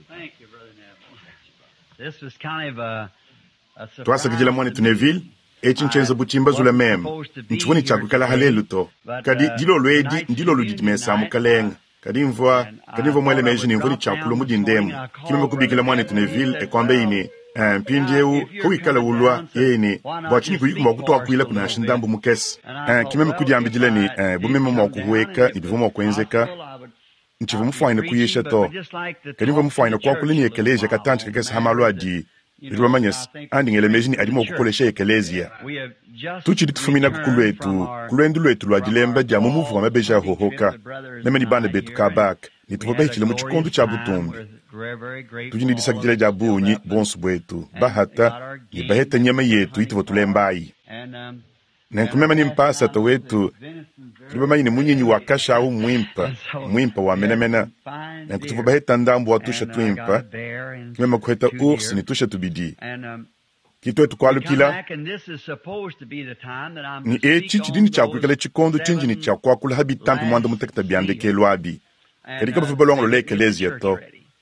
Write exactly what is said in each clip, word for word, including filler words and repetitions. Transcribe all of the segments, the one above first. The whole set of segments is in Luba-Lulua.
Thank you, Brother Neville. This was kind of a, a surprise Twasakidila to mwanetu me. Neville etshi nchenza butshimbazula meme ntshivua tshiakuikala halelu to kadi dilolo edi ndilolo didi mesa mukalenga kadi mvua kadi mvua muele meji ne mvua ne tshiakulua mu dindemu kimeme kubikila mwanetu Neville ekwamba ine eh, mpindiewu kawikala ulua yeye ne bua tshinyi kuyiku mua kutuakuila kunansha ndambu mukese eh, kimeme kudiambidila ne eh, bumeme mua kuhueka ne bivua mua kuenzeka ntshivua mufuanyine kuyisha to kadi mvua mufuanyine kuakula ne ekeleziya katantshi kakese ha malu adi bidi bamanyese andi ngela meji ne adi mua kukolesha ekeleziya tutshidi tufuminaku ku lwetu ku lwendu lwetu lwa dilemba dia mu muvu wa mabeji a hohoka meme ni bana betu kabaka ne tuvua bahitshile mu tshikondo tshia butumbi tudi ne disakidila dia bungi bonso bwetu bahata ne baheta nyama yetu ituvua tulembayi nenku meme ni mpasata wetu tudi bamanye ne munyinyi wa kashawu mwimpa mwimpa wa menamena nenku tuvua baheta ndambu wa tusha twimpa kimeme kuheta ours ne tusha tubidi kitwetu kualukila ni etshi tshidi ne tshiakuikala tshikondo tshinji ne tshiakuakula ha bitampi muanda mutekete bia ndekelu abi kadi kabavua balongolola ekeleziya to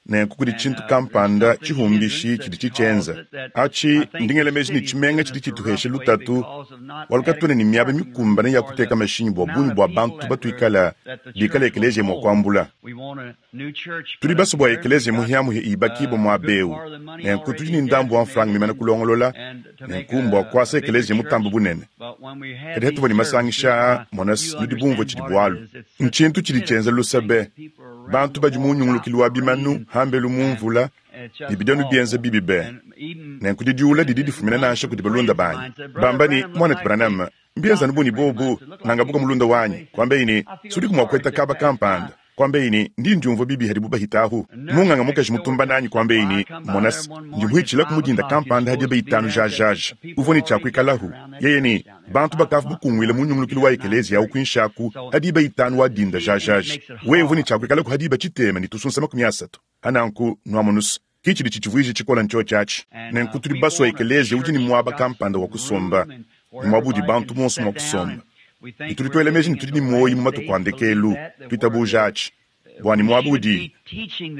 nenku kudi tshintu kampanda tshihumbishi tshidi tshitshienza atshi ndingela meji ne tshimenga tshidi tshituhesha lutatu walukatwene ne miaba mikumbane ya kuteka mashinyi bua bungi bua bantu batuikala bikala ekeleziya mua kuambula tudi baso bua ekeleziya muhiamuhi ibakibwa mua bewu nenku tudi ne ndambu wa mfranga mimana kulongolola nenku mbua kuasa ekeleziya mutambu bunene kadi hatuvua ne masangisha mona nudi bumvua tshidi bualu ntshintu tshidi tshienza lusabe bantu badi mu nyungulukilu wa bimanu hambelu mu mvula ne bidianu bienza bibi be nenku didiula didi difumina nansha kudi balunda banyi bamba ni mwanetu Branham mbienzanu buni bobu nangabuka mulunda wanyi kwamba ini sudiku mua kueta kaba kampanda kwamba ini ndi ndiumvua bibi hadibu bahitahu munganga mukaji mutumba nanyi kwamba ini monasi ndimuhitshila kumudinda kampanda hadiba itanu jajaja uvua ne tshiakuikalahu yeye ni bantu bakavu bukunguile mu nyungulukilu wa ekeleziya awu kuinshaku hadiba itanu wa dinda jajaja wewe uvua ne tshiakuikalaku hadiba tshitema ne tusunsa makumi asatu hananku nuamonusu kitshidi tshitshivuije tshikola ntsho tshiatshi nenku tudi basua ekeleziya udi ne muaba kampanda wa kusomba ne muaba udi bantu bonso mua kusomba ne tudi tuela meji ne tudi ne muoyi mu matuku a ndekelu tuitabuja atshi bua ne muaba udi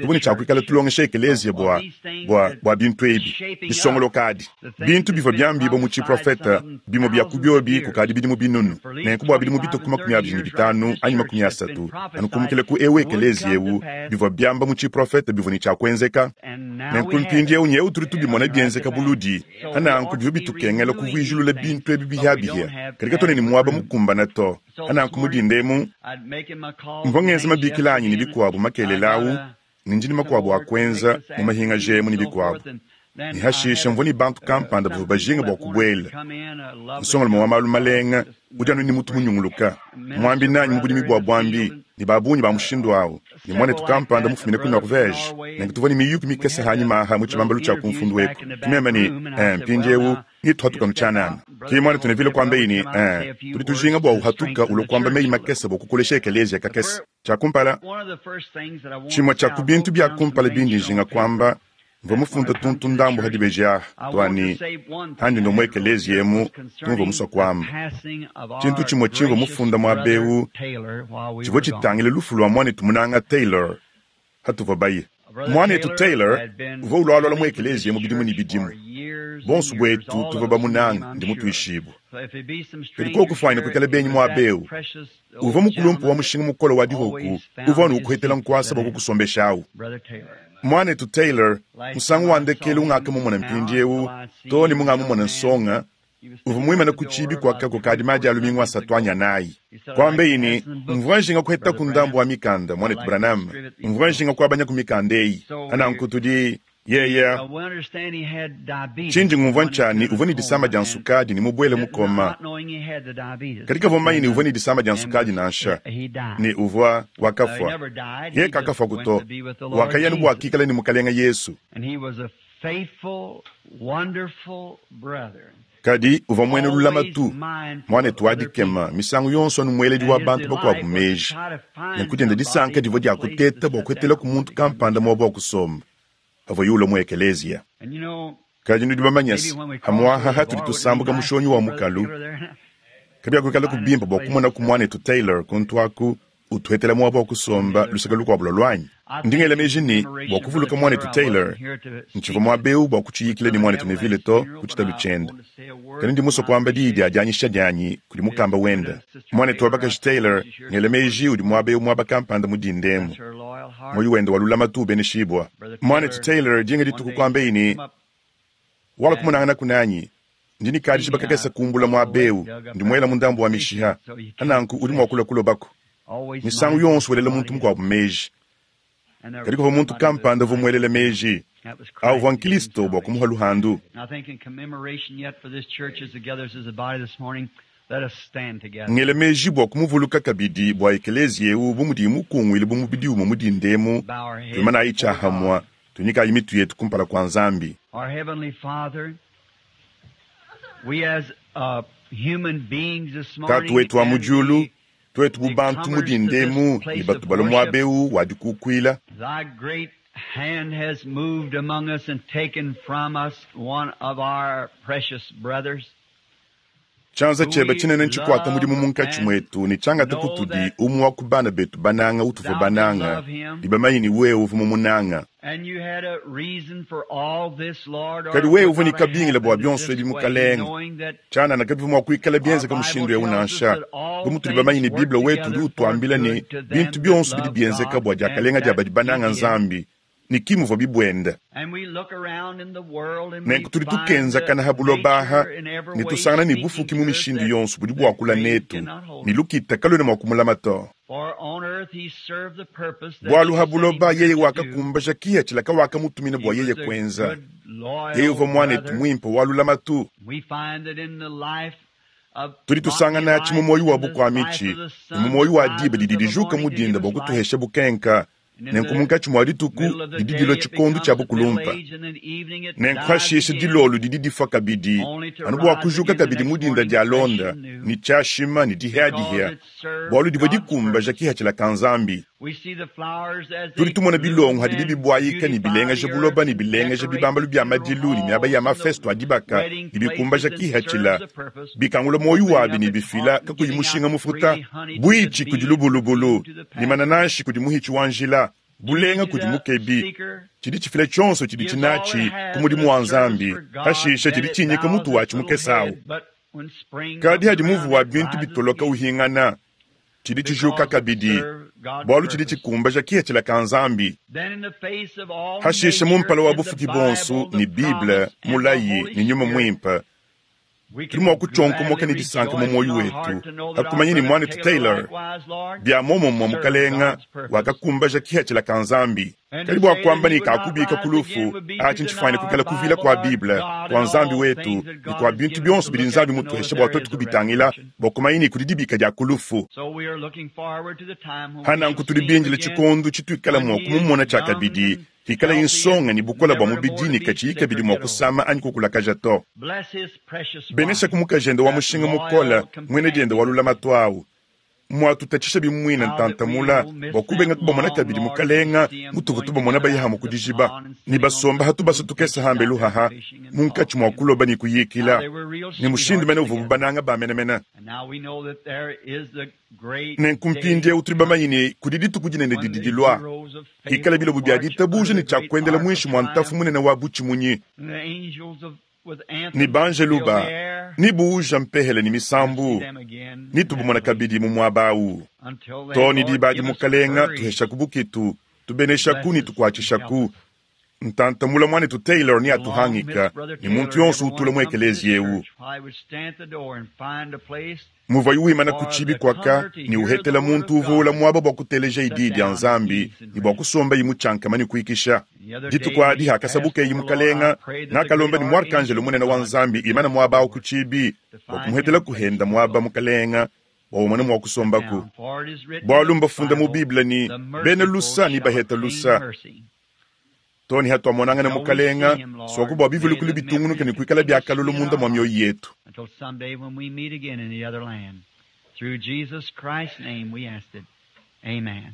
tuvua ne tshiakuikala tulongesha ekeleziya bua bua bua bintu ebi bisongoloka adi bintu bivua biambibua mu tshiprofeta bimue bia ku biobi kukadi bidimu binunu nenku bua bidimu bituku makumi abidi ne bitanu anyi makumi asatu anukumukile ku ewu ekeleziya ewu bivua biamba mu tshiprofeta bivua ne tshiakuenzeka nenku mpindiewu nyewu tudi tubimona bienzeka buludi ananku bivua bitukengela kuvuijilula bintu ebi bihiabihia kadi katuena ne muaba mukumbana to ananku mudindemu mvua ngenza mabikila anyi ne bikuabu makelela awu ne ndini makuabu akuenza mu mahinga jemu ne bikuabu ne hashisha mvua ne bantu kampanda bavua bajinga bua kubuela nsongalume wa malu malenga udi anu ne mutu munyunguluka muambi nanyi mu budimi bua buambi ne babunyi ba mushindu awu ne muanetu kampanda mufumine ku Norvege nenku tuvua ne miyuki mikese hanyima aha mu tshibambalu tshia kumfundu weku tumeme ne eh, mpindiewu nituhatuka nutshianana ki muanetu Neville kuamba ini eh, tudi tujinga bua uhatuka ulua kuamba meyi makese bua kukolesha ekeleziya kakese tshiakumpala tshimue tshia ku bintu bia kumpala bindi njinga kuamba mvua mufunda tuntu ndambu hadibeji aha twani handi ndomo ekeleziya emu tumvua musua kuamba tshintu tshimue tshimvua mufunda muaba ewu tshivua tshitangile lufu lua muanetu munanga Taylor hatuvua baye muanetu Taylor uvua ulualua mu ekeleziya mu bidimu ne bidimu bonso bwetu tuvua bamunanga ndi mutuishibua kadi kokufuanyine kuikala benyi muaba ewu uvua mukulumpu wa mushinga mukole wa dihoku uvua nukuhetela nkuasa bua kukusombeshawu muanetu Taylor musangu wa ndekelu ungakamumona mpindiewu to ne mungamumona nsonga uvua muimane ku tshibi kuakako kadi madi alumingu asatu anyanayi kuamba ini mvua njinga kuheta ku ndambu wa mikanda muanetu Branham mvua njinga kuabanya ku mikanda eyi ananku tudi yeye tshindi ngumvua ntshani uvua ne disama dia nsukadi ne mubuele mukoma kadi kavua manyi ne uvua ne disama dia nsukadi nansha ne uvua wakafua ye kakafua kuto wakaya ne bua kikala ne mukalenga Yesu kadi uvua muena lulamatu muanetu wa dikema misangu yonso anu mueledi wa bantu bakuabu meji nenku dienda disanka divua dia kuteta bua kuetela ku muntu kampanda muaba wa kusomba avua yula mu ekeleziya kadi nudi bamanyase hamuaha hatudi tusambuka mushonyi wa mukalu kabiakuikala kubimpa bua kumona ku muanetu Taylor kuntu aku Utuhetela muaba wa kusomba luseke lukuabu lua luanyi. Ndi ngela meji ne, bua kuvuluka muanetu Taylor, ntshivua muaba eu bua kutshiyikila ne muanetu Neville to ku tshitalu tshiende. Kadi ndi musue kuamba diyi dia dianyisha dianyi kudi mukamba wende. Muanetu wa bakaji Taylor, ngela meji udi muaba eu muaba kampanda mu dinda emu. Muoyo wende wa lulamatu ubeneshibua. Muanetu Taylor dinga dituku kuambaye ne, wala kumonangana kunanyi. Ndi ne kadisha bakakesa kumbula muaba eu, ndi muela mu ndambu wa mishiha. Ananku udi mua kulua kulobako. Misangu yonso welela muntu mukuabu meji. Kadi kuvua muntu kampanda uvua muelele meji. Awu uvua Nkristo bua kumuha luhandu. Ngele meji bua kumuvuluka kabidi bua ekeleziya eu bu mudiye mukunguile bu mubidi umue mu dinda emu, tuimanayi tshiahamua, tunyikayi mitu yetu kumpala kua Nzambi. Tatu wetu wa mu diulu, tuetu bu bantu mu dinda emu ne batu balua muaba eu wa dikukuila, hand has moved among us and taken from us one of our precious brothers. Tshianza tshiebe tshinene ntshikuata mudimu munkatshi muetu ne tshiangata kutudi umue wa ku bana betu bananga utuvua bananga, ne bamanye ne wewe uvua mumunanga. Kadi wewe uvua ne kabingila bua bionso ebi mukalenge. Tshianana kabivua mua kuikala bienzeka mushindu eu nansha. Bu mutudi bamanye ne Bible wetu udi utuambila ne bintu bionso bidi bienzeka bua diakalenga dia badi bananga Nzambi, ne ki muvua bibuenda. Nenku tudi tukenzakana ha buloba aha ne tusangana ne bufuki mu mishindu yonso budi buakula netu, ne lukita kaluena mua kumulama to. Bualu ha buloba yeye wakakumbaja kiha tshilaka wakamutumina bua yeye kuenza. Yeye uvua muanetu muimpe wa lulamatu. Tudi tusangana tshi mu muoyo wa bukuamitshi ne mu muoyo wa diba didi dijuka mu dinda bua kutuhesha bukenka. Nenku munkatshi mua dituku didi dilua tshikondo tshia bukulumpa. Nenku hashisha dilolo didi difua kabidi, anu bua kujuka kabidi mu dinda dia londa ne tshiashima ne dihiadihia, bualu divua dikumbaja kihatshila ka Nzambi. Tudi tumona bilongo hadibi bibuayika ne bilengeja buloba ne bilengeja bibambalu bia madilu ne miaba ya mafesto a dibaka ne bikumbaja kihatshila, bikangula muoyo wabi ne bifila kakuyi mushinga mufuta, buitshi kudi lubulubulu ne manananshi kudi muhitshi wa njila, bulenga kudi mukebi. Tshidi tshifila tshionso tshidi tshinatshi ku mudimu wa Nzambi, hashisha tshidi tshinyika mutu watshi mukesawu. Kadi hadi muvu wa bintu bitoloka uhingana, tshidi tshijuka kabidi, bualu tshidi tshikumbaja kihatshila ka Nzambi. Hashisha mu mpala wa bufuki bonso ne Bible, mulayi ne nyuma muimpe, tudi mua kutshonkomoka ne disanka mu muoyo wetu hakumanya ne muanetu Taylor bia muomumue mukalenga wakakumbaja kihatshila ka Nzambi. Kadi bua kuamba ne kakubika ku lufu, atshi ntshifwane kuikala kuvila kua Bible, kua Nzambi wetu ne kua bintu bionso bidi Nzambi mutuheshe bua tuetu kubitangila, bua kumanya ne kudi dibika dia ku lufu. Hananku tudi bindile tshikondo tshituikala mua kumumona tshiakabidi, hikala insonga ne bukola bua mubidi ne katshiyi kabidi mua kusama anyi kukulakaja to. Benesha ku mukajende wa mushinga mukola, mwene diende wa lulamatu awu. Mwatutatshisha bimuina ntantamula bua kubenga kubamona kabidi mukalenga mutuvu tubamona bayihamu kudijiba ne basomba hatu tukesa hambe luhaha munkatshi mua kuloba ne kuyikila ne mushindu mene uvua bubananga ba menemene. Nenku mpindieu tudi bamanye ne kudi dituku dinene didi dilua, hikala bilobo bia ditabuja ne tshia kuendela muinshi mua ntafu munene wa butshimunyi ne banjelu ba ni buuja mpehele ni misambu ni tubumona kabidi mu muaba awu. To ni diba adi mukalenga tuheshaku bukitu, tubeneshaku ni tukuatshishaku. Ntantamula muanetu Taylor ni atuhangika ni muntu yonso utula mu ekeleziya eu. Muvua wimana ku tshibi kwaka ni uhetela muntu uvua muaba bua kuteleja idi dia Nzambi ni bua kusomba imu tshiankama ni kuikisha. Dituku adi hakasabukeyi mukalenga ngakalomba ni muarkanjelo munene wa Nzambi imana muaba awu ku tshibi bua kumuhetela kuhenda muaba mukalenga bua umone mua kusombaku. Bualu mbafunda mu Bible ni bena lusa ni baheta lusa. Toni hatuamonangana mukalenga soku bua bivulikulu bitungunuke ne kuikala biakalulu munda mua mioyo yetu. Until someday when we meet again in the other land. Through Jesus Christ's name we ask it. Amen.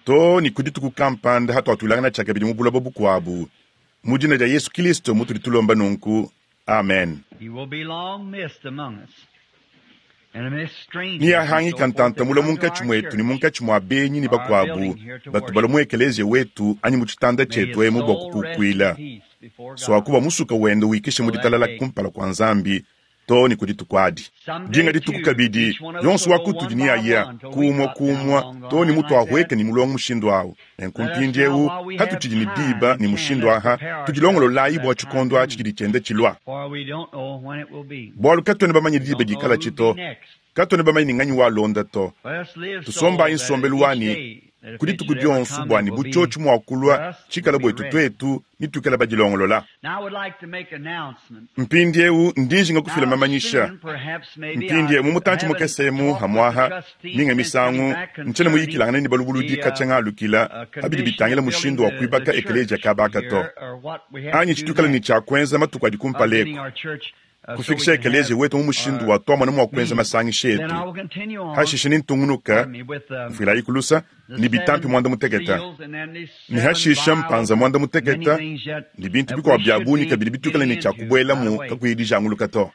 To ni kudi dituku kampanda hatuatulangana tshiakabidi mu buloba bukuabu. Mu dina dia Yesu Kristo mutudi tulomba nunku. Amen. Niyahangika ntantamula munkatshi mwetu ne munkatshi mwa benyi ne bakuabu batubala mu ekeleziya wetu anyi mu tshitanda tshietu emu bua kukukuila swakuba musuka wende wikishe mu ditalala kumpala kua Nzambi to ne kudi tukuadi. Dinga dituku kabidi yonso wa kutudi ni aya kumwa kumwa to ne mutu ahweka ni mulongo mushindu awu. Nenku mpindiewu hatutshidi ne diba ne mushindu aha tudilongololayi bua tshikondo atshi tshidi tshienda tshilua. Bualu katuena bamanye diba dikala tshito, katuena bamanye ni nganyi walonda to. Tusombayi nsombelu wani kudi tuku dionso bua ne butshiotshi mua kulua tshikala bwetu twetu ni tuikala badilongolola. Mpindiewu ndijinga kufila mamanyisha. Mpindiewu mu mutantshi mukesemu hamwaha minga misangu ntshena muyikilangana ne balubuludi katshia alukila abidi bitangila mushindu wa kuibaka ekeleziya kabaka to. Anyi tshitukala ne tshia kuenza matuku adi kumpaleko. Kufikisha ekeleziya wetu mu mushindu wa twamona mua kuenza masangisha etu. Hashishe ni ntungunuka mfuilayi kulusa ni bitampi mwanda muteketa. Ni hashisha mpanza mwanda muteketa ni bintu bikwa bya bunyi kabidi bitukala ne tshia kubuelamu kakuyi dijanguluka to.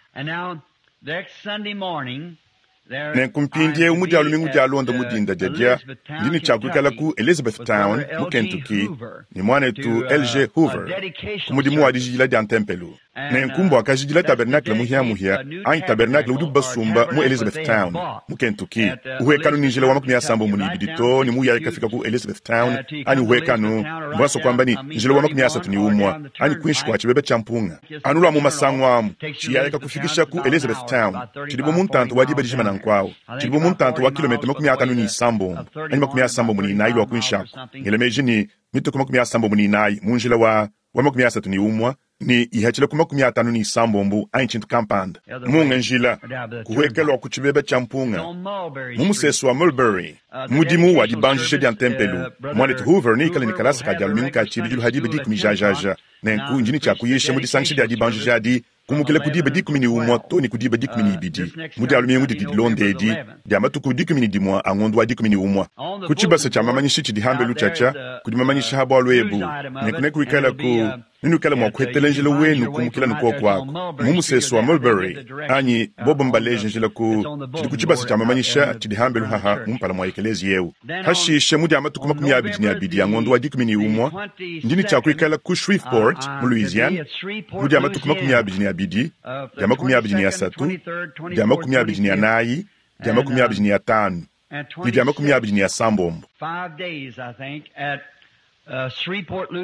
Nenku mpindiewu mu dia lumingu dia londa mu dinda dia dia ndi ne tshia kuikala ku Elizabethtown mu Kentucky ne mwanetu L G Hoover ku mudimu wa dijidila dia ntempelu. Nenku mbua kajidila tabernacle muhiamuhia anyi tabernacle udi basumba mu Elizabethtown mu Kentucky. Uhwekanu ni njila wa makumi asambo mu ibidi to ne muyayi kafika ku Elizabethtown anyi uhwekanu mbwaso kwamba ni njila wa makumi asatu ni umwa anyi kwinshi kwa chibebe cha mpunga. Anu lwa mu masango amu chiyayi kakufikisha ku Elizabethtown chilibo mu ntantu wa diba dijima nankwawo chilibo mu ntantu wa kilomita makumi atanu ni isambombo anyi makumi asambombo ni inayi lwa kwinshako. Ngelemeji ni mituku makumi asambombo ni inayi mu njila wa wa makumi asatu ni umwa ni ihachila ku makumi atanu ni isambombo anyi tshintu kampanda. Munga njila kuhwekelwa ku tshibebe tshia mpunga mu musesu wa Mulberry mudimu wa dibanjisha dia ntempelu. Mwanetu Hoover ni ikala ni kalasa ka dia lumingu ka tshibidilu hadiba dikumi jajaja. Nenku njini tshia kuyisha mu disangisha dia dibanjisha adi kumukila ku diba dikumi ni umwa to ni ku diba dikumi ni ibidi mu dia lumingu didi dilonda edi dia matuku dikumi ni dimwa a ngondo wa dikumi ni umwa. Ku tshibasa tshia mamanyishi tshidi hambelu tshatsha kudi mamanyisha ha bualu ebu. Nenku nekuikala ku ninukala mua kuhetela njila wenu kumukila nukuoku ako mu musesu wa Mulberry anyi bobo mbaleje njila ku tshidi ku tshibasa tshia mamanyisha tshidi hambelu haha mu mpala mua ekeleziya eu. Hashishe mu dia matuku makumi abidi ne abidi a ngondo wa dikumi ni umwa ndini tshia kuikala ku Shreveport mu Louisiane mu dia matuku makumi abidi ne abidi dia makumi abidi ne asatu dia makumi abidi ne anayi dia makumi abidi ne atanu ne dia makumi abidi ne asambombo.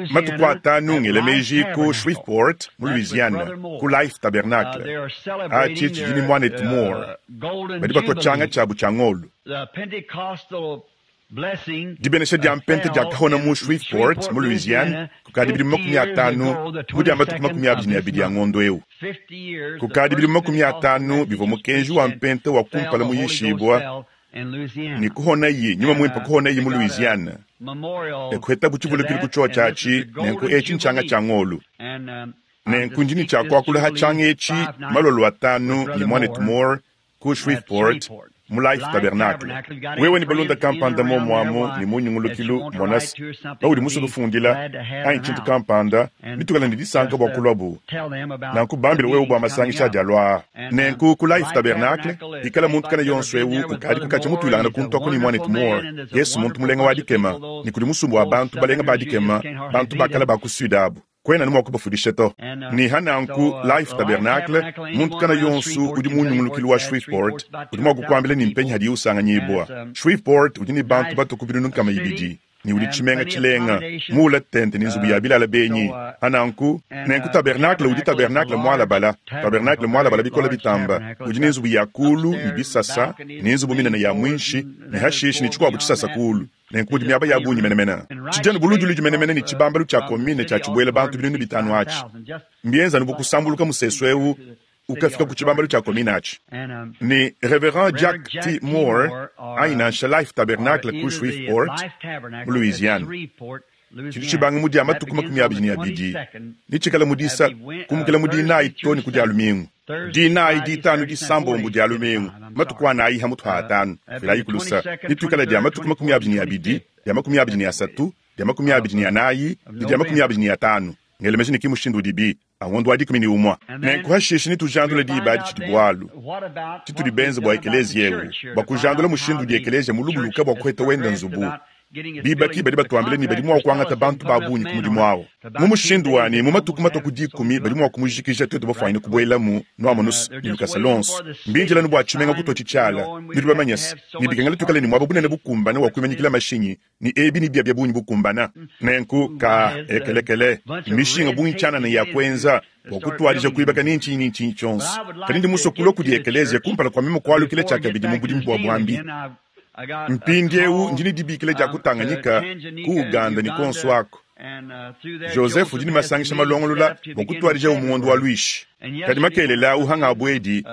Matuku atanu ngelemeji ku Shreveport mu Louisiana ku Life Tabernacle atshi tshidi ni mwanetu Moore badi batua tshanga tshiabu tshia ngolu. Dibenesha dia mpente dia kahona mu Shreveport mu Louisiana kukadi bidi makumi atanu mu dia matuku makumi abidi ne abidi ya ngondo eu. Kukadi bidi makumi atanu bivua mukenji wa mpente wa kumpala muyishibwa ni kuhona yi nyuma mwimpa kuhona yi mu Louisiana. Ekuheta kuchivulukili kuchowa chachi nenku echi nchanga cha ngolu. Nenku njini cha kwakula ha changa echi malolo atanu ni mwanetu Moore ku Shreveport mu Life Tabernacle. Wewe ni balunda kampanda mo mwamo ni munyungulukilu monasi baudi musu kufundila anyi tshintu kampanda bitukala ni disanka bua kulwabu. Nanku bambila wewe bua masangisha adi alua. Nenku ku Life Tabernacle ikala muntu kana yonso ewu ukadi kukacha mutuilangana kuntwako ni mwanetu Moore. Yesu muntu mulenga wa dikema ni kudi musumbu wa bantu balenga ba dikema bantu bakala ba ku sud abu. Kwena ni mwakubafundisha to. Ni hananku Life Tabernacle muntu kana yonsu udi munyungulukilu wa Shreveport udi mwakukwambila ni mpenyi hadi usanganyibwa. Shreveport udi ni bantu batuku binunu kama ibidi ni udi tshimenga tshilenga mula tente ni nzubu ya bilala benyi. Hananku nenku tabernacle udi tabernacle mwalabala tabernacle mwalabala bikola bitamba udi ni nzubu ya kulu ni bisasa ni nzubu minene ya mwinshi ni hashishi ni tshikuabu tshisasa kulu. Nenku mudi miaba ya bunyi menemene. Tshijanu buluduludi menemene ni tshibambalu tshia komine tshia tshibuela bantu binunu bitanu atshi. Mbienza nubu kusambuluka musesu eu ukafika ku tshibambalu tshia komine atshi. Ni Reverend Jack T. Moore ainansha Life Tabernacle ku Shreveport mu Louisiana. Tshidi tshibanga mudi matuku makumi abidi ne abidi ni tshikala mudisa kumukila mudi inayi to ni ku dia lumingu. Dinayi ditanu disambombo dia lumingu matuku anayi ha mutu ha atanu filayi kulusa ni tukala dia matuku makumi abidi ne abidi dia makumi abidi ne asatu dia makumi abidi ne anayi ni dia makumi abidi ne atanu Ngela meji ne ki mushindu udibi, a ngondo wa dikumi ne umue. Nenku hashishe netujandule diba adi tshidi bualu tshitudi benze bua ekeleziya eu, bua kujandula mushindu udi ekeleziya mulubuluke bua kuheta wenda nzubu. Bibaki badi batuambila ne badi mua kuangata bantu ba bungi ku mudimu awu. Mu mushindu wanyi, mu matuku matue ku dikumi badi mua kumujikija tuetu bafuanyine kubuelamu nuamonusu ne lukasa luonso. Mbindila bua tshimenga kutua tshitshiala, nudi bamanye se, ne bikengela tuikale ne muaba bunene bukumbana wa kuimanyikila mashinyi, ne ebi ne bia bia bungi bukumbana. Nenku ka ekelekele, mishinga bungi tshianana ya kuenza bua kutuadija kuibaka ni ntshinyi ni ntshinyi tshionso. Kadi ndi musue kulua kudi ekeleziya kumpala kua meme kualukila tshiakabidi mu budimu bua buambi. Mpindieu ndi ne dibikila dia ku Tanganyika, ku Uganda ne kuonso ako. Joseph udi ne masangisha malongolola bua kutuadija mu ngondo wa Luishi. Kadi makelela awu hangabu edi,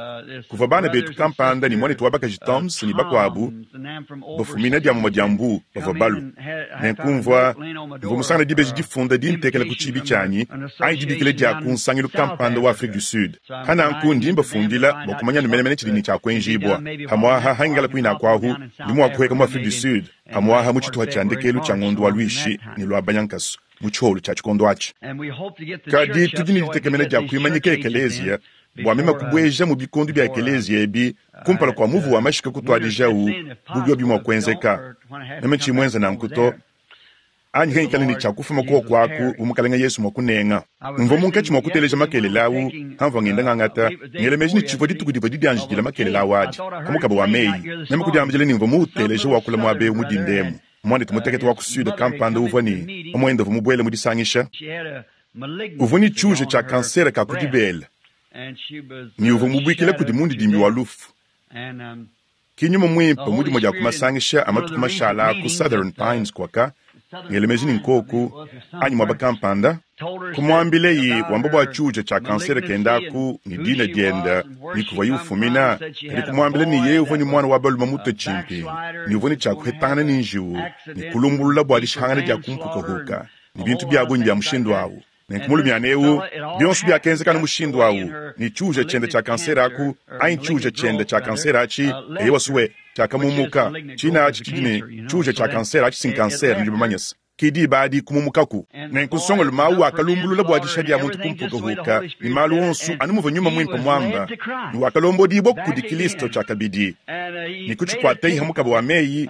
kuvua bana betu kampanda ne muanetu wa bakaji Toms ne bakuabu bafumina dia mumue dia mbu bavua balu. Nenku mvua mvua musangane dibeji difunda dintekela ku tshiibi tshianyi anyi dibikila dia ku nsangilu kampanda wa Afrique du Sud. Hananku ndi mbafundila bua kumanya anu menemene tshidi ne tshia kuenjibua. Hamuaha hangikala kuine aku ndi mua kuheka mu Afrique du Sud, hamuaha mu tshituha tshia ndekelu tshia ngondo wa Luishi ne lua Banyankasu mu tshiholu tshia tshikondo atshi. Kadi tudi ne ditekemena dia kuimanyika ekeleziya bua meme kubueja mu bikondo bia ekeleziya ebi kumpala kua muvu wa mashika kutuadijawu bu biobi mua kuenzeka. Meme tshimuenza nanku to, anyi hengikale ne tshia kufuma kuoku aku bu mukalenga Yesu mua kunenga. Mvua munkatshi mua kuteleja makelela awu, hamvua ngenda ngangata, ngela meji ne tshivua dituku divua didianjidila makelela awu adi, kamukaba wa meyi. Meme kudiambila ne mvua muuteleje wakula muaba eu mu dindemu. Muanetu mutekete wa ku Sud kampanda uvua ne mamuende uvua mubuele mu disangisha. Uvua ne tshiuja tshia kansere ka ku dibele, ne uvua mubuikile kudi mundidimbi wa lufu. Ki nyuma muimpe mu dimue dia ku masangisha a matuku mashala ku Southern Pines kwaka, ngela meji ne nkoku anyi muaba kampanda, kumuambileyi wamba bua tshiuja tshia kansere kendaku ne dina dienda ne kuvua ye ufumina, kadi kumuambila ne ye uvua ne mwana wa balume mutue tshimpingu, ne uvua ne tshia kuhetangana ne njiwu, ne kulumbulula bua dishihangana dia kumpukahuka, ne bintu bia bungi bia mushindu awu. Nenku mulumiana eu, bionso biakenzeka mushindu awu, ne tshiuja tshiende tshia kansere aku, anyi tshiuja tshiende tshia kansere atshi, eye wasuwe tshiakamumuka. Tshina atshi tshidi ne tshiuja tshia kansere atshi si kansere, nudi bamanye se. Ki diba adi kumumukaku. Nenku nsongolume awu wakalumbulula bua disha dia muntu kumpukahuka, ne malu onso anu muvua nyuma muimpe muamba, ne wakalombodibua kudi Kristo tshiakabidi, ne kutshikuatei hamukaba wa meyi,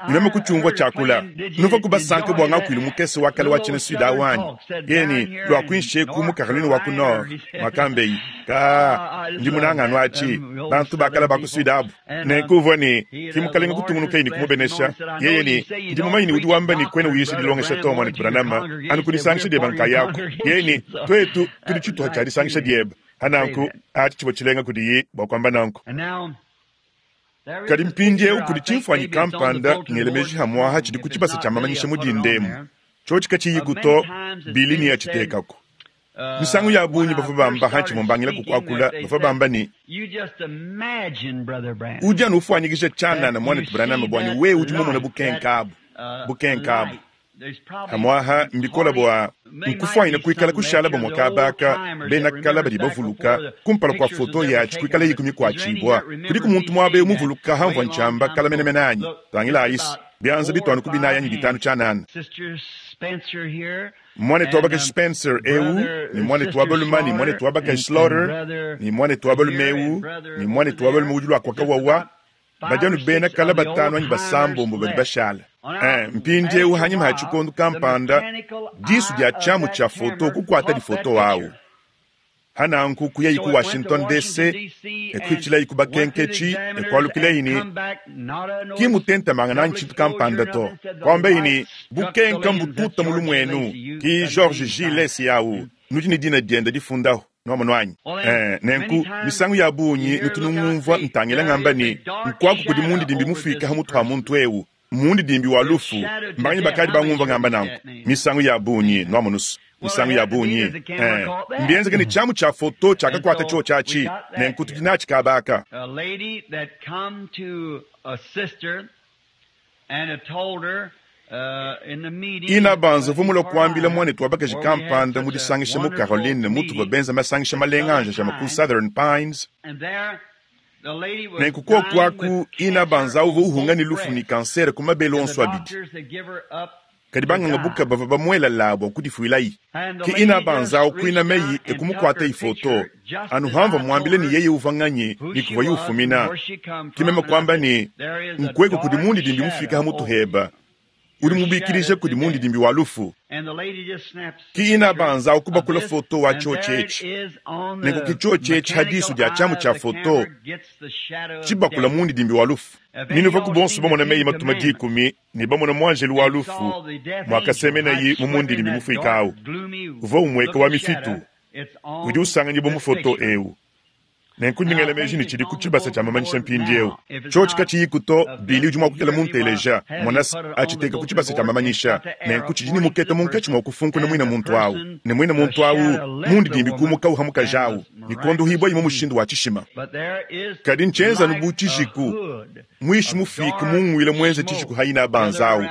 ne meme kutshiumvua tshiakula. Nuvua kubasanka bua ngakuilu mukese wa kale wa tshina Sud awu anyi? Yeni luakuinsheku mu Caroline wa ku Nord, mwakambei ka ndi munanganu atshi bantu bakala ba ku Sud abu. Nenku uvua ne ki mukalenga kutungunuka ne kumubenesha. Yeye ne ndi mumanyi ne udi wamba ne kwena uyisha dilongesha to mwana Branham anu kudisangisha dieba nkayako. Yeye ne twetu tudi tshituha tshia disangisha dieba. Hananku atshi tshivua tshilenga kudiyi bua kuamba nanku. Kadi mpindieu kudi tshimfuanyi kampanda ngele meji hamuaha tshidi ku tshibasa tshia mamanyisha mu dindemu. Tshiotshi katshiyiku to, bili ne yatshitekako. Misangu ya bungi bavua bamba hantshi mumbangila kukuakula, bavua bamba ne udi anu ufuanyikisha tshianana mwanetu Branham bua ne wewe udi mumona bukenka abu, bukenka abu. Hamuaha mbikola bua nkufuanyina kuikala kushala bamue kabaka bena kala badi bavuluka kumpala kua foto yatshi kuikala yikumi kuatshibua. Kudiku muntu muaba eu muvuluka hamvua ntshiamba kala menemene anyi? Tangila ayisi bianza bituanu ku binayi anyi bitanu tshianana. Mwanetu wa bakaji Spencer eu, ne mwanetu wa balume, ne mwanetu wa bakaji Slaughter, ne mwanetu wa balume eu, ne mwanetu wa balume udi luakuaka wawa, badi anu bena kala batanu anyi basambombo badi bashala. Eh, mpindieu hanyima ha tshikondo kampanda, disu dia tshiamu tshia foto kukuata difoto awu. Hananku kuyayi ku Washington D C, ekuichilayi ku bakenketshi, ekualukilayi ne ki mutentamanga nanyi tshintu kampanda to. Kwambayi ne bukenka mbututa mu lumuenu, ki George G. Lacy awu, nudi ne dina diende difundaho. Nuamono anyi? Eh, nenku misangu ya bungi nutu ngumvua ntangila ngamba ne nkwaku kudi mundidimbi mufika ha mutu ha muntu eu, mundidimbi wa lufu. Mbanyi bakadi bangumva ngamba nanku misangu ya bungi, nuamonusu misangu ya bungi. Eh, mbienzeke ne tshiamu tshia foto tshiakakuata tshio tshiatshi, nenku tudi natshi kabaka. A lady that come to a sister and had told her, uh, in the meeting, Ina banza vumula kuambila mwanetu wa bakaji kampanda mu disangisha mu Caroline, mutu wa benza masangisha malenga anja jama ku Southern Pines. And there, the lady was Nenku kuoku dying aku, with ina cancer banza uva on uhunga ne both lufu ni breasts. kansere ku mabele And the onso abidi. doctors had give her up Kadi bangangabuka bavua bamuela labo kudifuilayi. Ki ina banzao kuina meyi ekumukwata ifoto. Anu hamva mwambile ni yeye uvanganyi ni kuva yufumina. Kimema kwamba ni nkweko kudi mundi dimbi mufika hamutuheba. Uri mubikirije kudi mundi dimbi walufu. Ki ina banzao kubakula foto wa chochechi. Nenku ki chochechi hadisu dia chamu cha foto. Chibakula mundi dimbi walufu. Ninuva kubonso bamona meyi matuma dikumi ni bamona mwanjelu wa lufu mwakasemena yi mumundi dimbi mufikawu. Uva umweka wa mifitu. Udi usanga bo mufoto ewu. Nenku ndingela meji ni chidi kuchibasa cha mamanyisha mpindi ewu. Chochi kachiyikuto bili udi mwakukela munteleja mwanas achiteka kuchibasa cha mamanyisha. Nenku chijini muketa munkachi mwakufunkuna mwina muntu awu. Ne mwina muntu awu mundi dimbi kumuka uhamuka Nikondo hibwa imo mushindu wa chishima. Kadi nchenza nubu chijiku. Mwishi mufika mungwile mwenze chijiku haina banzawu.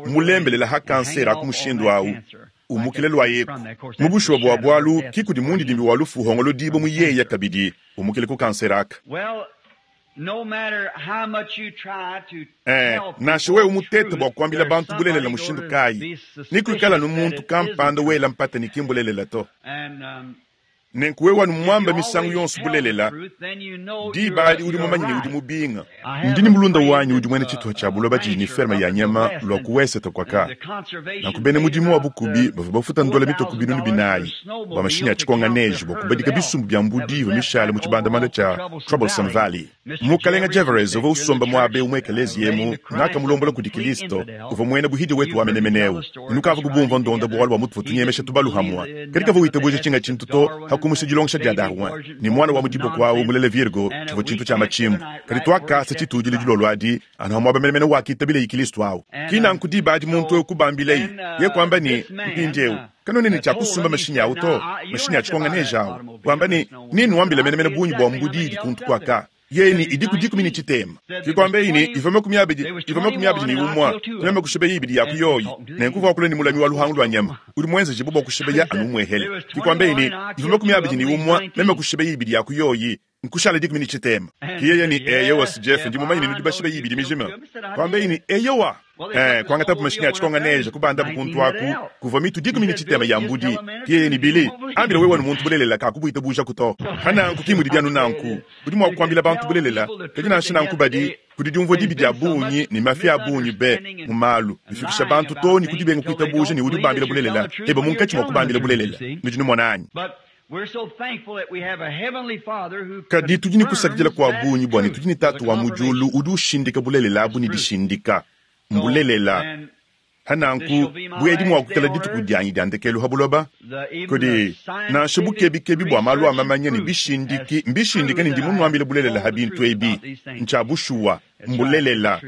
Mulembelela ha kansera kumushindu awu. Umukile lwa yeku. Mubushu wa bwalu kikudi mundi dimbi walufu hongolo dibo muyeya kabidi. Umukile ku kanseraka. Eh, nashe we umutete bwa kuambila bantu bulelela mushindu kai. Nikuikala numuntu kampanda wela mpata nikimbulelela to. Nenkuwe wanu mwamba misangu yonso bulelela. Di bali udi mumanyi udi mubinga. Ndini mulunda wanyu udi mwene chituha cha buloba chini ferma ya nyama lwa kuwesa kwaka. Nakubene mudimu wa bukubi bava bafuta ndola mitoku binunu binayi. Bwa mashinya chikonga neji bwa kubadika bisumbu bya mbudi va mishale mu chibandamanda cha Troublesome Valley. Mukalenga Jeffries uva usomba mwabe umwekelezi yemu nakamulombola kudi Kristo uva mwene buhidi wetu wamenemenewu. Nukava kubumva ndonda bwalo bwa mutu tunyemesha tubalu hamwa. Katika vuita buje chinga chintuto hakumusijilongisha dia Darwin. Ni mwana wa mudibo kwawo mulele Virgo chivo chintu cha machimbu. Kadi twakasa chitujile julolwadi anahamwa menemene wakitabile ikilistu awo. Kina nkudiba muntu okubambilei ye kwamba ni mpinjewu. Kano nini cha kusumba mashinya auto mashinya chikonga nejawo. Kwamba ni nini wambile menemene bunyi bwa mbudidi kuntu kwaka. Yeni idiku diku mini chitema. Kikwambe ini ivome kumyabidi ivome kumyabidi ni umwa. Tuneme kushebe ibidi ya kuyoyi. Nenkuva kule ni mulami wa luhangu lwa nyama. Uri mwenze jibubo kushebe ya anumwehele. Kikwambe ini ivome kumyabidi ni umwa. Meme kushebe ibidi ya kuyoyi. Nkushala diku mini chitema. Kiyeye ni eyo Jeff ndi mumanyi ni nudibashibe ibidi mijima. Kwambe ini eyo wa. Eh, kwanga tapu mashinya chikonga neja kubanda bukuntu aku kuva mitu diku mini chitema ya mbudi. Kiyeye ni bili. Ambila wewe muntu bulelela kakubuita buja kuto. Hana nkukimu dianu nanku. Udi mwa kuambila bantu bulelela. Kajina nshina nkubadi. Kudi dibi dia bunyi ni mafia bunyi be mumalu. Bifikisha bantu to ni kudibenga kuita buja ni udi bambila bulelela. Eba munkachi mwa kubambila bulelela. Nujinu mwananyi. Kadi tujini kusakijela kwa bunyi bwani tujini tatu wa mujulu udi ushindika bulelela abu ni dishindika. Mbulelela. Hananku bwedi mwa kukela dituku dyanyi dyandekelu habuloba. Kodi nansha bukebi bwa malu amamanya ni bishindiki mbishindika ni ndimu nwambile bulelela habintu ebi. Ncha bushuwa mbulelela.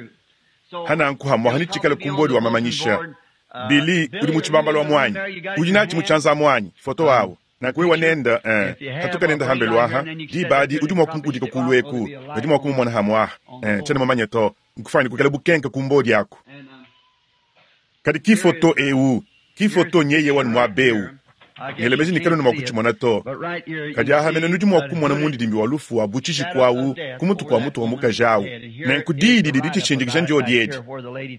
Hananku hamwa hanichikala kumbodi wa mamanyisha. Bili udi muchibambalo wa mwanyi. Udi nachi muchanza mwanyi. Foto wawo. Na kuwe wanenda eh katuka nenda hambelwaha di badi udi mwakunkudika kulweku udi mwakumumona hamwaha eh chana mamanya to nkufani kukela bukenka kumbodi yako. Kadi kifoto ewu kifoto nyeye wanu mwabeu ngelemezi nikalo ni mwakuchimona to kadi ahamene nudi mwakumona mundi dimbi walufu wa buchishi kwawu kumutu kwa mutu wa mukajawu nenkudidi didi chishindikisha njo diedi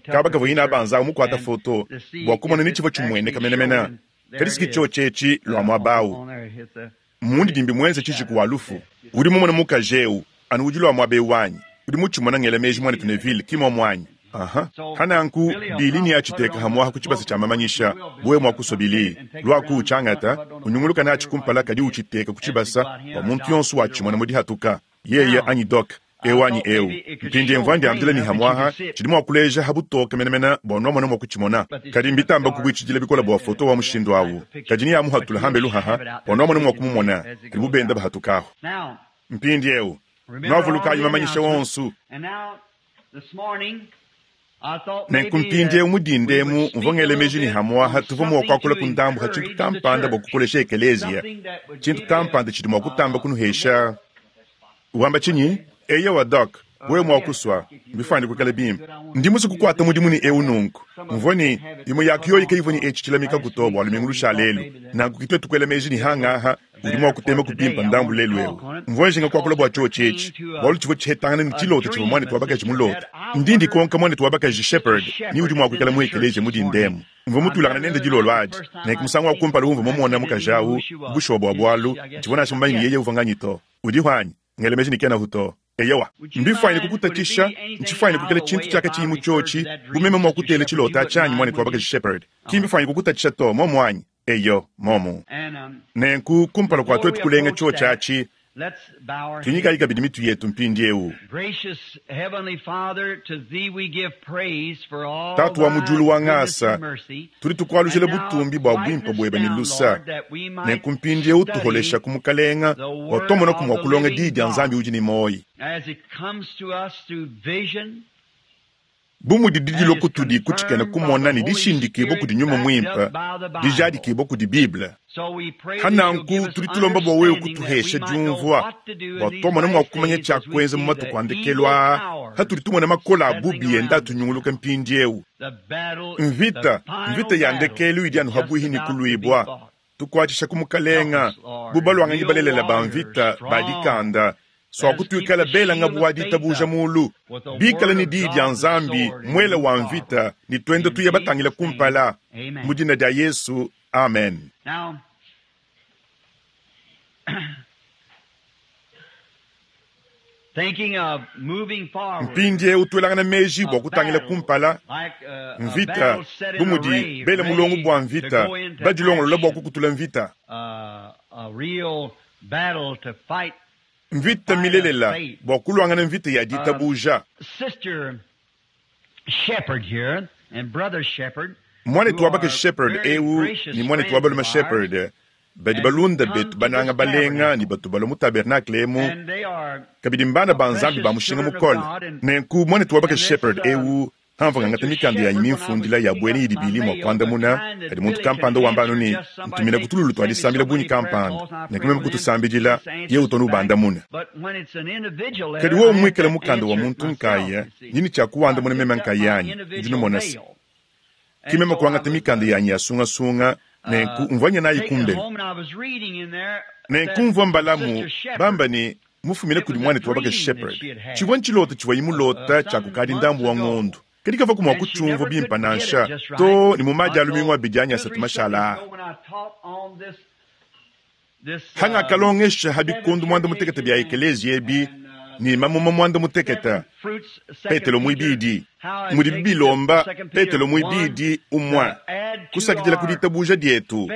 kaba kavoyina abanza umukwata foto bwakumona nichivo chimwene kamenemena. Kadi sikicho chechi lwa mwabawu. Mundi dimbi mwenze chichi kuwalufu. Udi mumona mukajeu anu udi lwa mwabeu wanyi. Udi muchimona ngelemeji mwana tuneville kimo mwanyi. Aha. Hananku bili ni achiteka hamwaha kuchibasa cha mamanyisha bwe mwakusobili lwaku uchangata unyunguluka na achikumpala kadi uchiteka kuchibasa wa muntu yonsu wachimona mudi hatuka yeye anyi dok ewanyi eu mpindi mvandi amdila ni hamwaha chidi mwakuleja habutoka menemena bwa mwana mwakuchimona kadi mbitamba kubwichijila bikola bwa foto wa mushindu awu kadi ni amuhatula hambe luhaha bwa mwana mwakumumona kadi bubenda bahatukaho mpindi eu nwavulukayi mamanyisha wonsu. Nenkumpindie umudindemu mvongele meji ni hamwaha tuvo mwakwakula kundambu ha chintu kampanda bwa kukolesha ekelezia chintu kampanda chidi mwakutamba kunuhesha wamba chinyi eya wa dok wewe mwakuswa mbifandi kukala bimba ndi kukwata mudimu ni eu nunku mvoni imo yakiyo ike ivoni echichilamika kutobwa lumingu lushalelu nanku kitwe tukwela meji ni hangaha Udi mua kutema kupimpa ndambu lelu eu. Mvua njinga kuakula bua tshiotshi etshi, bualu tshivua tshihetangana ne tshilota tshivua muanetu wa bakaji mulota. Ndi ndikonka muanetu wa bakaji Shepherd ni udi mua kuikala mu ekeleziya mu dindemu. Mvua mutulangana nende dilolo adi. Nenku musangu wa kumpala umvua mumona mukaji awu, bushuwa bua bualu, tshivua nansha mumanye ne yeye uvua nganyi to. Udi hwanyi? Ngela meji ne kenahu to. Eyowa, mbifwanyine kukutatshisha, ntshifwanyine kuikala tshintu tshiakatshiyi mu tshiotshi, bu meme mua kutela tshilota tshianyi muanetu wa bakaji Shepherd. Ki mbifwanyine kukutatshisha to, momu anyi? Eyo, momu. Nenku kumpala kua tuetu kulenga tshiotshi atshi, tuinyikayi kabidi mitu yetu mpindieu. Tatu wa mu diulu wa ngasa, tudi tukualujila butumbi bua buimpe buebe ne lusa. Nenku mpindieu tuholesha ku mukalenga bua tumonaku mua kulonga diyi dia Nzambi udi ne muoyo. Bu mudi didilo kutudi kutshikena kumona ne dishindikibua kudi Nyuma Muimpe, dijadikibua kudi Bible. Hananku tudi tulomba bua wewe kutuhesha diumvua, bua tuamona mua kumanya tshia kuenza mu matuku a ndekelu aa, hatudi tumona makola a bubi enda atunyunguluka mpindieu. Mvita, mvita ya ndekelu idi anu habuihi ne kuluibua. Tukuatshisha ku mukalenga, bu balwanganyi balelela ba mvita ba dikanda, swakutuikala belanga bua ditabuja mulu, bikala ne diyi dia Nzambi mwela wa mvita ne twenda tuya batangila kumpala. Mu dina dia Yesu, amen. Mpindieu tuelangana meji bua kutangila kumpala mvita, bu mudi bela mulongo bua mvita, badilongolola bua kukutula mvita. Mvita milelela bua kulwangana mvita ya ditabuja. Mwanetu wa bakaji Shepherd eu ni mwanetu wa balume Shepherd badi balunda betu bananga balenga ni batu balwa mu tabernacle emu, kabidi mbana ba Nzambi ba mushinga mukole. Nenku mwanetu wa bakaji Shepherd eu hamva ngangata mikanda yanyi mimfundila ya bwene idi bili mua kuandamuna kadi muntu kampanda wamba anu ne ntumina kutululu tua disambila bunyi kampanda, nenku meme kutusambidila ye utonu ubandamuna. Kadi wewe muikale mukanda wa muntu nkaya nyini tshia kuwandamuna meme nkayanyi ndi numona se ki meme kuangata mikanda yanyi ya sungasunga nenku mvua nayi kumbelu. Nenku mvua mbalamu bamba ne mufumine kudi mwanetu wa bakaji Shepherd. Tshivua ntshilota tshivua imulota tshia kukadi ndambu wa ng'ondu. Kadi kavaku mua kutshiumvua bimpe nansha to ne mu madi a lumingu abidi anyi asatu mashala aa. Hangakalongesha ha bikundu mwanda mutekete bia ekeleziya ebi ne mamuma mwanda mutekete, Petelo muibidi mudi bilomba Petelo muibidi umwe kusakidila ku ditabuja dietu.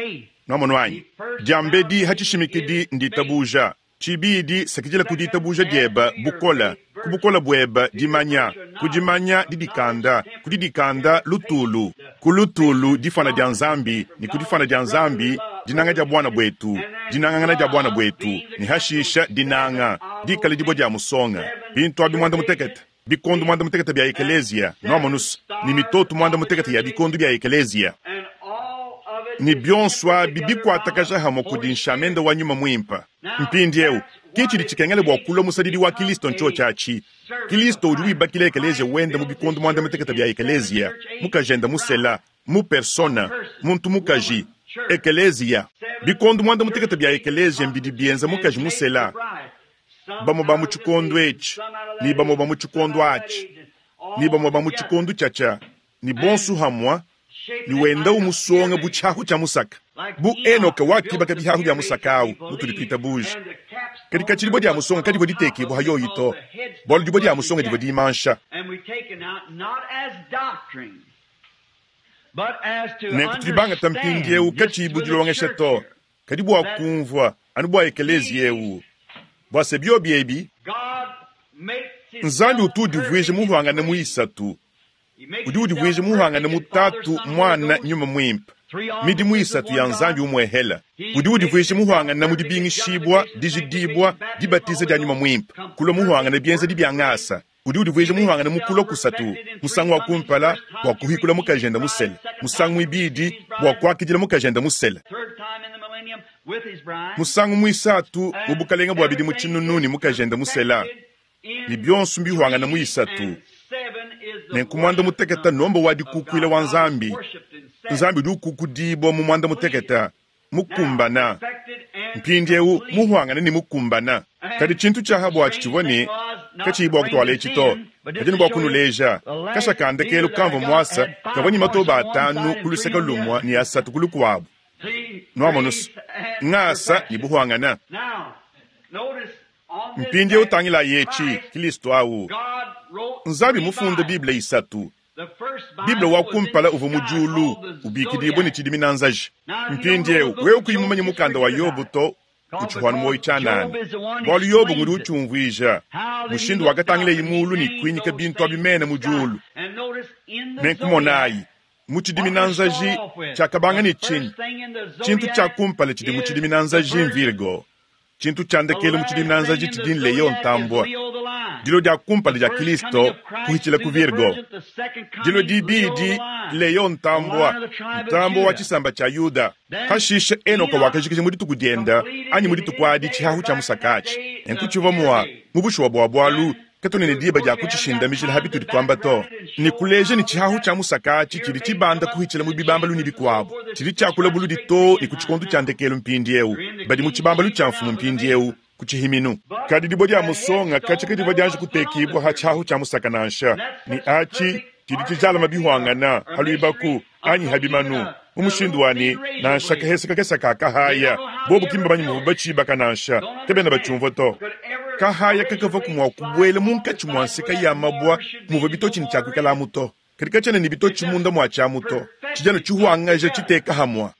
Nwamonu anyi? Diambedi ha tshishimikidi nditabuja, tshibidi sakidila ku ditabuja dieba bukola, ku bukola bueba dimanya, ku dimanya didikanda, ku didikanda lutulu, ku lutulu difana dia Nzambi, ne ku difana dia Nzambi dinanga dia bwana bwetu, dinangangana dia bwana bwetu, ne hashisha dinanga dikala dibwa dia musonga. Bintu abi mwanda mutekete, bikondu mwanda mutekete bia ekeleziya, nwamonus, ni mitoto mwanda mutekete ya bikondu bia ekeleziya. Ni bionso abi bikuatakaja hamwe kudi nshamenda wa nyuma muimpe. Mpindieu ki tshidi tshikengela bua kulua musadidi wa Kilisto ntsho tshiatshi. Kilisto udi wibakila ekeleziya wenda mu bikondu mwanda mutekete bia ekeleziya, mukajenda musela, mu persona, muntu mukaji, ekeleziya. Bikondu mwanda mutekete bia ekeleziya mbidi bienza mukaji musela, bamwe ba mu tshikondu etshi, ni bamwe ba mu tshikondu atshi, ni bamwe ba mu tshikondu tshiatshia, ni bonsu hamwa, ni wenda umusonga bu tshiahu tshia musaka. Bu Enoka wakibaka bihahu bya musaka awu mutudi tuitabuja. Kadi katshidi dia musonga kadi dibua ditekibua hayoyi to, bualu dibua dia musonga dibua dimansha. Nenku tudi bangata mpindieu katshiyi dilongesha to, kadi bua kumvua anu bua ekeleziya eu, bua se biobi ebi Nzambi utu udivuija muhangane mu isatu, udi udivuija muhangane mu Tatu, Mwana, Nyuma Muimpe. Midimu isatu ya Nzambi umwehela. Udi udivuija muhangane mu dibingishibua, dijidibua, dibatiza dia Nyuma Muimpe, kulua muhangane bienzedi bia ngasa. Udi udivuija muhangane mu kulua kusatu, musangu wa kumpala bua kuhikula mukajenda musele, musangu ibidi bua kuakidila mukajenda musele, musangu muisatu mu bukalenga bua bidimu tshinunu ne mukajenda musela, ne bionso mbihwangana mu isatu. Nenku mwanda mutekete nomba wa dikukuila wa Nzambi. Nzambi udi ukukudibua mu mwanda mutekete, mukumbana, Mpindieu muhuangane ne mukumbana. Kadi tshintu tshiaha buatshi tshivua ne katshiyi bua kutuala etshi to, kadi ne bua kunuleja kasha ka ndekelu kamvua muasa kavua ne matoba atanu ku luseke lumue ne asatu ku lukuabu. Nuamonusu ngasa ne buhuangana. Mpindieu utangila yetshi Kristo awu Nzambi mufunde Bible isatu. Bible wa kumpala uvua mu diulu ubikidibwe ne tshidimina nzaji. Mpindieu wewe kuyi mumanye mukanda wa Yobo to utshihwana moyo tshianana, bualu Yobo ngudi utshiumvuija mushindu wakatangila mulu ne kuinyika bintu abi mene mu diulu. Nenkumonayi mu tshidimina nzaji tshiakabanga ne tshinyi? Tshintu tshia kumpala tshidi mu tshidimina nzaji Virgo. Tshintu tshia ndekelu mu tshidimina nzaji tshidi Leo ntambua. Dilo dia kumpala dia Kristo kuhitshila ku Virgo. Dilo dibidi Leo ntambua, ntambua wa tshisamba tshia Yuda. Hashishe Enoka wakajikija mu dituku dienda anyi mu dituku adi tshihahu tshia musakatshi. Nenku tshivua mua mu bushuwa bua bualu katone ne diba dia kutshishindamijila ha bitudi tuamba to. Ne kuleja ne tshihahu tshia musakatshi tshidi tshibanda kuhitshila mu bibambalu ne bikuabu. Tshidi tshiakula buludi to ne ku tshikondo tshia ndekelu mpindieu. Badi mu tshibambalu tshia mfumu mpindieu ku tshihiminu. Kadi dibua dia musonga katshi kadivua dianji kutekibua ha tshihahu tshia musaka nansha. Ne atshi tshidi tshijalama bihuangana haluibaku anyi habimanu. Mu mushindu wani nansha kahesa kakesa ka kahaya bobu kimba banyi muvu batshibaka nansha kebena batshiumvua to. Kahaya kakava kumua kubuela munkatshi mua nseka ya mabua muva bitotshi ne tshiakuikalamu to. Kadi katshiena ne bitotshi munda mua tshiamu to. Tshidiano tshihuangaja tshiteka hamua.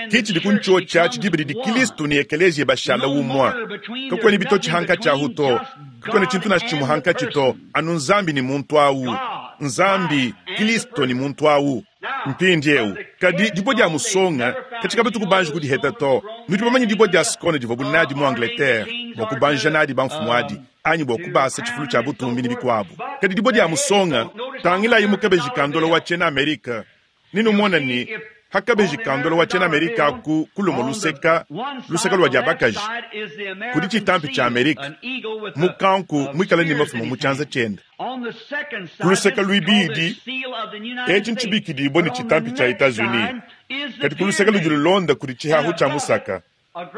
Ki tshidi ku ntshio tshidi didi Kristo ne ekeleziya bashala umua. Kakuena bitotshi hankatshi ahu to. Kakuena tshintu nansha tshimue hankatshi to. Anu Nzambi ne muntu awu. Nzambi, Kristo ne muntu awu. Mpindieu kadi dibua dia musonga katshika batuku banji kudiheta to. Nudi bamanye dibua dia scone divua bunadi mu Angleterre bua kubanja nadi bamfumu adi anyi bua kubasa tshifulu tshia butumbi ne bikuabu. Kadi dibua dia musonga tangilayi mu kabeji ka ndola wa tshiena Amerika. Ninumona ni hakabeji ka ndola wa tshiena Amerika ku kulumo luseka luseka lua dia bakaji kudi tshitampi tshia Amerika mukanku muikala ne mafumu mu tshianza tshiende. Ku luseka luibidi etshi ntshibikidibwe ne tshitampi tshia Etats-Unis. Kadi ku luseka ludi lulonda kudi tshihahu tshia musaka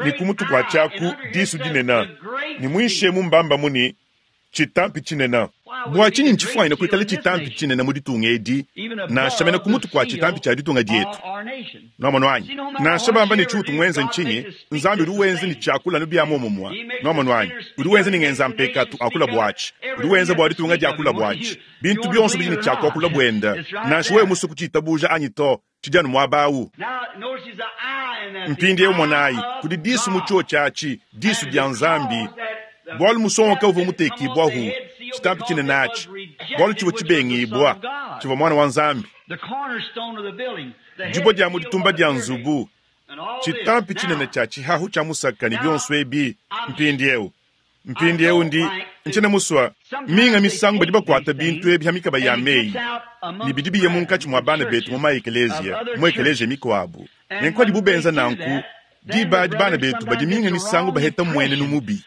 ne ku mutu kua tshiaku disu dinene ne muinshemu mbamba muni tshitampi tshinene. Bua tshinyi ntshifuanyine kuikala tshitampi tshinene mu ditunga edi nansha mene ku mutu kua tshitampi tshia ditunga dietu? Nuamono anyi? Nansha bamba ne tshiutu muenze ntshinyi, Nzambi udi wenza ne tshiakula nu bia muomumue. Nuamono anyi? Udi wenza ne ngenza mpekatu akula buatshi. Udi wenza bua ditunga diakula buatshi. Bintu bionso bidi ne tshiakuakula buenda. Nansha wewe musu kutshiitabuja anyi to, tshidianu muaba awu. Mpindieu monayi kudi disu mu tshio tshiatshi, disu dia Nzambi. Bualu musonga kauvua mutekibwahu tshitampi tshinene atshi, bualu tshivua tshibengibwa, tshivua mwana wa Nzambi. Dibua dia mu ditumba dia nzubu, tshitampi tshinene tshia tshihahu tshia musaka ne bionso ebi. Mpindieu mpindieu ndi ntshiena musua minga misangu badi bakuata bintu ebi ha mikaba ya meyi ne bidi biye munkatshi mua bana betu mu maekeleziya mu ekeleziya mikuabu. Nenku adibu benza nanku diba adi bana betu badi minga misangu baheta mmuenenu mubi.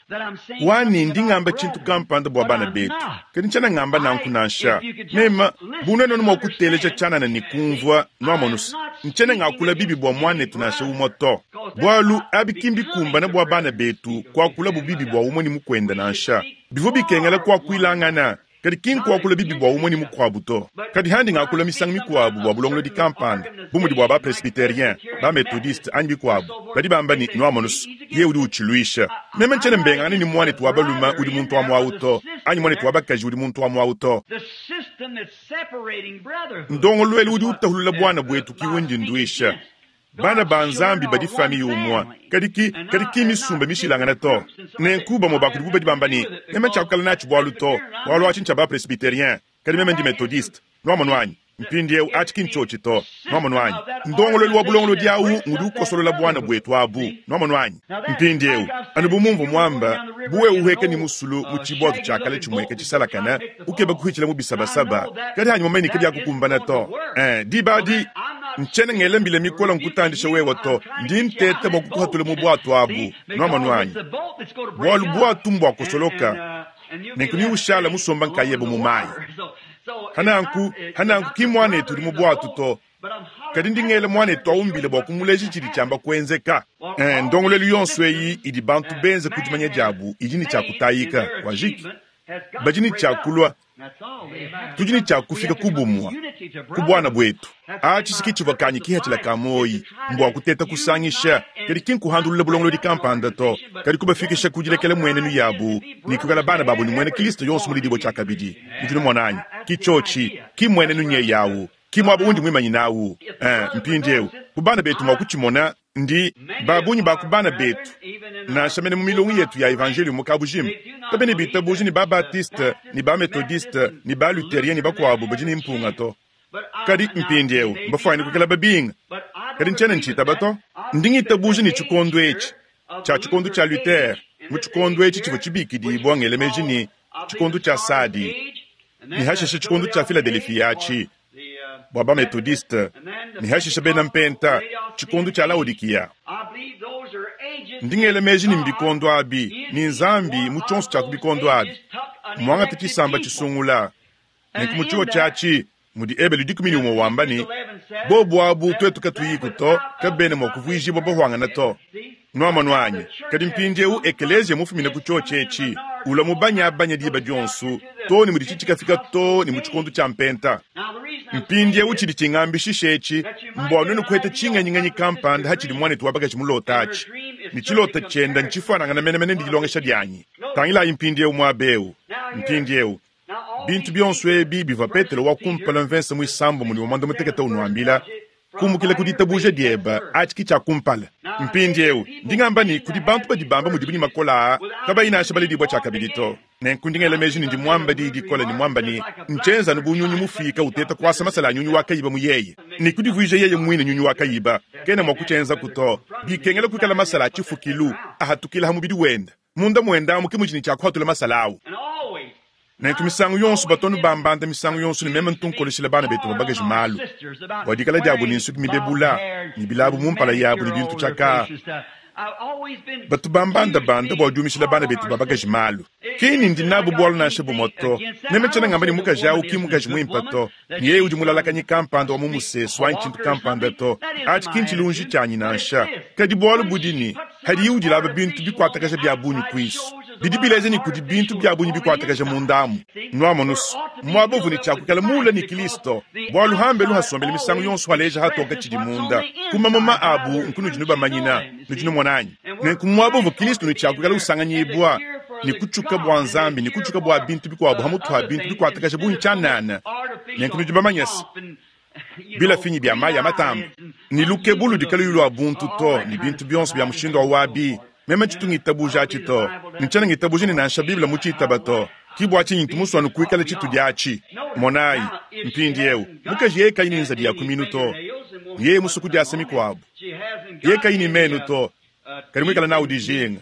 Wani ndi ngamba tshintu kampanda bua bana betu, kadi ntshiena ngamba nanku nansha. Mema bunene mua kuteleja tshianana ne kumvua nuamonusa. Ntshiena ngakula bibi bua muanetu nansha umue to. Bualu abi kimbi kumbana bua bana betu kuakula bubibi bua umue ne mukwenda nansha. Bivua bikengela kuakuilangana, kadi ki nkuakula bibi bua umue ne mukuabu to. Kadi handi ngakula misangu mikuabu bua bulongolodi kampanda bu mudi bua ba presbyterien, ba methodiste anyi bikuabu. Badi bamba ne nuamonusu ye udi utshiluisha. Meme ntshiena mbengangane ne muanetu wa balume udi muntu wa muawu to, anyi muanetu wa bakaji udi muntu wa muawu to. Ndongoluelu udi utahulula bwana bwetu kiwundi nduisha. Bana ba Nzambi badi famille umue, kadi ki kadi ki misumba mishilangana to. Nenku bamue bakudibu badi bamba ne meme tshiakukala natshi bualu to, bualu atshi ntshia ba presbyterien, kadi meme ndi methodiste. Nuamono anyi? Mpindieu atshi ki ntshiotshi to. Nuamono anyi? Ndongoluelu wa bulongolodi awu ngudi ukosolola bwana bwetu abu. Nuamono anyi? Mpindieu anu bu mumvu muamba buwe uheka ni musulu mu tshibwatu tshiakala tshimueka tshisalakana ukeba kuhitshila mu bisabasaba, kadi hanyi mumanye kadi akukumbana to. Eh, diba adi ntshiena ngela mbila mikola nkutandisha wewe to, ndi nteta bua kukuhatula mu bwatu abu. Nuamono anyi? Bualu bwatu mbua kosoloka, nenku ni ushala musomba nkayebe mu mayi. Hananku, hananku ki muanetu udi mu bwatu to, Kadi ndi ngela muanetu awu mbila bua kumuleja tshidi tshiamba kuenzeka. Eh, ndongoluelu yonso eyi idi bantu benze ku dimanya diabu idi ne tshia kutayika. Wajiki. Badi ne tshia kulua. Tudi ne tshia kufika ku bumue, ku buana buetu. Atshi si ke tshivua kanyi kipatshila ka muoyi, mbua kuteta kusangisha, kadi ki nkuhandulula bulongolodi kampanda to, kadi kubafikisha ku dilekela mmuenenu yabu ne kuikala bana babu ne muena Kristo yonso muledibue tshiakabidi. Nudi numona anyi? Ki tshiotshi, ki mmuenenu nyeyi awu, ki muaba undi muimanyine awu. Ee, mpindieu, bu bana betu mua kutshimona, ndi, ba bungi ba ku bana betu, nansha mene mu milongo yetu ya evanjeliyo mu kabujima, kabena bitabuja ne ba-Baptiste ne ba-Methodiste ne ba-Luterien ne bakuabu badi ne mpunga to. Kadi mpindieu mbafuane kuikala babinga. Kadi ntshiena ntshitaba to. Ndi ngitabuja ne tshikondo etshi tshia tshikondo tshia Luther, mu tshikondo etshi tshivua tshibikidibua ngela meji ne, tshikondo tshia Sadi, ne hashishe tshikondo tshia Filadelefia atshi, bua ba-Methodiste, ne hashishe bena Mpenta, tshikondo tshia Laodikiya. Ndi ngela meji ne mbikondo abi, ne Nzambi mu tshionso tshia ku bikondo abi mmuangate tshisamba tshisungula. Nenku mu tshiotshi atshi mudi Ebelu dikumi ne umue wamba ne, Bobu abu tuetu katuyiku to, kabena mua kuvuijibua bahuangana to. Nuamonu anyi? Kadi mpindieu ekeleziya mufumine ku tshiotshi etshi, ulua mubanyabanya diba dionso, too ne mudi tshikafika too ne mu tshikondo tshia Mpenta. Mpindieu tshidi tshingambishisha etshi mbua nuenu kuheta tshingenyingenyi kampanda hatshidi muanetu wa bakaji mulota atshi, ne tshilota tshienda ntshifuanangana menemene ne dilongesha dianyi. Tangilayi mpindieu muaba eu. Mpindieu, bintu bionso ebi bivua Petelo wa kumpala mvese muisambombo ne wa muanda mutekete unuambila, kumukila ku ditabuja diebe, atshi ke tshia kumpala. Mpindieu, ndi ngamba ne, kudi bantu badi bamba mudibu ne makole aa, kabayi nansha baledibua tshiakabidi to. Nenku ndi ngela meji ne ndi muamba diyi dikole ne muamba ne, ntshienza anu bu nyunyi mufiika uteta kuasa masala a nyunyi wa kayiba mu yeye, ne kudivuija yeye muine nyunyi wa kayiba. Kena mua kutshienzaku to. Bikengela kuikala masala a tshifukilu ahatukila ha mubidi wende. Munda muende amu ke mudi ne tshia kuhatula masala awu. Nenku misangu yonso batu anu bambanda misangu yonso ne meme ntu nkoleshila bana betu ba bakaji malu bua dikala diabu ne nsuki mibebula ne bilabu mu mpala yabu ne bintu tshiakaa. Batu bambandabanda bua diumishila bana betu ba bakaji malu. Ki ni ndi nabu bualu nansha bumue to. Meme tshiena ngamba ne mukaji au ki mmukaji muimpe to, ne yeye udi mulalakanyi kampanda wa mu musesu anyi tshintu kampanda to. Atshi ki ntshilunji tshianyi nansha. Kadi bualu budi ne, hadiye udilaba bintu bikuatakaja bia bungi kuisu, bidi bileja ne kudi bintu bia bungi bikuatakaja munda amu. Nuamonusu, muaba uvua ne tshia kuikala muule ne Kristo, bualu hambelu hasombele misangu yonso haleja hatoka tshidi munda. Ku mamuma abu nkunudi nubamanyina. Nudi numona anyi? Nenku muaba uvua Kristo ne tshia kuikala usanganyibua ne kutshuka bua Nzambi ne kutshuka bua bintu bikuabu hamutu ha bintu bikuatakaja bungi tshianana. Nenku nudi bamanye se, bilafinyi bia mayi a matamba ne lukebu ludi kaluyi lua buntu to, ne bintu bionso bia mushindu wa wabi. Meme tshitu ngitabuja atshi to, ne tshiena ngitabuja ne nansha Bible mutshitaba to. Ki bua tshinyi ntu musue anu kuikala tshitudi atshi. Monayi, mpindieu, mukaji yeye kayi ne nzadi ya ku minu to, ne yeye musue kudiasa mikuabu. Yeye kayi ne menu to, kadi muikale nawu dijinga.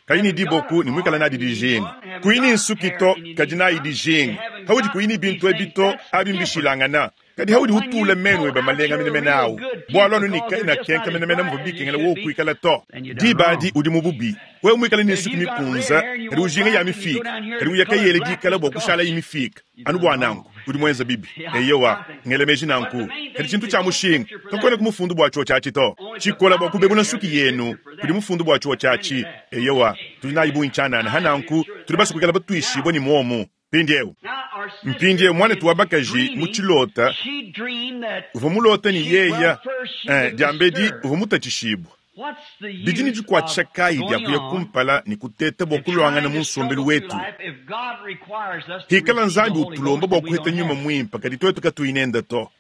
Kayi ne diboku ne muikale nadi dijinga. Kuyi ne nsuki to, kadi nayi dijinga. Haudi kuyi ne bintu ebi to, abi mbishilangana. Kadi haudi utula menu ebe malenga menemene awu, bualu anu ne kaena kenka menemene muvua bikengela wowu kuikala to. Diba adi udi mu bubi. Wewe muikale ne nsuki mikunza, kadi ujinga ya mifiika, kadi uya kayele dikala bua kushalayi mifiika. Anu bua nanku, udi muenza bibi. Eyowa, ngela meji nanku. Kadi tshintu tshia mushinga, kakuena ku mufundu bua tshiotshi atshi to. Tshikola bua kubebula nsuki yenu, kudi mufundu bua tshiotshi atshi. Eyowa, tudi nayi bungi tshianana. Ha nanku, tudi basue kuikala batuishibue ne muomu. Mpindieu, mpindieu muanetu wa bakaji mu tshilota uvua mulota ne yeya, eh, diambedi uvua mutatshishibua. Bidi ne dikuatshisha kayi dia kuya kumpala ne kuteta bua kuluangana mu nsombelu wetu? Hikala Nzambi utulomba bua kuheta nyuma muimpe, kadi tuetu katuyi nende to.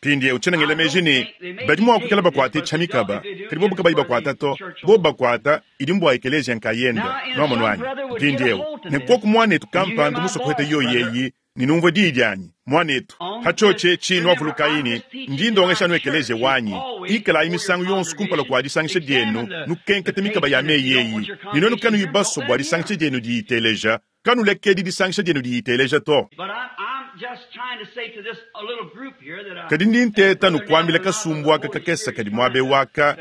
Mpindieu tshiena ngela meji ne badi mua kuikala bakuate tshia mikaba, kadi bobu kabayi bakuata to. Bobu bakuata, idi mbua ekeleziya nkayende. Nuamonu anyi? Mpindieu, nenkuoku muanetu kampanda musue kuheta yoyi eyi, ne numvue diyi dianyi, muanetu. Ha tshiotshi etshi nuavulukayi ne, ndi ndongesha anu ekeleziya wanyi. Ikalayi misangu yonso kumpala kua disangisha dienu, nukenkete mikaba ya meyi eyi, ne nuenu kanuyi basue bua disangisha dienu diyiteleja, kanulekedi disangisha dienu diyiteleja to. Kadi ndi nteta nukuambila kasumbu aka kakese kadi muaba eu aka,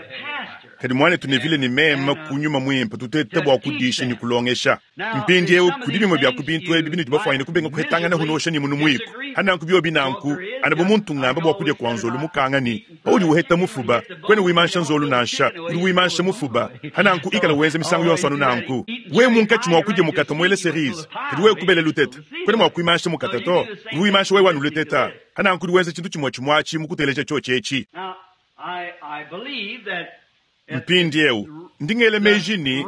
Kadi mwanetu Neville ne meme ku nyuma mwimpe tutete bwa kudisha ne kulongesha. Mpindiewu kudi bimwe bya ku bintu ebi binudi bafwanyine kubenga kuhetangana hunosha ne munu mwiku. Hananku byobi nanku, ana bu muntu ngamba bwa kudya kwa nzolu mukanga ni, paudi uheta mufuba, kwena wimansha nzolu nansha, udi wimansha mufuba. Hananku ikala wenza misangu yonso anu nanku. We munkatshi mwa kudya mukata mwele cerise, kadi we kubele lutete. Kwena mwa kuimansha mukata to, udi wimansha wewe anu luteta. Hananku udi wenza tshintu tshimwe tshimwachi mukuteleja tshotshetshi. Mpindiewu ndingele meji ni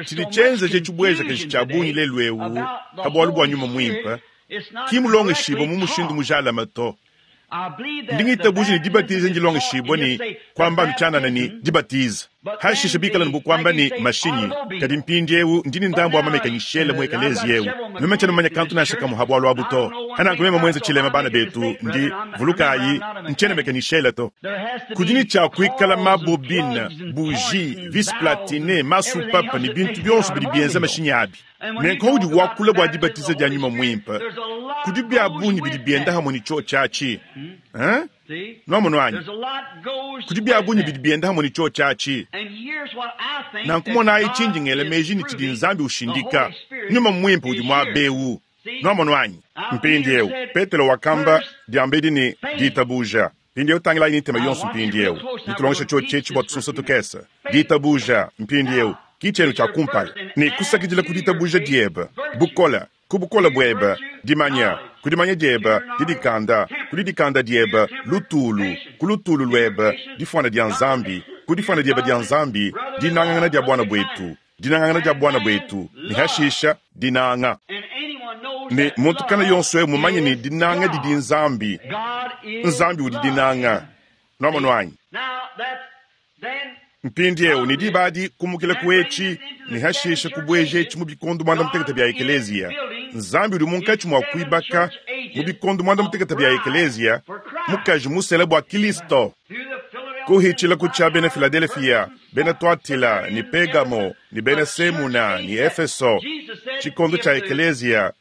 tshidi tshienzeje tshibweja keshi tshia bungi lelu ewu ha bwalu bwa nyuma mwimpe kimulongeshibwa mu mushindu mujalama to. Ndingitabuji ni dibatiza ndilongeshibwa ni kwamba ntyanana ni dibatiza hashisha bikala nibukwamba ni mashinyi. Kadi mpindiewu ndini ndambo amamekanyishele mu ekelezi yewu meme tshiena mumanya kantu nansha kamwe ha bwalu abu to. Hananku meme mwenze tshilema bana betu ndi vulukayi ntshiena mekanyishele to. Kudi ni tshia kuikala mabobine, bougie, vis platine, masupapa ni bintu byonso bidi bienza mashinyi abi. Nenku udi wakula bwa dibatiza dia nyuma mwimpe kudi bya bungi bidi bienda hamwe ni cho chachi. Hein? Nwamono anyi? Kudi bya bungi bidi bienda hamwe ni cho chachi. Nanku monayi tshindi ngele meji ni tshidi Nzambi ushindika. Nyuma mwimpe udi mwabewu. Nwamono anyi? Mpindiewu Petelo wakamba diambedi ni ditabuja. Mpindiewu tangilayi ni tema yonso mpindiewu. Nitulongesha cho chechi bwa tusunsa tukesa. Ditabuja mpindiewu kichenu cha kumpala ni kusakidila ku ditabuja dieba bukola ku bukola bweba dimanya ku dimanya dieba didikanda ku didikanda dieba lutulu ku lutulu lweba difwana dia Nzambi ku difwana dieba dia Nzambi dinangangana dia bwana bwetu dinangangana dia bwana bwetu ni hashisha dinanga. Ne muntu kana yonso ewu mumanye ni dinanga didi Nzambi. Nzambi udi dinanga. Nwamono anyi? Mpindiewu ni dibadi kumukila kuechi ni hashisha kubweje echi mu bikondo mwanda mutekete bya ekelezia. Nzambi udi munkatshi mwa kuibaka mu bikondo mwanda mutekete bya ekelezia mukaji musele bwa Kristo. Kuhichila kucha bena Philadelphia, bena Tuatila, ni Pergamo, ni bena Semuna, ni Efeso, chikondo cha ekelezia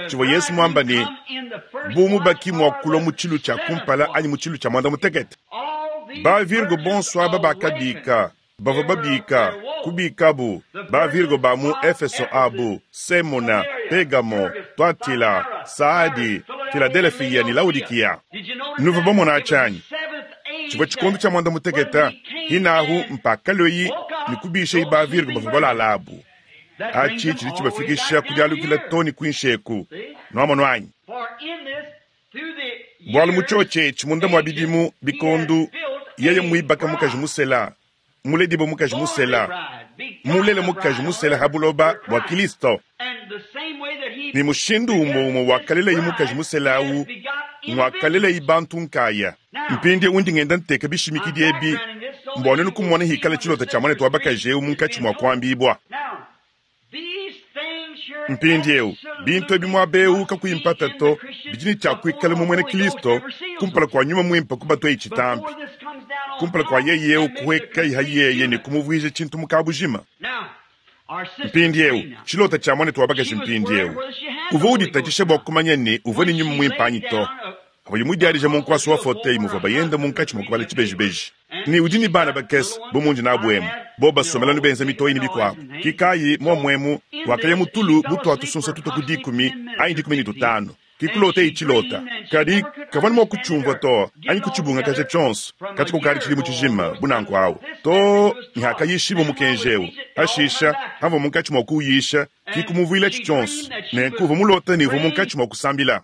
chivwa Yesu mwamba ni bumu baki mwa kulwa mu tshilu tsha kumpala anyi mu tshilu tsha mwanda mutekete. Ba Virgo bonso aba bakabika, bavua babika, kubikabu, ba Virgo ba mu Efeso abu, Semuna, Pergamo, Tuatila, Saadi, Philadelphia ni Laodikia. Nuvua bamona tshanyi. Tshivua tshikondo tshia mwanda muteketa, hinahu mpaka loyi ni kubisha iba Virgo bavua balala abu. Achi tshidi tshibafikisha kudialukila toni kuinsheku. Nwamono anyi? Bwalu mu tshotshetshi munda mwa bidimu bikondu yeye mwibaka mukaji musela, muledibo mukaji musela, mulele mukaji musela ha buloba bwa Kristo. Ni mushindu umo umo wakalelayi mukaji musela awu, mwakalelayi bantu nkaya. Mpindiewu undi ngenda nteka bishimikidi ebi, mbone nukumona hikala tshilota tshia mwanetu wa bakaji ewu munkatshi mwa kuambibwa. Mpindiewu bintu ebi mwabewu kakuyimpata to, bidi ni tshia kuikala mu mwene Kristo kumpala kwa nyuma mwimpe kubatweyi tshitampi. Kumpala kwa yeyewu kuhweka iha yeye ni kumuvuija tshintu mukabujima. Mpindiewu tshilota tshia mwanetu wa bakaji mpindiewu uvua uditatshisha bwa kumanya ni uvua ni nyuma mwimpe anyi to. Apo yimudialija munkwasi wa foteyi muvua bayenda munkatshi mwa kubala tshibejibeji. Ni udi ni bana bakese bo mundi nabu emu, bo basomela nubenza mitoyi ni bikwabu. Kikayi momwemu wakaya mutulu butwa tusunsa tuto ku dikumi anyi dikumi ni tutano. Kikulota ichilota. Kadi kavani mwa kuchumvwa to anyi kuchibunga kaja chonso kati kukali chilimu chijima bunanku awu. To nhakayishibo mukenjewu. Hashisha hamva munkatshi mwa kuyisha kikumuvwila chichonso. Nenku uva mulota ni uva munkatshi mwa kusambila.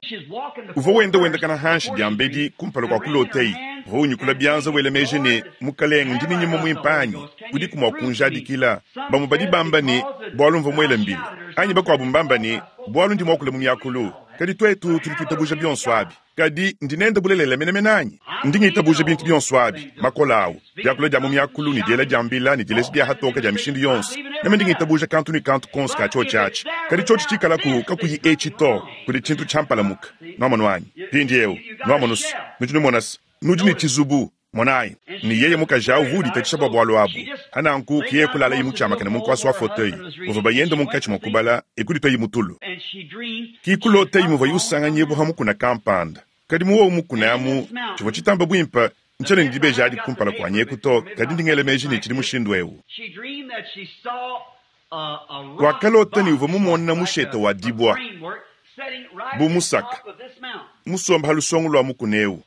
Uva wenda wenda kana hanshi diambedi kumpala kwa kuloteyi. Uva unyukula byanza wele meji ni mukalenga ndini nyuma mwimpanyi. Udi kumwa kunjadikila. Bamu badi bamba ni bwalu mva mwele mbili. Anyi bakwabu mbamba ni bwalu ndi mwakula mu myakulu. Kadi twetu tudi tuitabuja bionso abi. Kadi ndinenda bulelela menemene anyi? Ndi ngitabuja bintu bionso abi, makola awu, diakula dia mu myakulu ni diela dia mbila ni dileji dia hatoka dia mishindu yonso. Neme ndi ngitabuja kantu ni kantu konso ka tshotsho atshi. Kadi tshotsho tshikalaku kakuyi etshi to, kudi tshintu tshiampalamuka. Nwamono anyi? Mpindiewu, nwamonusu, nudi numonasa, nudi ne tshizubu. Monayi, ni yeye mukaji awu vudi tatshisha bwa bwalu abu. Hananku kiye kulala yi mutshiamakane munkwasi wa fauteuil. Uvua bayenda munkatshi mwa kubala ekuditwa yi mutulu. Kikulota yi muvua yusanganyibwa ha mukuna kampanda. Kadi muwowu mukuna amu, tshivua tshitamba bwimpe Ntshiena ne dibeji adi kumpala kuanyi eku to, kadi ndi ngela meji ne tshidi mushindu eu. Wakalota ne uvua mumona mushete wa dibua bu musaka musomba ha lusongo lua mukuna eu,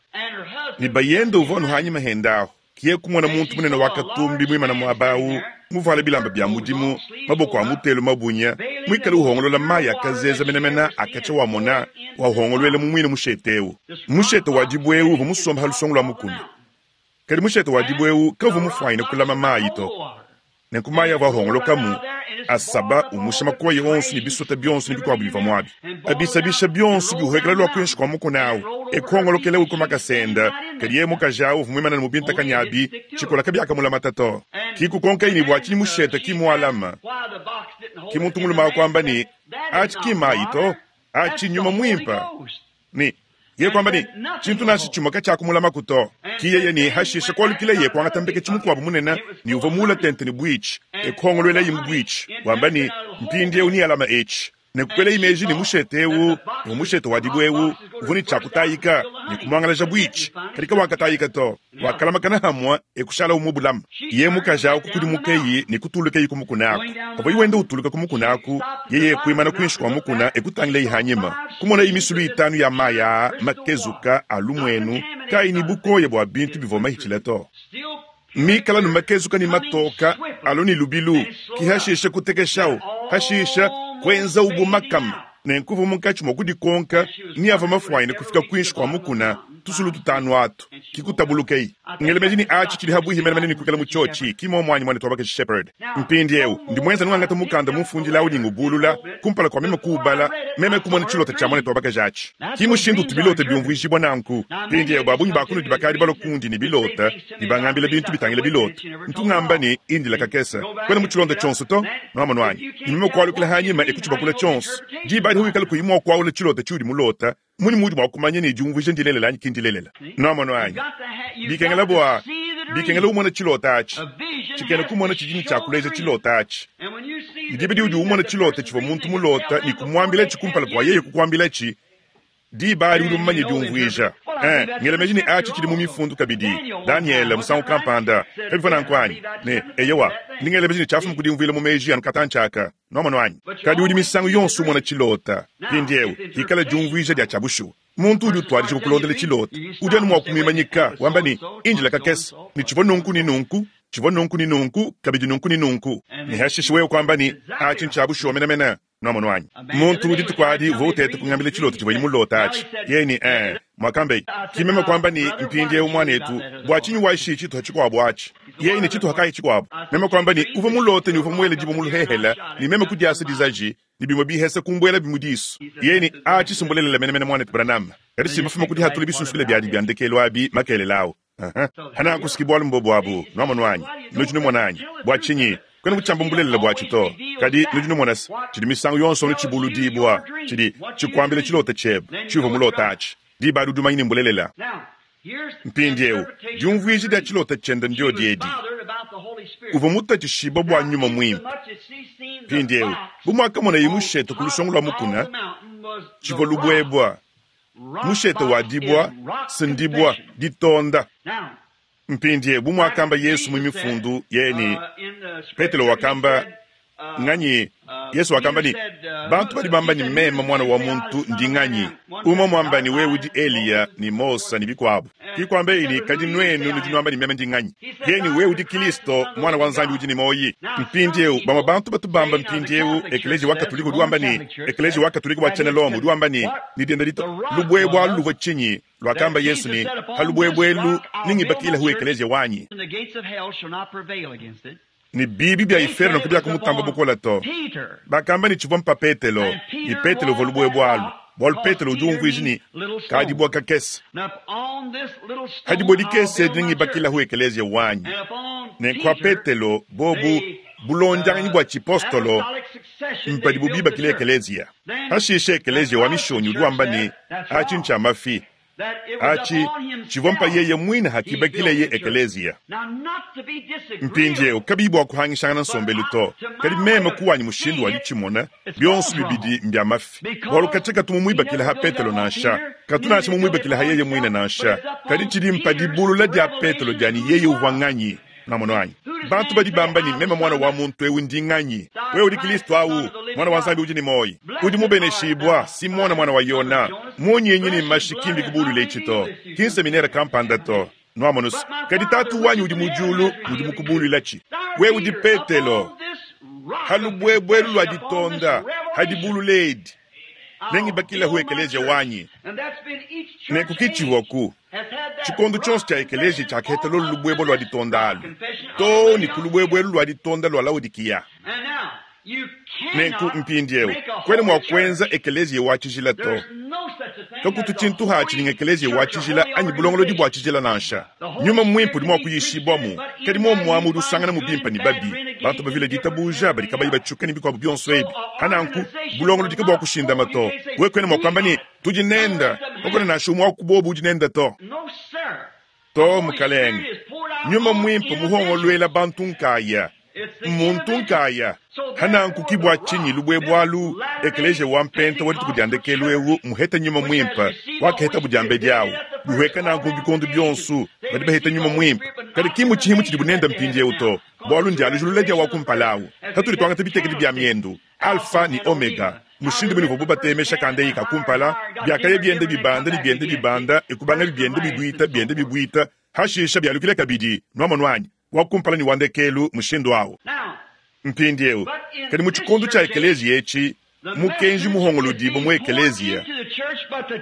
ne bayende uvua anu hanyima henda ahu. Kiye kumona muntu munene wa katumbi muimana muaba awu, muvuale bilamba bia mudimu, maboko a mutelu mabunya, muikale uhongolola mayi akazeza menemene akatshia wamona wahongoluela mu muine mushete eu. Mushete wa dibue eu uvua musomba ha lusongo lua mukuna, kadi mushete wa dibue eu kavua mufuanyine kulama mayi to. Nenku mayi avua ahongolokamu asaba umusha makoyi onso ne bisota bionso ne bikuabu bivua muabi, abisabisha bionso biuhekela lua kuinshi kua mukuna awu, ekuhongolokela uko makasenda. Kadi yeye mukaji awu uvua muimane mu bintakanya abi, tshikola kabiakamulamata to. Kikukonka ne bua tshinyi mushete ki mualama. Ki muntu mulume akuamba ne atshi ki mayi to, atshi nyuma muimpa. Ne yeye kuamba ne tshintu nansha tshimue katshiakumulamaku to. Ki yeye ne hashisha kualukila ye kuangata mbeketshi mukuabu munene ne uvua muula tente ne buitshi, ekuhongoluelayi mu buitshi, wamba ne mpindieu ni alama etshi. Ne kukwela imeji ne mushete eu, ne mushete wa dibue eu uvua ne tshiakutayika ne kumuangalaja buitshi, kadi kawakatayika to, wakalamakana hamua ekushala umue bulama. Ye mukaji awu kukudimukeyi ne kutulukeyi ku mukuna aku. Pavua wenda utuluka ku mukuna aku, yeye kuimana kuinshi kua mukuna ekutangileyi hanyima, kumonayi misulu itanu ya mayi aa makezuka a lumuenu kayi ne bukoya bua bintu bivua mahitshila to. Mikala nu makezuka ne matoka alo ne lubilu, ki hashisha kutekeshawu, hashisha kwenza ubu makama. Nenkuva munkatshi mua kudikonka ni ava mafuanyine kufika kuinshi kua mukuna tusulu tutanu atu kikutabulukeyi. Ngelemeji ni atshi tshidi habuihi menemene ne kuikala mu tshiotshi ki momwanyi mwana twabakaji Shepherd. Mpindiewu ndi mwenza nungangata mukanda mumfundila awu ningubulula kumpala kua meme kuubala, meme kumona tshilota tshia mwana twabakaji atshi. Ki mushindu utu bilota biumvuijibua nanku. Mpindiewu babunyi bakunudi bakadi balua kundi ne bilota ne bangambila bintu bitangila bilota. Ntungamba ne indila kakesa kwena mu tshilonda tshionso to nwamonu anyi. Ne meme kualukila hanyima ekutshibakula tshionso. Diba adi huikala kuyi mua kuaula tshilota tshiudi mulota, muni mudi mua kumanya ne diumvuija ndilelela anyi ki ndilelela. Nwamonu anyi. Bikengela bua bikengela umona tshilota atshi, tshikena kumona tshidi ne tshiakuleja tshilota atshi. Diba diudi umona tshilota tshivua muntu mulota ne kumuambila tshi kumpala kua yeye kukuambila tshi, diba adi udi mumanye diumvuija. Eh, ngela meji ne atshi tshidi mu mifundu kabidi. Daniel musangu kampanda kabivua nanku anyi? Ne eyewa, ndi ngela meji ne tshiafuma kudiumvuila mu meji anu katantshaka. Nwamonu anyi. Kadi udi misangu yonso umona tshilota. Mpindiewu hikala diumvuija dia tshia bushuwa. Muntu udi utuadija kukulondela tshilota, udi anu mua kumimanyika wamba ne indila kakese, ne tshivua nunku ne nunku, tshivua nunku ne nunku, kabidi nunku ne nunku. Ne hashishe wewe kuamba ne atshi ntshia bushuwa menemene. Nwamonu anyi. Muntu udi tukuadi uvua uteta kungambila tshilota tshivua mulota atshi. Yeye ne eh mwakambe kimeme kwamba ni mpindiewu mwanetu bua tshinyi waishi tshituha tshikuabu atshi. Yeye ne tshituha kayi tshikuabu. Meme kwamba ni uvua mulote ni uvua muele dibua muluhehela ni meme kudiasa dizaji ni bimue bihesa kumbuela bimudisu. Yeye ne atshi sumbulelela menemene mwanetu Branham. Kadi simafuma kudihatula bisunsukile biadi bia ndekelu abi makelela awu. Hana kusikibwa lumbobo abu nwamonu anyi. Nudi numona anyi. Bua tshinyi kwena kutshiamba mbulelela bua tshito. Kadi nudi numona se tshidi misangu yonso anu tshibuludibua, tshidi tshikuambila tshilota tshiebe tshiuvua mulota atshi. Diba adi udi umanya ne mbulelela. Mpindiewu diumvuija dia tshilota tshiende ndio diedi. Uvua mutatshishiba bua nyuma muimpe. Mpindiewu bu muakamonaye mushete ku lusongo lua mukuna, tshivua lubuebua. Mushete wa dibua, sindibua, ditonda. Mpindiewu bu muakamba Yesu mu mifundu yeye ne Petelo wakamba nganyi? Yesu wakamba ne bantu badi bamba ne meme mwana wa muntu ndi nganyi? Umwe mwamba ne wewe udi Eliya ne Mose ne bikuabu. Kikwamba ne kadi nuenu nudi nuamba ne meme ndi nganyi? Yeye ne wewe udi Kristo mwana wa Nzambi udi ne moyi. Mpindiewu bamwe bantu batu bamba mpindiewu eklezia wa Katolika udi wamba ne eklezia wa Katolika wa tshiena Roma udi wamba ne ne dienda dito lubuebua luvua tshinyi? Lwakamba Yesu ne halubuebuelu ningibakila hu eklezia wanyi. Ni bibi bia inferno kubiakumutamba bukola to. Bakamba ni tshivua mpa Petelo, ni Petelo uvua lubuebua alu. Bualu Petelo udi umvuija ne kadibua kakese. Hadibua dikese ningibakila hu eklezia wanyi. Ne kwa Petelo bobu bulondianganyi bua tshipostolo mpadibu bibakila eklezia. Hashishe eklezia wa mishonyi udi wamba ne atshi ntshia mafi. Achi tshivua mpa yeye mwine hakibakileye ekeleziya. Mpindieu kabiyi bua kuhangishangana nsombelu to, kadi meme kuwanyi mushindu wa ditshimona bionso bibidi mbia mafi, bualu katshia katu mumuibakila ha Petelo nansha, katu nansha mumuibakila ha yeye mwine nansha, kadi tshidi mpa dibulula dia Petelo diani yeye uvua nganyi. Namono anyi bantu badi bamba ni meme mwana wa muntu ewu ndi nganyi? Wewe udi Kristo awu, mwana wa Nzambi udi ni moyi, udi mubeneshibwa Simona mwana wa Yona, munyenyi ni mashikimbi kubulule chito kinseminera kampanda to nwamonusu, kadi tatu wanyi udi mujulu udi mukubululachi. Wewe udi Petelo halubwebwelu lwa ditonda hadibululedi nengibakila hu ekeleziya wanyi nekukichiwaku chikondo chonso cha ekeleziya chakhetha lolu lubwebo lwa ditonda alu to ni kulubwebwelu lwa ditonda lwa Laodikiya. Nenku mpindieu kwene mwa kwenza ekeleziya wa tshijila to kakutu tshintu hatshi ninga ekeleziya wa tshijila anyi bulongolodi bua tshijila nansha. Nyuma mwimpe udi mua kuyishibwamu, kadi momwamu udi usangana mu bimpe ni babi bantu bavile ditabuja badi kabayi batshuka ni bikuabu bionso ebi. Hananku bulongolodi ke bua kushindama to we kwene mua kuamba ni tudi nenda kakuna nansha umwe wa kubobu udi nenda to to mukalenge. Nyuma mwimpe muhongolwela bantu nkaya muntu nkaya hananku kibwa chinyi lubwebwalu ekeleziya wa mpenta wa dituku dia ndekelu ewu muheta nyuma mwimpe wakaheta budiambe diawu buhweka nanku bikondo bionso badi baheta nyuma mwimpe, kadi kimu tshihimu tshidi bunenda mpindieu to bualu ndialujulula dia wa kumpala tatuli twangata bitekedi bia miendu alfa ni omega mushindu buni vubu batemesha kandeyi kakumpala biakaya biende bibanda ni biende bibanda ekubanga bibiende bibwita biende bibwita hashisha bialukile kabidi nwamonu anyi wakumpala ni wandekelu mushindu awo. Mpindieu kadi mu tshikondo tshia ekeleziya etshi mukenji muhongolodibo mu ekeleziya,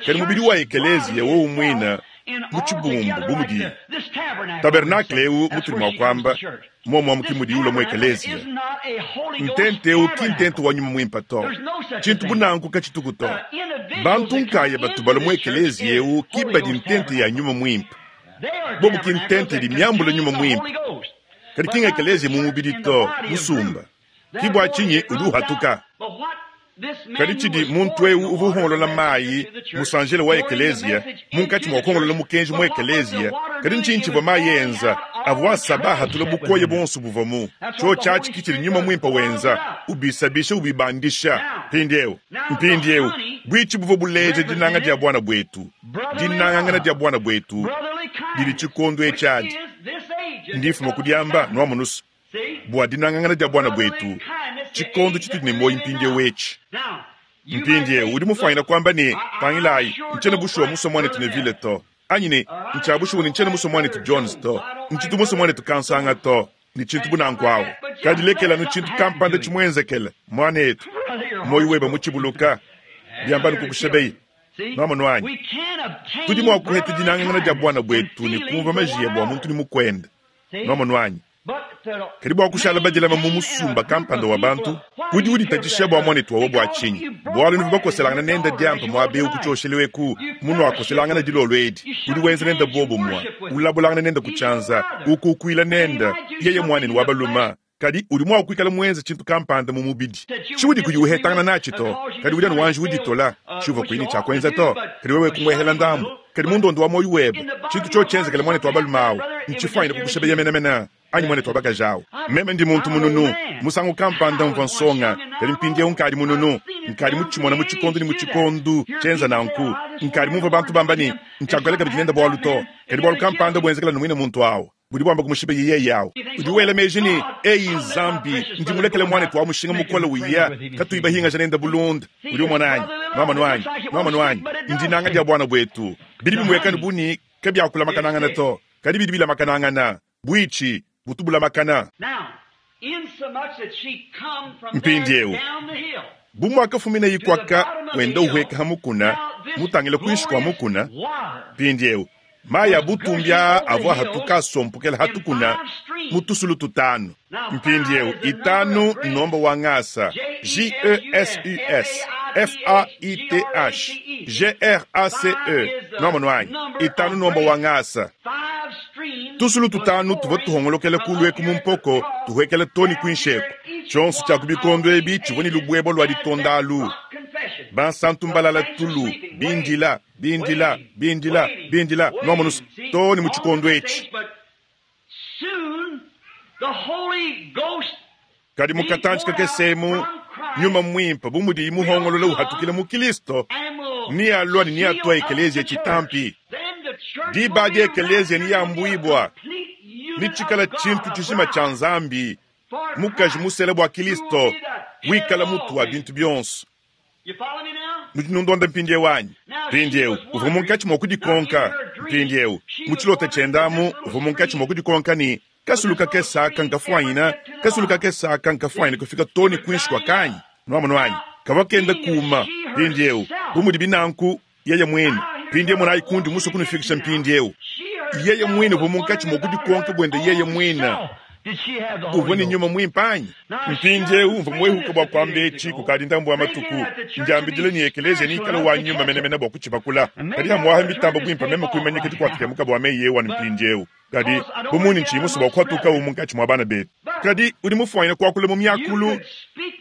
kadi mubidi wa ekeleziya wowu mwina mu tshibumbu bu mudi tabernakle ewu mutuli mua kuamba momwamu ki mudi ula mu ekeleziya. Ntente ewu ki ntente wa nyuma mwimpe to, tshintu bunanku katshituku to. Bantu nkaya batubala mu ekeleziya ewu ki badi ntente ya nyuma mwimpe, bobu ki ntente idi miambula nyuma mwimpe, kadi kinga ekeleziya mu mubidi to musumba ki bua tshinyi udi uhatuka. Kadi tshidi muntu ewu uvua uhongolola mayi musanjele wa ekeleziya munkatshi mua kuhongolola mukenji mu ekeleziya, kadi ntshinyi tshivua mayi enza avua asaba ahatula bukoya bonso buvua mu tshio tshiatshi ki tshidi nyuma mwimpe wenza ubisabisha ubibandisha. Mpindieu mpindieu buitshi buvua buleja dinanga dia bwana bwetu, dinangangana dia bwana bwetu didi tshikondo etshi ndifuma kudiamba nwamonusu bua dinangangana dia bwana bwetu tshikondo tshitudi ne moyi mpindieu etshi. Mpindieu udi mufanyina kuamba ne pangilayi ntshiena bushuwa musua muanetu Neville to, anyi ne ntshia bushuwa ne ntshiena musua muanetu Jones to, ntshitu musua muanetu Kansanga to, ni tshintu bunanku awo. Kadi lekelanu tshintu kampanda tshimuenzekele muanetu moyi weba mutshibuluka biambanu kukushebeyi nwamonu anyi tudi mua kuheta dinangangana dia bwana bwetu ne kumva majiya bua muntu ni mukwenda nwamonu anyi. Kadi bua kushala badilama mu musumba kampanda wa bantu udi uditatshisha bua muanetu wawo bua tshinyi, bualu nivu bakoselangana nenda diampa muabe ukutshiosheleweku munu akoselangana dilolo edi udi wenza nenda bobo mua ulabulangana nenda kutshanza ukukuila nenda yeye muanenu wa baluma, kadi udi mua kuikala muenza tshintu kampanda mu mubidi tshiudi kudi uhetangana natshi to, kadi udi anu wanji uditola tshiuvua kuini tshia to, kadi wewe kumwehela ndambu, kadi mundondo wa moyo webe tshintu tshio tshienzekele muanetu wa baluma awu ntshifanyine kukushebeya menamena anyi muanetu wa bakaji awu. Meme ndi muntu mununu musangu kampanda mvua nsonga, kadi mpindieu nkadi mununu nkadi mutshimona mu tshikondo ni mu tshikondo tshienza nanku nkadi mumvua bantu bamba ni ntshiakuela kabidi nenda bualu to, kadi bualu kampanda buenzekela numwine muntu awu budi bwamba kumushiba yeye yawo. Udi wela meji ni eyi Nzambi ndi mulekele muanetu wa mushinga mukole uya katuyi bahingaja nenda bulunda udi umona anyi nwamonu anyi nwamonu anyi ndinanga dia bwana bwetu bidi bimwekani buni kabiakulamakanangana to, kadi bidi bilamakanangana buitshi butubulamakana. Mpindieu bumwakafumina yikwaka wenda uhweka hamukuna mutangile kuinshi kwa mukuna. Mpindieu maya butumbya avua hatuka asompokela hatukuna mutusulu tutanu. Mpindieu itanu nomba wa ngasa J E S U S F A I T H G R A C E nomba nwanyi itanu nomba wa ngasa tusulu tutanu tuvua tuhongolokela kulweku mu mpoko tuhwekela toni kuinsheko tshionso tshia ku bikondo ebi tshivua ni lubwebo lwa ditondalu Bansantu mbalala tulu, bindila, bindila, bindila, bindila, nwamonu too ne mu tshikondo etshi. Kadi mu katantshi kakese emu, Nyuma Mwimpe bu mudiyi muhongolola uhatukila mu Kristo, nealua ne neatua ekeleziya tshitampi. Diba adi ekeleziya neyambuibua, netshikala tshintu tshijima tshia Nzambi, mukaji musela bua Kristo, wikala mutu wa bintu bionso. Nudi nundonda mpindieu anyi? Mpindieu uvua munkatshi mua kudikonka. Mpindieu mu tshilota tshiende amu uvua munkatshi mua kudikonka ne, kasulu kakese aka nkafuanyina, kasulu kakese aka nkafuanyina kufika too ne kuinshi kua kanyi. Nuamonu anyi? Kavua kenda kuma. Mpindieu bu mudi binanku yeye muine. Mpindieu monayi kundi musue kunufikisha mpindieu. Yeye muine uvua munkatshi mua kudikonka buende yeye muine. Uvua ne Nyuma Mwimpe anyi? Mpindieu mvua muehuka bua kuamba etshi kukadi ndambu wa matuku. Ndiambidile ne ekeleziya neikale wa nyuma menemene bua kutshibakula. Kadi hamuaha mitamba buimpe meme kuimanyika dikuatemuka bua meyi ewu anu mpindieu. Kadi bu muni ntshiyi musue bua kuhatuka munkatshi mua bana betu. Kadi udi mufuanyine kuakula mu miakulu,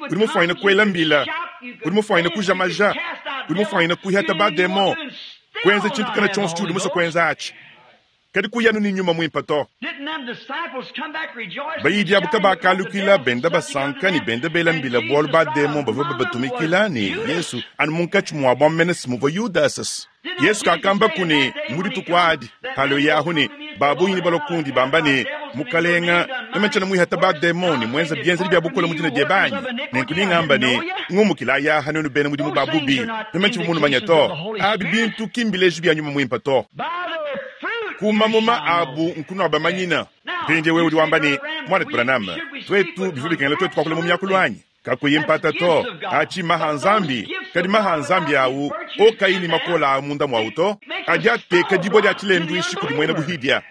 udi mufuanyine kuela mbila, udi mufuanyine kuja maja, udi mufuanyine kuihata bademon, kuenza tshintu kana tshionso tshiudi musue kuenza atshi. Kadi kuyanu ni Nyuma Mwimpe to. Bayidi abu kabakalukila benda basanka ne benda bela mbila bualu bademon bavua babatumikila ne Yesu anu munkatshi muabu amene muvua Yudasas. Yesu kakamba ku ne mu dituku adi halo yahu ne babungi ne balokundi bamba ne mukalenga emetshana muihata bademon ne mwenza bienzedi bia bukola mu dina diebe anyi. Nenku ningamba ne ngumukila yaha nenu bena mudimu ba bubi emetshi mumanya to. Abi bintu kimbileji bia Nyuma Mwimpe to. Kumamuma abu nkuno abamanyina. Mpindiewu wewe udi wamba ne mwana Branham, twetu bivua bikengela twetu kuakula mu miakulu anyi? Kakuyi mpata to. Achi maha Nzambi, kadi maha Nzambi awu okayi ne makola a munda mwawu to. Adi ateka dibua dia tshilenduishi kudi muena buhidia.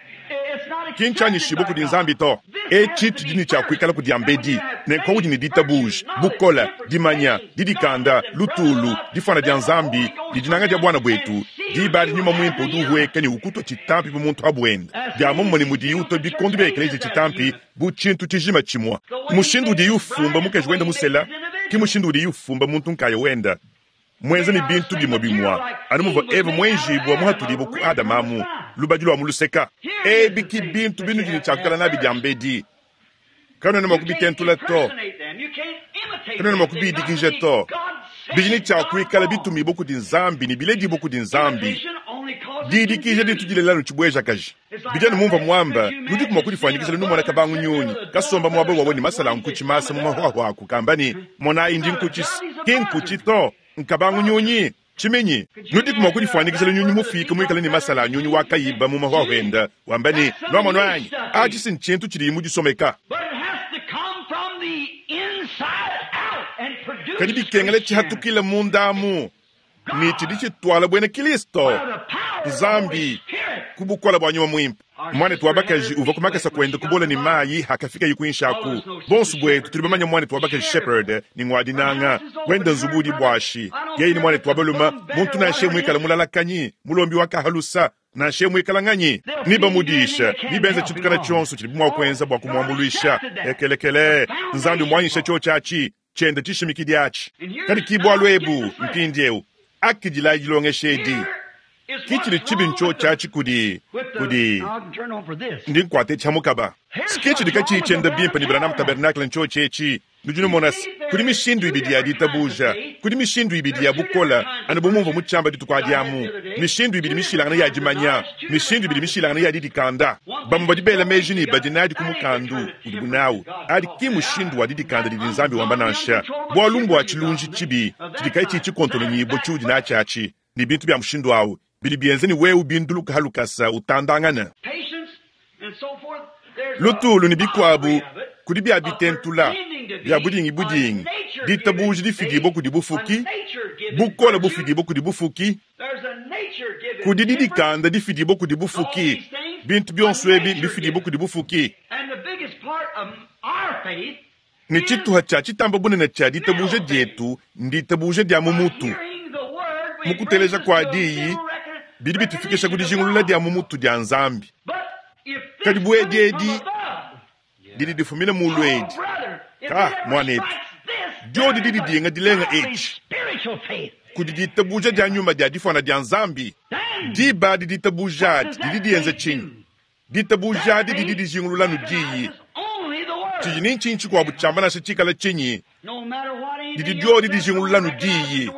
Kintshianyishibua kudi Nzambi to. Etshi tshidi ne tshia kuikala kudi ambedi, nenku udi ne ditabuja, bukola, dimanya, didikanda, lutulu, difuana dia Nzambi, ne dinanga dia bwana bwetu. Diba adi Nyuma Mwimpe udi uhueka ne ukutwa tshitampi bu muntu abuenda. Dia momumue ne mudiyi utwa bikondo bia ekeleziya tshitampi bu tshintu tshijima tshimue. Mushindu udiyi ufumba mukaji wenda musela, ki mushindu udiyi ufumba muntu nkaya wenda. Mwenza ne bintu bimue bimue, anu muvua Eva mwenjibua muhatudibua ku Adama amu, lubadi lua mu luseka. Ebi ki bintu binudi ne tshia kuikala nabi dia mbedi. Kanuena mua kubitentula to. Kanuena mua kubidikija to. Bidi ne tshia kuikala bitumibua kudi Nzambi ne biledibua kudi Nzambi. Didikija ditu dilela nutshibuejakaji. Bidi anu mumvua muamba, nudiku mua kudifuanyikijila numona kabangu nyunyi, kasomba muaba wawe ne masala nkutshi masa mu mahuahua aku, kamba ne, monayi ndi nkutshi, ki nkutshi to. Nkabangu nyunyi, tshiminyi. Nudiku mua kudifuanyikijila nyunyi mufike muikale ne masala a nyunyi wa kayiba mu mahuahua enda, wamba ne, nuamono anyi, atshi si ntshintu tshidi mudisomeka. Kadi bikengela tshihatukila mundamu, ne tshidi tshituala buena Kristo, Nzambi, ku bukola bua Nyuma Mwimpe. Mwanetu wa bakaji uvua ku makasa kuenda kubola ne mayi hakafikaye kuinshi aku. Bonso bwetu tudi bamanya mwanetu wa bakaji Shepherd ne ngwadinanga wenda nzubu udi bwashi. Yeye ni mwanetu wa balume, muntu nanshe muikala mulalakanyi, mulombi wa kahalusa, nanshe muikala nganyi. Ni bamudisha, ni benza tshintu kana tshionso tshidi mua kuenza bua kumuambuluisha. Ekelekele, Nzambi mwanyisha tshio tshiatshi, tshienda tshishimikidi atshi. Kadi ki bualu ebu mpindieu, akidila dilongesha edi. Kichili tshibi ntsho tshiatshi kudi kudi ndi nkuate tsha mukaba. Kichili katshiyi tshienda bimpe ne Branham Tabernacle ntsho tshietshi. Nudi numona se, kudi mishindu ibidi ya ditabuja, kudi mishindu ibidi ya bukola, anu bu mumvua mu tshiamba dituku adi amu. Mishindu ibidi mishilangane ya dimanya, mishindu ibidi mishilangane ya didikanda. Bamue badi bela meji ne badi nadi ku mukandu udibu nawu. Adi ki mushindu wa didikanda didi Nzambi wamba nansha. Bualu mbua tshilunji tshibi tshidi katshiyi tshikontononyibua tshiudi natshi atshi, ne bintu bia mushindu awu bidi bienza ne wewe binduluka halukasa utandangana. Lutulu ne bikuabu kudi bia bitentula bia budingi budingi, ditabuja difidibua kudi bufuki, bukola bufidibua kudi bufuki, kudi didikanda difidibua kudi bufuki, bintu bionso ebi bifidibua kudi bufuki. Ne tshituha tshia tshitamba bunene tshia ditabuja dietu nditabuja dia mu mutu. Mu kuteleja kua diyi bidi bitufikisha ku dijingulula dia mu mutu dia Nzambi. Kadi buedi edi didi difumina mulu edi. Ka mwanetu, diodi didi dinga dilenga etshi. Kudi ditabuja dia nyuma dia difuana dia Nzambi. Diba adi ditabuja adi didi dienza tshinyi? Ditabuja adi didi dijingulula nu diyi. Tshidi ni ntshinyi tshikuabu tshiamba nansha tshikala tshinyi? Didi diodi dijingulula nu diyi.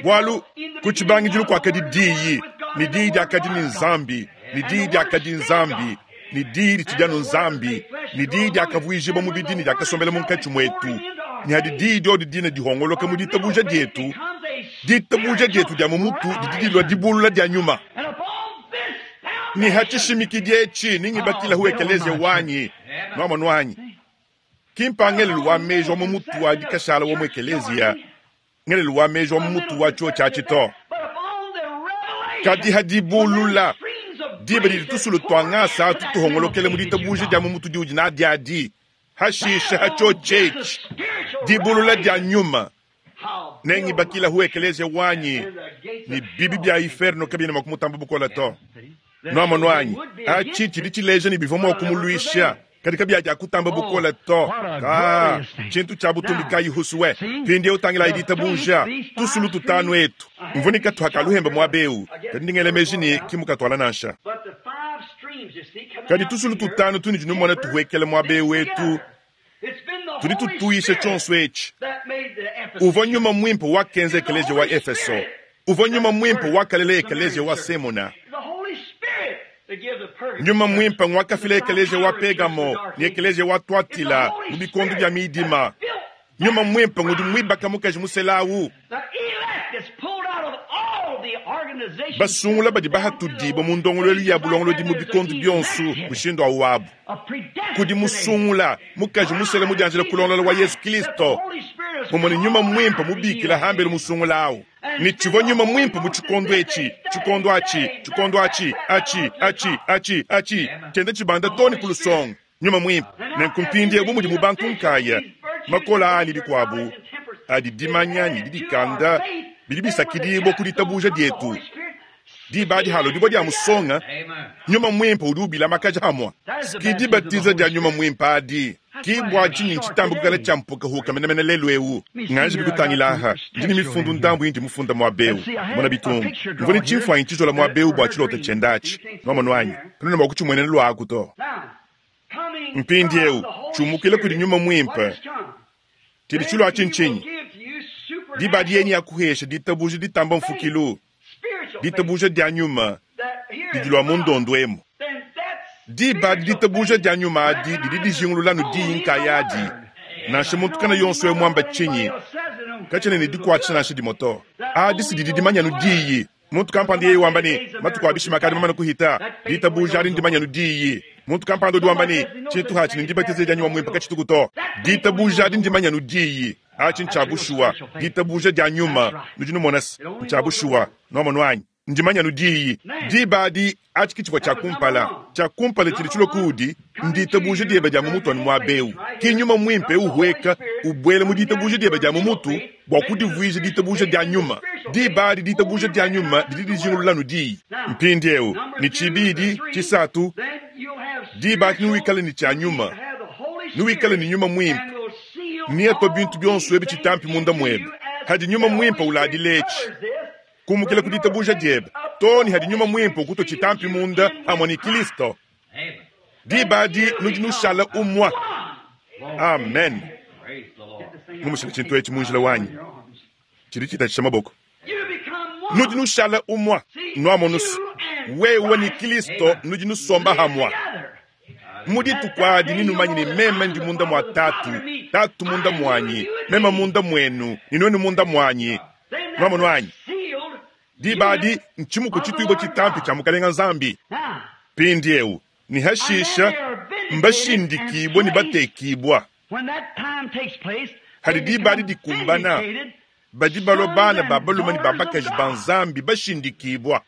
Bualu ku tshibangidilu kuakadi diyi, ne diyi diakadi ne Nzambi, ne diyi diakadi Nzambi, ne diyi ditshidi anu Nzambi, ne diyi diakavuijibua mubidi ne diakasombela munkatshi muetu. Ne hadi diyi diodi dina dihongoloka mu ditabuja dietu, ditabuja dietu dia mu mutu didi dilua dibulula dia nyuma. Ne hatshishimikidi etshi ningibakilahu ekeleziya wanyi, nuamonu wanyi. Ki mpangelelu wa meji wa mu mutu wa dikashala wa mu ekeleziya, ngelelu wa meji wa mu mutu wa tshiotshi atshi to. Kadi hadibulula, diba didi tusulu tua ngasa atu tuhongolokele mu ditabuja dia mu mutu diudi nadi adi, hashisha hatshiotshi etshi, dibulula dia nyuma. Nengibakilahu ekeleziya wanyi, ne bibi bia inferno kabiena mua kumutamba bukola to. Nuamonu anyi, atshi tshidi tshileja ne bivua mua kumuluisha, kadi kabiadia kutamba bukola to. Ka tshintu tshia butumbi kayi husuwe. Mpindieu tangilayi ditabuja, tusulu tutanu etu. Mvunika tuhakaluhemba muaba eu, kadi ndingela meji ne kimukatuala nansha. Kadi tusulu tutanu tunudi numona tuhuekela muaba eu etu, tudi tutuisha tshionso etshi. Uvua nyuma mwimpe wakenza ekeleziya wa Efeso. Uvua nyuma mwimpe wakalela ekeleziya wa Semuna. Nyuma mwimpe ngwakafila ekeleziya wa Pergamo ne ekeleziya wa Tuatila mu bikondo bia midima. Nyuma mwimpe ngudi mwibaka mukaji muselawu. Basungula badi bahatudibwa mu ndongoluelu ya bulongolodi mu bikondo bionso mushindu awu wabu. Kudi musungula mukaji musela mudianjila kulongolola wa Yesu Kristo. Mumone nyuma mwimpe mubikila hambelu musungula awu. Ne tshivua nyuma mwimpe mu tshikondo etshi, tshikondo atshi, tshikondo atshi, atshi, atshi, atshi, atshi, tshienda tshibanda too ne ku lusongo. Nyuma mwimpe. Nenku mpindieu bu mudi mu bantu nkaya, makola ani bikuabu, adi dimanya ne didikanda bidi bisakidibua ku ditabuja dietu. Diba adi halo dibua dia musonga, nyuma mwimpe udi ubilamakaja hamua. Ski dibatiza dia nyuma mwimpe adi. Ki bua tshinyi ntshitamba kukala tshia mpukahuka menemene lelu eu. Nganje bikutangila aha, ndi ne mifundu ndambu indi mufunda muaba eu. Mona bitungu. Mvua ne tshimfuanyi tshizola muaba eu bua tshilota tshienda atshi. Nuamonu anyi? Kanuena mua kutshimuenena luaku to. Mpindieu, tshiumukile kudi nyuma mwimpe. Tshidi tshilua atshi ntshinyi? Diba adi yenyi ya kuhesha ditabuja ditamba mfukilu, ditabuja dia nyuma didi lua mu ndondo emu. Diba adi ditabuja dia nyuma adi didi dijingulula nu diyi nkayadi. Nansha muntu kana yonso eu muamba tshinyi, katshiena ne dikuatshisha nansha dimue to. Adi si didi dimanya nu diyi. Muntu kampanda yeye wamba ne, matuku a bishima akadi mamane kuhita, ditabuja adi ndimanya nu diyi. Muntu kampanda udi wamba ne, tshintu hatshi ne ndibatiza dia nyuma mwimpe katshituku to. Ditabuja adi ndimanya nu diyi. Atshi ntshia bushuwa, ditabuja dia nyuma. Nudi numona se, ntshia bushuwa, nuamonu anyi? Ndimanya nu diyi. Diba adi, atshi ki tshivua tshia kumpala. Tshia kumpala tshidi tshilua kuudi, nditabuja diebe dia mu mutu anu muaba eu. Ki nyuma mwimpe uhueka, ubuela mu ditabuja diebe dia mu mutu, bua kudivuija ditabuja dia nyuma. Diba adi ditabuja dia nyuma didi dijingulula nu diyi. Mpindieu, ne tshibidi, tshisatu, diba adi nuikale ne tshia nyuma, nuikale ne nyuma mwimpe. Niatwa bintu bionso ebi tshitampi munda muebe. Hadi nyuma mwimpe uladila etshi, kumukila ku ditabuja diebe, too ne hadi nyuma mwimpe ukutwa tshitampi munda hamwe ne Kristo. Diba adi nudi nushala umwa. Amen. Mumushila tshintu etshi mu njila wanyi. Tshidi tshitatshisha maboko. Nudi nushala umwa. Nuamonusu. Wewe ni Kristo nudi nusomba hamwa. Mu dituku adi ninumanye ne meme ndi munda mua tatu, tatu munda muanyi, meme munda muenu, ne nuenu munda muanyi. Nuamonu anyi? Diba adi ntshimuku tshituibua tshitampi tshia Mukalenga Nzambi. Mpindieu, ne hashisha mbashindikibua ne batekibua. Hadi diba adi dikumbana, badi balua bana ba balume ne ba bakaji ba Nzambi bashindikibua.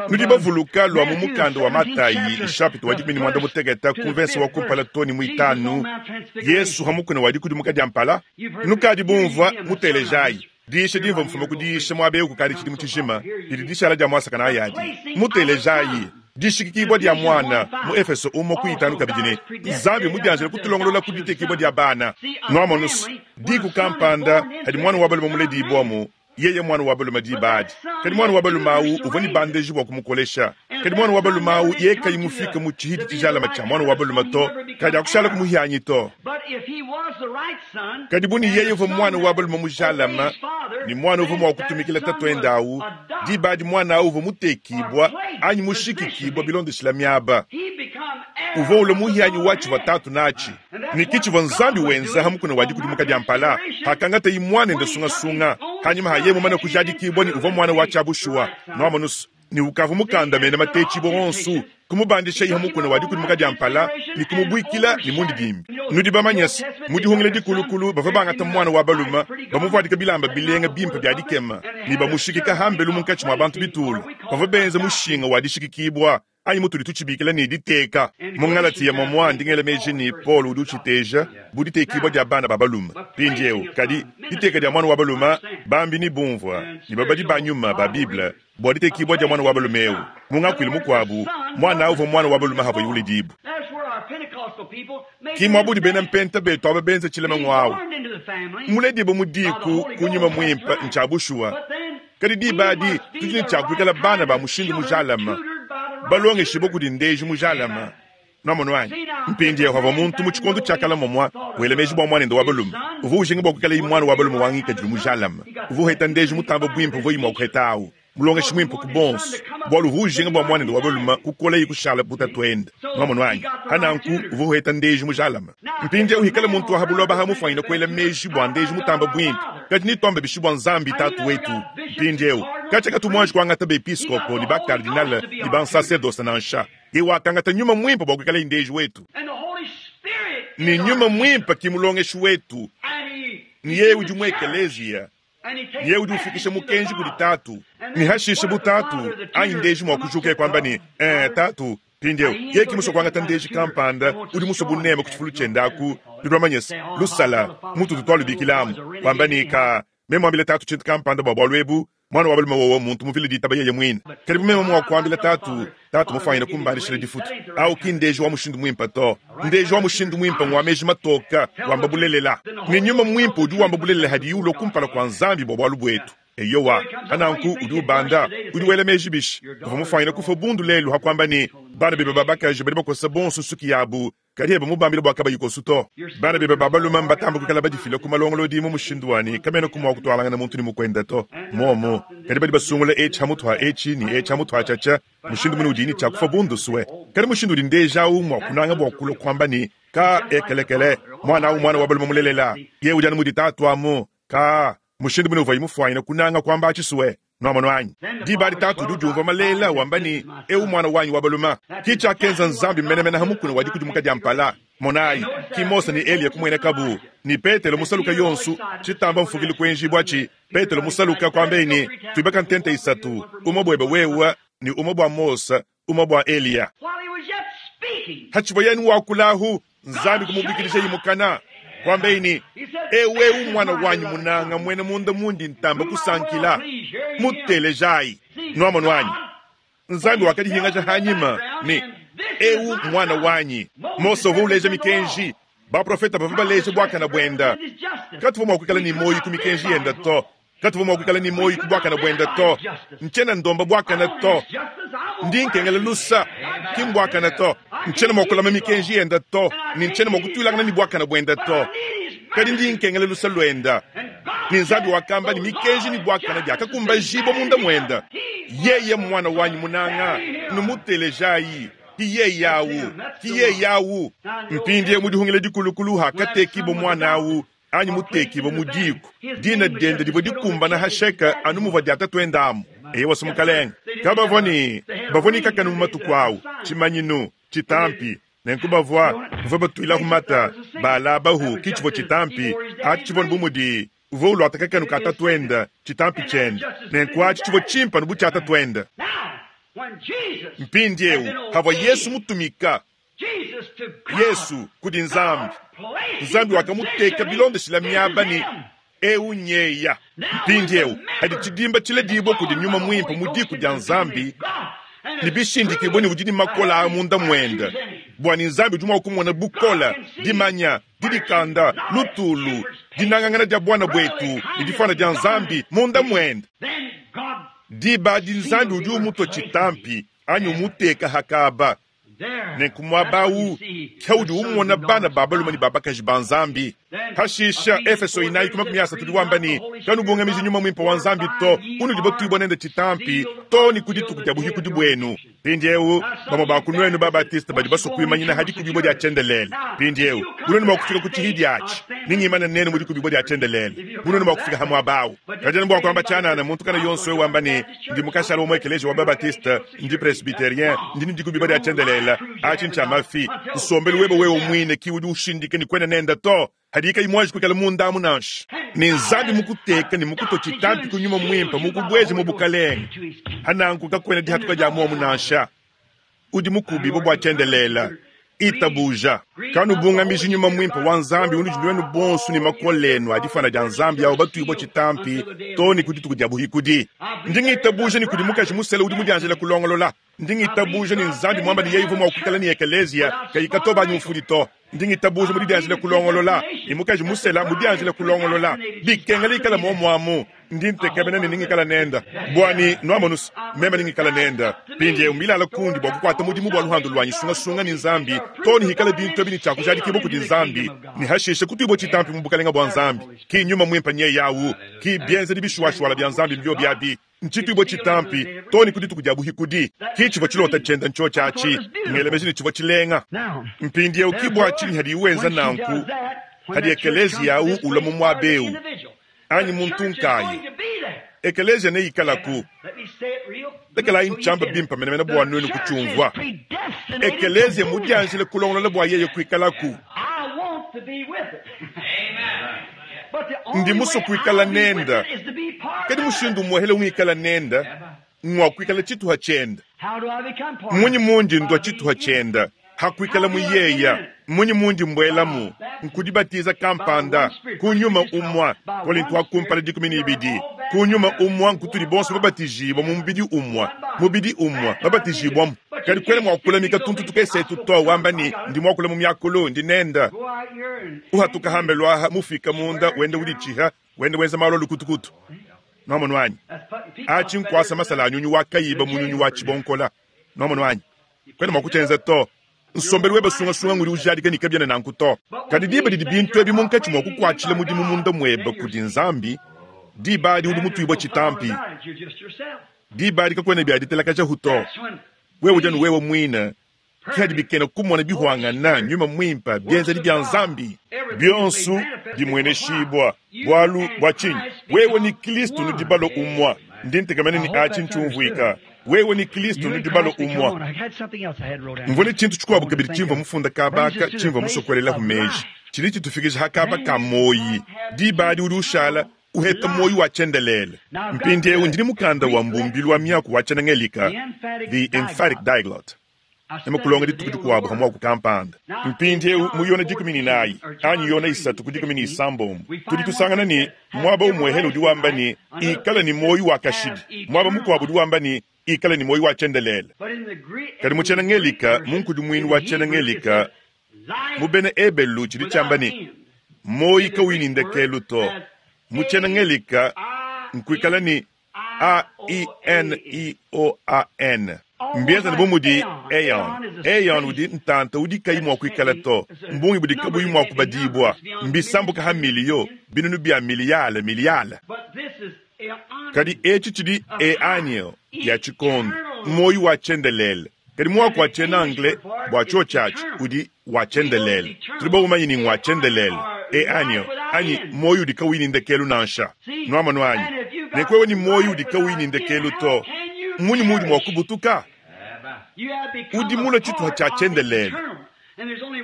Nudi bavuluka lua mu mukanda wa Matayi, chapitre wa dikumi ne muanda mutekete, ku verse wa kumpala too ne muitanu, Yesu hamukuna wa dikudimuka dia mpala. Nukadi bumvua mutelejayi. Diisha dimvua mfuma ku diisha muaba eu kukadi tshidimu tshijima, didi dishala dia muasakana ayadi. Mutelejayi. Dishikikibua dia mwana mu Efeso umue ku itanu kabidi ne Nzambi mudianjile kutulongolola ku ditekibua dia bana. Nuamonus diku kampanda hadi mwana wa balume muledibwamu, yeye mwana wa balume dibadi. Kadi mwana wa balume awu uvua ne bandeji bua kumukolesha. Kadi mwana wa balume awu yeye kayi mufike mu tshihidi tshijalama tshia mwana wa balume to, kadi akushala kumuhianyi to. Kadi buni yeye uvua mwana wa balume mujalama, ni mwana uvua mua kutumikila tatuende awu, dibadi mwana awu uvua mutekibwa anyi mushikikibwa bilondeshila miaba. Uvua ule muhianyi wa tshivua tatu nachi. Ni kitshivua Nzambi wenza hamukuna wa dikudimuka dia mpala, hakangata yi mwana ende sungasunga, hanyuma haye mumana kujadikibwa ni uvua mwana wa tshiabushuwa. Nuamonus ni ukavu mukanda mena matechibwa onsu, kumubandisha iha mukuna wa dikudimuka dia mpala, ni kumubwikila ni mundi dimbi. Nudi bamanyasi, mudihungile dikulukulu bava bangata mwana wa balume, bamuvuadika bilamba bilenga bimpe bia dikema, ni bamushikika hambelu munkatshi mua bantu bitulu. Bava benza mushinga wa dishikikibwa, anyi mutudi tutshibikila ni diteka. Mu Galatiya momwa ndingela meji ni Paul udi utshiteja bu ditekibwa dia bana ba balume. Mpindieu kadi diteka dia mwana wa balume bambi ni bumvua ni babadi ba nyuma ba Bible bua ditekibwa dia mwana wa balume eu. Mu ngakuilu mukuabu mwana uvua mwana wa balume havua yulidibu. Ki muabudi bena mpenta betu aba benza tshilema ngwawu. Muledibu mu diku kunyuma muimpe ntshiabushuwa. Kadi dibadi tudi ne tshiakuikala bana ba mushindu mujalama, balongeshe kudi ndeji mujalama. Nuamono anyi? Mpindieu havua muntu mu tshikondo tshiakala momwa wela meji bua mwanende wa balume. Uvua ujinga bua kuikala mwana wa balume wangikadilu mujalama. Uvua uheta ndeji mutamba bwimpe uvua imua kuheta awu. Mulongeshi mwimpe ku bonso. Bualu uvua ujinga bua mwanende wa balume kukola yi kushala butatuende. Nuamono anyi? Hananku uvua uheta ndeji mujalama. Mpindieu hikala muntu wa habuloba hamufwanyina kuela meji bua ndeji mutamba bwimpe. Kadi nituamba bishi bua Nzambi tatu wetu. Mpindieu kacha katumwanji kuangata bepiskopo ni bakardinale ni bansacerdoce nansha. Ye wakangata nyuma mwimpe bua kuikala ndeji wetu. Ni nyuma mwimpe kimulongeshi wetu. Ni yeye udi mu ekelezia. Ni yeye udi ufikisha mukenji kudi tatu. Ni hashishe butatu anyi ndeji mwa kujuka kwamba ni eh tatu pindeu. Yeye kimuso kuangata ndeji kampanda udi muso bunema kuchifulu chendaku lidwamanyesa lusala mutu tutwalu bikilamu kwamba ni ka memwambile tatu chintu kampanda bwa bwalwebu mwana wa balume wowo muntu muvile ditaba yeye mwine. Karibu meme mwa kuambila tatu tatu mufanyina kumbandishila difutu au ki ndeji wa mushindu mwimpe to. Ndeji wa mushindu mwimpe ngwa meji matoka wamba bulelela. Ni nyuma mwimpe udi wamba bulelela hadi yulo kumpala kwa Nzambi bwa bwalu bwetu. Eyowa hananku udi ubanda udi wela meji bishi uvua mufanyina kufa bundu lelu hakwamba ni bana bebe babakaji badi bakosa bonso suki yabu kadi eba mubambile bua kabayikosu to. Bana bebe babalume mbatamba kukala badifila ku malongolodi mu mushindu wani kamena kumwa kutwalangana muntu ni mukwenda to. Momo kadi badi basungula echi hamutu ha echi ni echi hamutu ha chacha mushindu munu udi ni tshiakufa bundu suwe. Kadi mushindu udi ndeja awu mua kunanga bua kulua kuamba ni ka ekelekele mwana awu mwana wa balume mulelela ye udi anu mudi tatu amu ka mushindu munu uvua imufwanyina kunanga kuamba atshisuwe. Nuamono anyi? Dibadi tatu udi udiumvua malela wamba ni eu mwana wanyi wa balume. Ki tshiakenza Nzambi menemene hamukuna wa dikudimuka dia mpala. Monayi ki Mose ni Eliya kumwena kabu ni Petelo musaluka yonsu tshitamba mfukili kuenji bwatshi. Petelo musaluka kwamba ni tuibaka ntente isatu umwe bwebe wewa ni umwe bwa Mose umwe bwa Eliya. Hachivo yenu wakulahu Nzambi kumubikilisha yimukana kwamba ni ewe umwana wanyu munanga mwene munda mundi ntamba kusankila mutelejai. Nuamono anyi? Nzambi wakadihingaja hanyima ni eu mwana wanyi. Mose uvua uleja mikenji baprofeta bavua baleja bwakana bwenda. Katuvua mua kuikala ni moyi ku mikenji yenda to. Katuvua mua kuikala ni moyi ku bwakana bwenda to. Ntshiena ndomba bwakana to. Ndi nkengela lusa ki mbwakana to. Ntshiena mua kulama mikenji yenda to. Ni ntshiena mua kutuilangana ni bwakana bwenda to. Kadi ndi nkengela lusa lwenda. Ni Nzambi wakamba ni mikenji ni bwakana biakakumbajibwa munda mwenda. Yeye mwana wanyi munanga numutelejayi. Kiye yawu, kiye yawu. Mpindie mudihungile dikulukulu hakatekibo mwana awu anyi mutekibo mudiku. Dina diende divua dikumbana hasheka anu muvua dia tatuendamu. Eye wasi mukalenga. Kabavua ni bavua ni kakanu mu matuku awu tshimanyinu tshitampi. Nenku bavua bavua batuilahu mata balabahu ki tshivua tshitampi atshi tshivua bu mudi uvua uluata kakanu ka tatuenda tshitampi tshiende. Nenku atshi tshivua tshimpa nu bu tshia tatuenda. Mpindieu havua Yesu mutumika Yesu kudi Nzambi. Nzambi wakamuteka bilondeshila miaba ni eu nyeya. Mpindieu hadi tshidimba tshiledibwa kudi nyuma mwimpe mu diku dia Nzambi. Ne bishindikibue ne udi ne makola a munda muende, bua ne Nzambi udi mua kumona bukola, dimanya, didikanda, lutulu, dinangangana dia buana buetu ne difuana dia Nzambi munda muende. Diba adi Nzambi udi umutua tshitampi anyi umuteka hakaba. Nenku muaba awu ke udi umona bana ba balume ne ba bakaji ba Nzambi. Pashisha Efeso inayi ku makumi asatu udi wamba ne, kanubungamiji nyuma muimpe wa Nzambi to, unudi batuibua nende tshitampi to ne ku dituku dia buhikudi buenu. Mpindieu bamue ba ku nuenu ba Batiste badi basue kuimanyina ha dikubibua dia tshiendelele. Mpindieu bu nuenu mua kufika ku tshihidi atshi, ningimane nenu mu dikubibua dia tshiendelele. Bu nuenu mua kufika ha muaba awu. Kadi bua kuamba tshianana, muntu kana yonso we wamba ne, ndi mukashala wa mu ekeleziya wa ba Batiste, ndi presbyterien, ndi ne dikubibua dia tshiendelele. Atshi ntshia mafi. Nsombelu webe wewe muine ki udi ushindika ne kuena nenda to. Hadika imwaji kuikala munda amu nansha. Ne Nzambi mukuteka ne mukutua tshitampi ku nyuma muimpe mukubweje mu bukalenge. Hananku kakuena dihatuka dia muomu nansha. Udi mukubibua bua tshiendelele. Itabuja. Kanubungamiji nyuma muimpe wa Nzambi unudi nuenu bonso ne makole enu a difana dia Nzambi awo batuibua tshitampi to ne ku dituku dia buhikudi. Ndi ngitabuja ne kudi mukaji musele udi mudianjila kulongolola. Ndi ngitabuja ne Nzambi mwamba ne yeye uvua mua kuikala ne ekeleziya kayikatoba anyi mufudi to. Ndi ngitabuja mudianjila kulongolola ne mukaji musela mudianjila kulongolola. Bikengela ikala muomuamu. Ndi ntekemena ne ningikala nenda. Bwani nwamonusa meme ningikala nenda. Mpindieu milala kundi bua kukuata mudimu bua luhandu luanyi sungasunga ne Nzambi to ne hikala bintu ebi ne tshiakujadikibua kudi Nzambi ne hashishe kutuibua tshitampi mu bukalenga bua Nzambi. Ki nyuma muimpe nye yawu, ki bienzedi bishuwashuwala bia Nzambi mbio biabi. Ntshituibua tshitampi to ne ku dituku dia buhikudi. Ki tshivua tshilota tshienda ntshio atshi, ngelemeji ne tshivua tshilenga. Mpindieu ki bua tshinyi hadi wenza nanku, hadi ekeleziya awu ulua mu muaba eu anyi muntu nkayi. Ekeleziya neikalaku. Lekelayi ntshiamba bimpe menemene bua nuenu kutshiumvua. Ekeleziya mudianjile kulongolola bua yeye kuikalaku. Ndi musue kuikala nenda. Kadi mushindu muhele ungikala nenda, ngua kuikala tshituha tshienda. Munyi mundi ndua tshituha tshienda, hakuikala muyeya. Munyi mundi mbwelamu, nkudibatiza kampanda, kunyuma umwa, Korinto wa kumpala dikumi ne ibidi. Kunyuma umwa nkutudi bonso babatijibwa mu mubidi umwa, mubidi umwa babatijibwamu. Kadi kwena mua kulamika tuntu tukesetu to wamba ni ndi mua kula mu myakulu ndi nenda. Uhatuka hambelu aha mufika munda wenda udichiha wenda wenza malo lukutukutu. Nwamonu wanyi. Achi nkwasa masala anyunyu wa kayiba munyunyu wa chibonkola. Nwamonu wanyi. Kwena mua kuchenza to. Nsombelu webe sungasunga nguri ujadika ni kabyana nanku to. Kadi diba didi bintu ebi munkatshi mua kukuatshila mudimu munda muebe kudi Nzambi, diba adi udi mutuibua tshitampi. Diba adi kakuena bia ditelakaja hu to. Wewe udi anu wewe muine. Ki hadi bikena kumona bihwangana nyuma muimpe bienzedi bia Nzambi. Bionso bimweneshibwa bwalu bwa tshinyi? Wewe ni Kristo nudi balo umwa. Ndi ntekamene ni atshi ntshiumvuika. Wewe ni Kristo nudi balo umwa. Mvone tshintu tshikuabu kabidi tshimvua mufunda kabaka tshimvua musokolela humeji. Tshidi tshitufikisha hakaba ka moyi. Diba adi udi ushala uheta moyi wa tshiendelele. Mpindieu ndi mukanda wa mbumbilu wa miaku wa tshienangelika, The Emphatic Diaglott. Nemakulonga dituku dikuabu hamwa ku kampanda. Mpindieu mu yona dikumi ne inayi, anyi yona isatu ku dikumi ne isambombo, tudi tusangana ne muaba umwehele udi wamba ne ikala ne moyi wa kashidi. Muaba mukuabu udi wamba ne ikala ne moyi wa tshiendelele. Kadi mu tshienangelika, mu nkudimuinu wa tshienangelika, mu bena Ebelu tshidi tshiamba ne moyi kauyi ne ndekelu to. Mu tshienangelika nkuikala ne A I N I O A N. Mbienza ne bumudi Aeon. Aeon udi ntanta udi kayi mua kuikala to. Mbungi budi kabuyi mua kubadibua. Mbisambuka ha miliyo, binunu bia miliyale, miliyale. Kadi etshi tshidi eanio ya tshikondo, moyi wa tshiendelele. Kadi muaku wa tshiena-anglais bua tshio tshiatshi udi wa tshiendelele. Tudi baumanye ni ngwa tshiendelele. Eanio, anyi moyi udi kauyi ne ndekelu nansha. Nwamonu anyi? Ne kwewe ni moyi udi kauyi ne ndekelu to. Munyi mudi mua kubutuka? Udi mula tshituha tshia tshiendelele.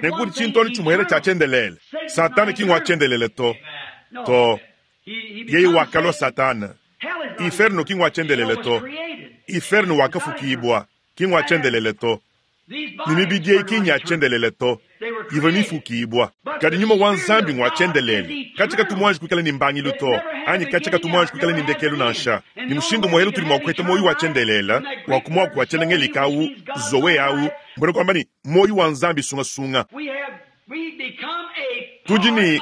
Ne kudi tshintu tshimuhela tshia tshiendelele. Satana ki ngwa tshiendelele to. To. Yeye wakalua Satana. Inferno ki ngwa tshiendelele to. Inferno wakafukibwa ki ngwa tshiendelele to. Ni mibidi eyi ki nya tshiendelele to. Ivua mifukibua. Kadi nyuma wa Nzambi ngwa tshiendelele. Katshikatu muanji kuikala ne mbangilu to, anyi katshikatu muanji kuikala ne ndekelu nansha. Ne mushindu muhelu tudi mua kuheta moyo wa tshiendelele, wa ku muaku wa tshiena-ngelika awu, zoe awu, mbona kwamba ni moyo wa Nzambi sungasunga. Tudi ne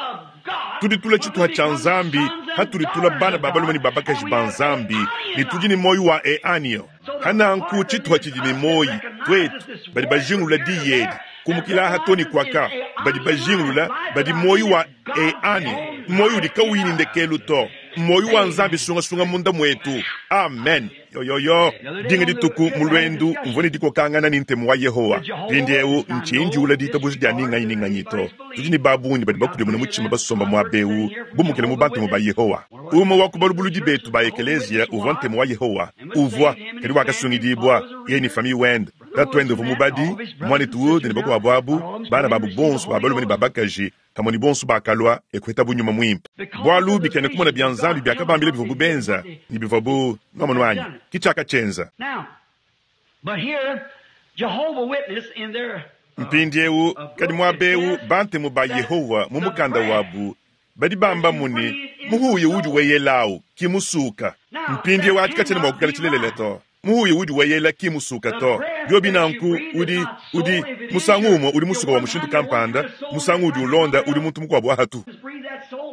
tudi tula tshituha tshia Nzambi, hatudi tula bana ba balume ne ba bakaji ba Nzambi, ne tudi ne moyo wa eanio. Hananku tshituha tshidi ne moyi, twetu badi bajingulula diyi edi, kumukila aha to ne kwaka, badi bajingulula badi moyo wa eanio, moyo udi kauyi ne ndekelu to, moyo wa Nzambi sungasunga munda mwetu. Amen. Yoyoyo dinga dituku mu lwendu mvua ne dikokangana ne ntemu wa Yehowa. Mpindieu ntshinjiula ditabuja dia ninganyi ninganyi to. Tudi ne babungi badi bakudimuna mutshima basomba muaba eu bumukile mu bantemu ba Yehowa. Umue wa ku balubuludi betu ba ekeleziya uvua ntemu wa Yehowa, uvua kadi wakasungidibua yeye ne famille wende. Tatuende uvua mubadi, muanetu Wood ne bakuabu abu, bana babu bonso ba balume ne ba bakaji, pamue ne bonso bakalua ekuheta bu nyuma muimpe. Bualu bikena kumona bia Nzambi biakabambila bivua bubenza ne bivua bu nwamonu wanyi ki tshiakatshyenza. Mpindieu kadi muaba eu bantemu ba Yehowa mu mukanda wabu badi bamba muni muhuya udi weyelawu ki musuka. Mpindieu ati katshiena mua kuikala tshilelele to. Muhuya udi weyela ki musuka to. Biobi nanku udi udi musangu umue udi musuka wa mushindu kampanda, musangu udi ulonda udi muntu mukuabu ahatu.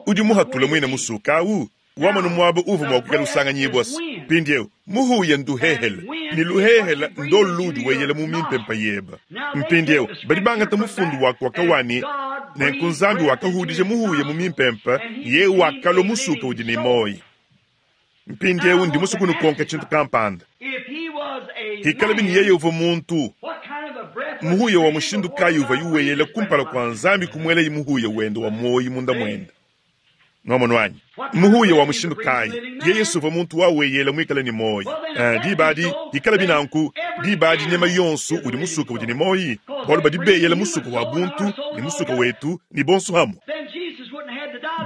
Udi muhatula muine musuka awu wamanu muaba uvua mua kuikala usanganyibua. Mpindieu muhuya nduhehele ne luhehele ndolu ludi weyela mu mimpempa yeba. Mpindieu badi bangata mufundu wa kwakawani nenku Nzambi wakahudija muhuya mu mimpempa ye wakalua musuka udi ne moyi. Mpindieu ndi musukunu konka tshintu kampanda. Hikala bini yeye uvua muntu muhuya wa mushindu kayi uvua yuweyela kumpala kwa Nzambi kumwela muhuya wende wa moyi munda mwende. Nwamonu wanyi muhuya wa mushindu kayi yeye suva muntu waweyela mwikala ne moyi. Uh, dibadi hikala binanku dibadi nyama yonso udi musuka udi ne moyi, bualu badi beyela musuka wa buntu ne musuka wetu ne bonso hamu.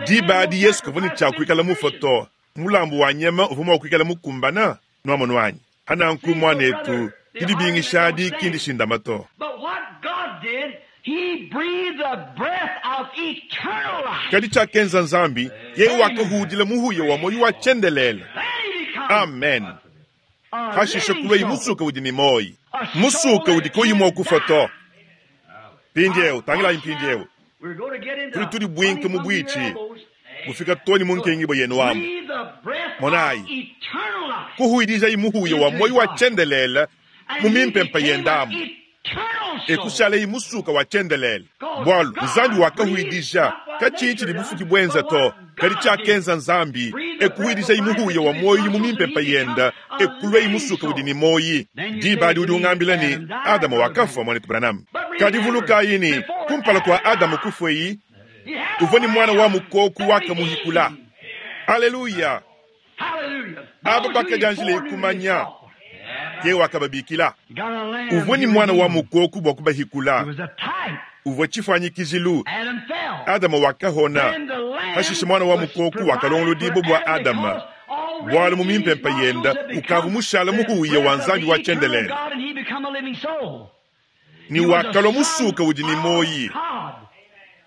Dibadi Yesu kavua ne tshia kuikala mufa to, mulambu wa nyama uvua mua kuikala mukumbana. Nwamonu wanyi hananku mwanetu didibingishadi kindi shindama to. Kadi tshiakenza Nzambi yeye wakahudila muhuya wa moyi wa tshiendelele. Amen. Hashishe kulwa musuka udi ne moyi, musuka udi koyi mua kufa to. Mpindieu tangilayi mpindieu tuli tuli bwinke mu bwitshi bufika toni mu nkengibo yenu amu. Monayi kuhuidijayi muhuya wa moyi wa tshiendelele mu mimpempa yendamu ekushaleyi musuka wa tshiendelele. Bualu Nzambi wakahuidija katshitshi bufuki bwenza to, kadi tshiakenza Nzambi ekuhuidijayi muhuya wa moyi mu mimpempa yenda ekulweyi musuka udi ne moyi. Dibadi udi ungambila ni Adama wakafua mwanetu Branham. Kadi vulukayi ni kumpala kwa Adamu kufweyi uvua ni mwana wa mukoku wakamuhikula. Aleluya. Aba bakajanjile ikumanya ye wakababikila. Uvua ni mwana wa mukoku bwa kubahikula. Uvua tshifanyikizilu. Adama wakahona. Hashishe mwana wa mukoku wakalongolodibo bwa Adama. Bualu mu mimpempa yenda ukavu mushala muhuya wa Nzambi wa tshiendelele. Ni wakalwa musuka udi ni moyi.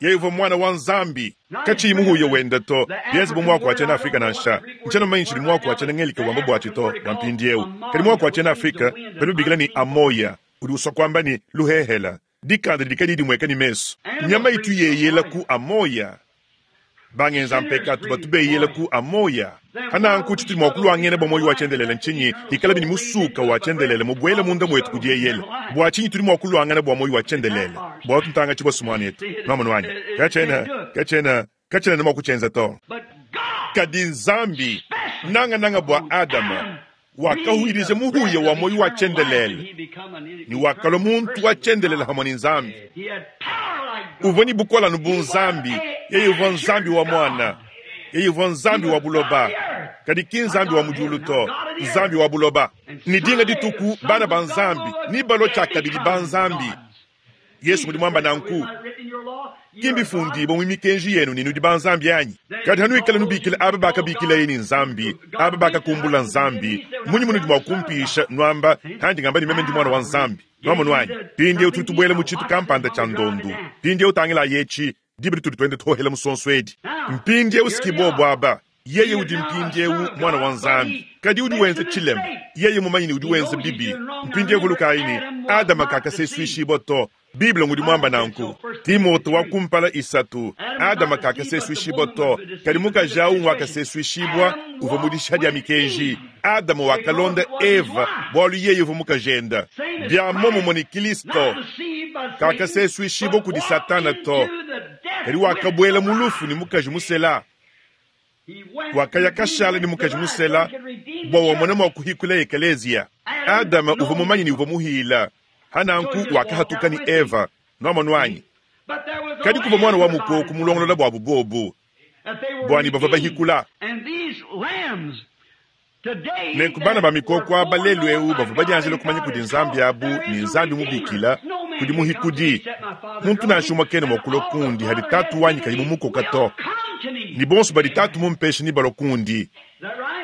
Yeye uvua mwana wa Nzambi katshiyi muhuya wenda to. Bienze bu muaku wa tshiena Afrika nansha ntshiena manyi tshidi muaku wa tshiena ngelika wamba bwatshi to bwa mpindieu. Kadi muaku wa tshiena Afrika badi babikila ni amoya udi usua kwamba ni luhehela dikanda didi kadi dimweka ni mesu. Nyama itu yeyela ku amoya bangenza mpekatu batu beyela ku amoya. Hananku tshitudi mua kulwangena bwa moyi wa tshiendelele ntshinyi hikala bini musuka wa tshiendelele mubwele munda mwetu kudieyela. Bwa tshinyi tudi mua kulwangana bwa moyi wa tshiendelele bwa tuntanga tshibwa mwanetu nwamonu wanyi katshena katshena katshena ne mua kutshienza to. Kadi Nzambi nanga nanga bwa Adama wakahuidija muhuya wa moyi wa tshiendelele ni wakalwa muntu wa tshiendelele hamwe ni Nzambi. Uvua ni bukola nu bu Nzambi, yeye uvua Nzambi wa mwana, yeye uvua Nzambi wa buloba, kadi ki Nzambi wa mudiulu to, Nzambi wa buloba. Ni dinga dituku bana ba Nzambi ni balo tshiakabidi ba Nzambi. Yesu ngudi mwamba nanku. Kimbifundibo mu mikenji yenu ni nudi ba Nzambi anyi? Kadi hanuikala nubikila aba bakabikilaye ni Nzambi, aba bakakumbula Nzambi, munyi munudi mwa kumpisha nwamba handi ngamba ni meme ndi mwana wa Nzambi. Nwamonu anyi? Pindiewu tudi tubuela mu tshitu kampanda tshia ndondu. Pindiewu tangila yechi, dibiri tudi twende tohela musonso edi. Mpindiewu sikibobo aba. Yeye udi mpindiewu mwana wa Nzambi. Kadi udi wenza chilema. Yeye mumanyi ni udi wenza bibi. Mpindiewu vulukayi ni Adama kakaseswishibwa to. Biblia ngudi mwamba nanku. Timote wa kumpala isatu. Adama kakaseswishibwa to. Kadi mukaji wakaseswishibwa uva mudisha dia mikenji. Adama wakalonda Eva bwalu yeye uva mukajenda. Bya momo ni Kristo. Kakaseswishibwa kudi Satana to. Kadi wakabwela mulufu ni mukaji musela. Wakaya kashala ni mukaji musela bwa wamona mwa kuhikula ekelezia. Adama uva mumanyi ni uva muhila. Hananku wakahatuka ni Eva nwamonu anyi. Kadi kuva mwana wa mukoko mulongolola bwa bubobu bwani bava bahikula. Nenku bana ba mikoko aba lelu eu bava badianjila kumanya kudi Nzambi abu ni Nzambi mubikila kudi muhikudi. Muntu nansha umwe kena mwakulwa kundi hadi tatu wanyi kayi mumukoka to. Ni bonso badi tatu mumpesha ni balwa kundi.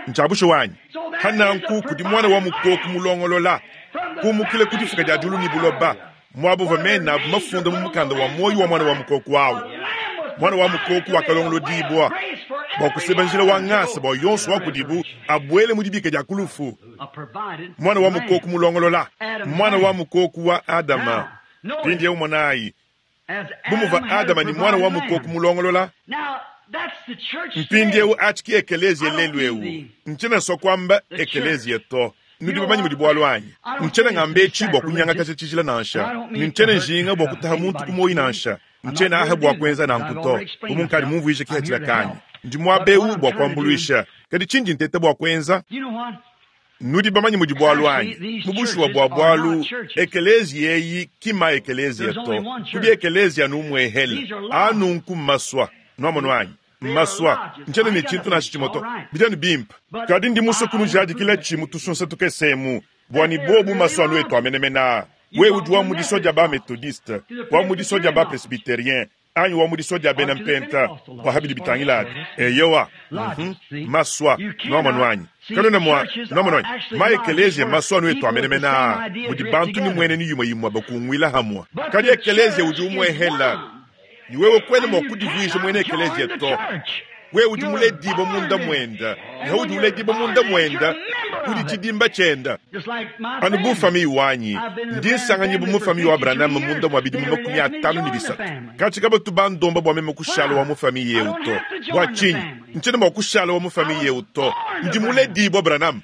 Nchabusho wanyi. Hananku kudi mwana wa mukoko mulongolola. Kumukile kudifuka dia dulu ni buloba. Mwabu vamena mafunda mu mukanda wa moyo wa mwana wa mukoko wawo. Mwana wa mukoko wakalongolo dibwa. Bwa kuseba njila wa ngasa bwa yonso wa kudibu abwele mudibika dia kulufu. Mwana wa mukoko mulongolola. Mwana wa mukoko wa Adama. Pindi umwanayi. Bumuva Adama ni mwana wa mukoko mulongolola. Mpindi eu achiki ekelezia lelu eu. Nchena sokwamba ekelezia to. Nudi bamanyi mudi bwalu anyi. Nchena ngambe chi bwa kunyanga kasha chijila nansha. Ni nchena njinga bwa kutaha muntu kumoyi nansha. Nchena aha bwa kwenza na nkuto. Umunkali mumvuisha kihachila kanyi. Ndi mwabeu bwa kuambuluisha. Kadi chindi ntete bwa kwenza. Nudi bamanyi mudi bwalu anyi. Mubushuwa bwa bwalu ekelezia eyi kima ekelezia to. Kudi ekelezia numwehele. Anu nkumaswa. Nwamonu anyi. Maswa nchena ni chintu na chimoto bijani bimpa kadi ndi muso kunu jadi kila chimu tusunsa tukesemu bwani bobu maswa nwetu amenemena we udi wa mudiso dia ba methodiste wa mudiso dia ba presbyterien anyi wa mudiso dia bena mpenta wa habidi bitangila eyowa mm -hmm. Maswa nwamonu anyi kanona mwa nwamonu anyi ma ekelezia maswa nwetu amenemena mudi bantu ni mwene ni yumwe yumwe bakungwila hamwa kadi ekelezia udi umwehela. Ni wewe kwene mwa kudivuisha mwene ekelezia to. Wewe udi muledibo munda mwenda. Ni udi uledibo munda mwenda. Udi chidimba chenda. Anu bu fami wanyi. Ndi nsanganyibu mu fami wa Branham munda mwa bidimu makumi atano ni bisatu. Kachi kaba tubandomba bwa meme kushala wa mu fami yeu to. Bwa chinyi. Nchena mwa kushala wa mu fami yeu to. Ndi muledibo Branham.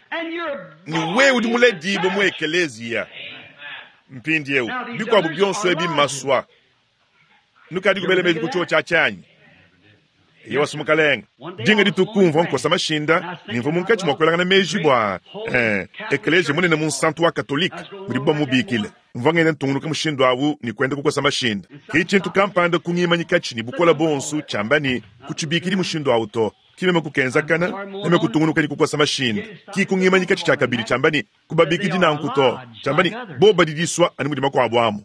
Ni wewe udi muledibo mu ekelezia. Mpindi yeu. Bikwabu byonso ebi maswa. Nukadi kubele meji kuchuo cha chanyi. Yewa sumukalenga. Dinga ditukumva nkosa mashinda, nimva munkachi mwakwelanga na meji bwa eh ekelezia munene mu nsantu wa Katolika, mudi bwa mubikile. Mva ngene ntungunuka mushindu awu ni kwenda kukosa mashinda. Kichintu kampanda kungimanyika chini bukola bonsu chambani kuchibikili mushindu awu to. Kimeme kukenzakana neme kutungunuka ni kukosa mashinda. Kikungimanyika cha kabili chambani kubabikidi na nkuto. Chambani boba didiswa ani mudi makwabo amu.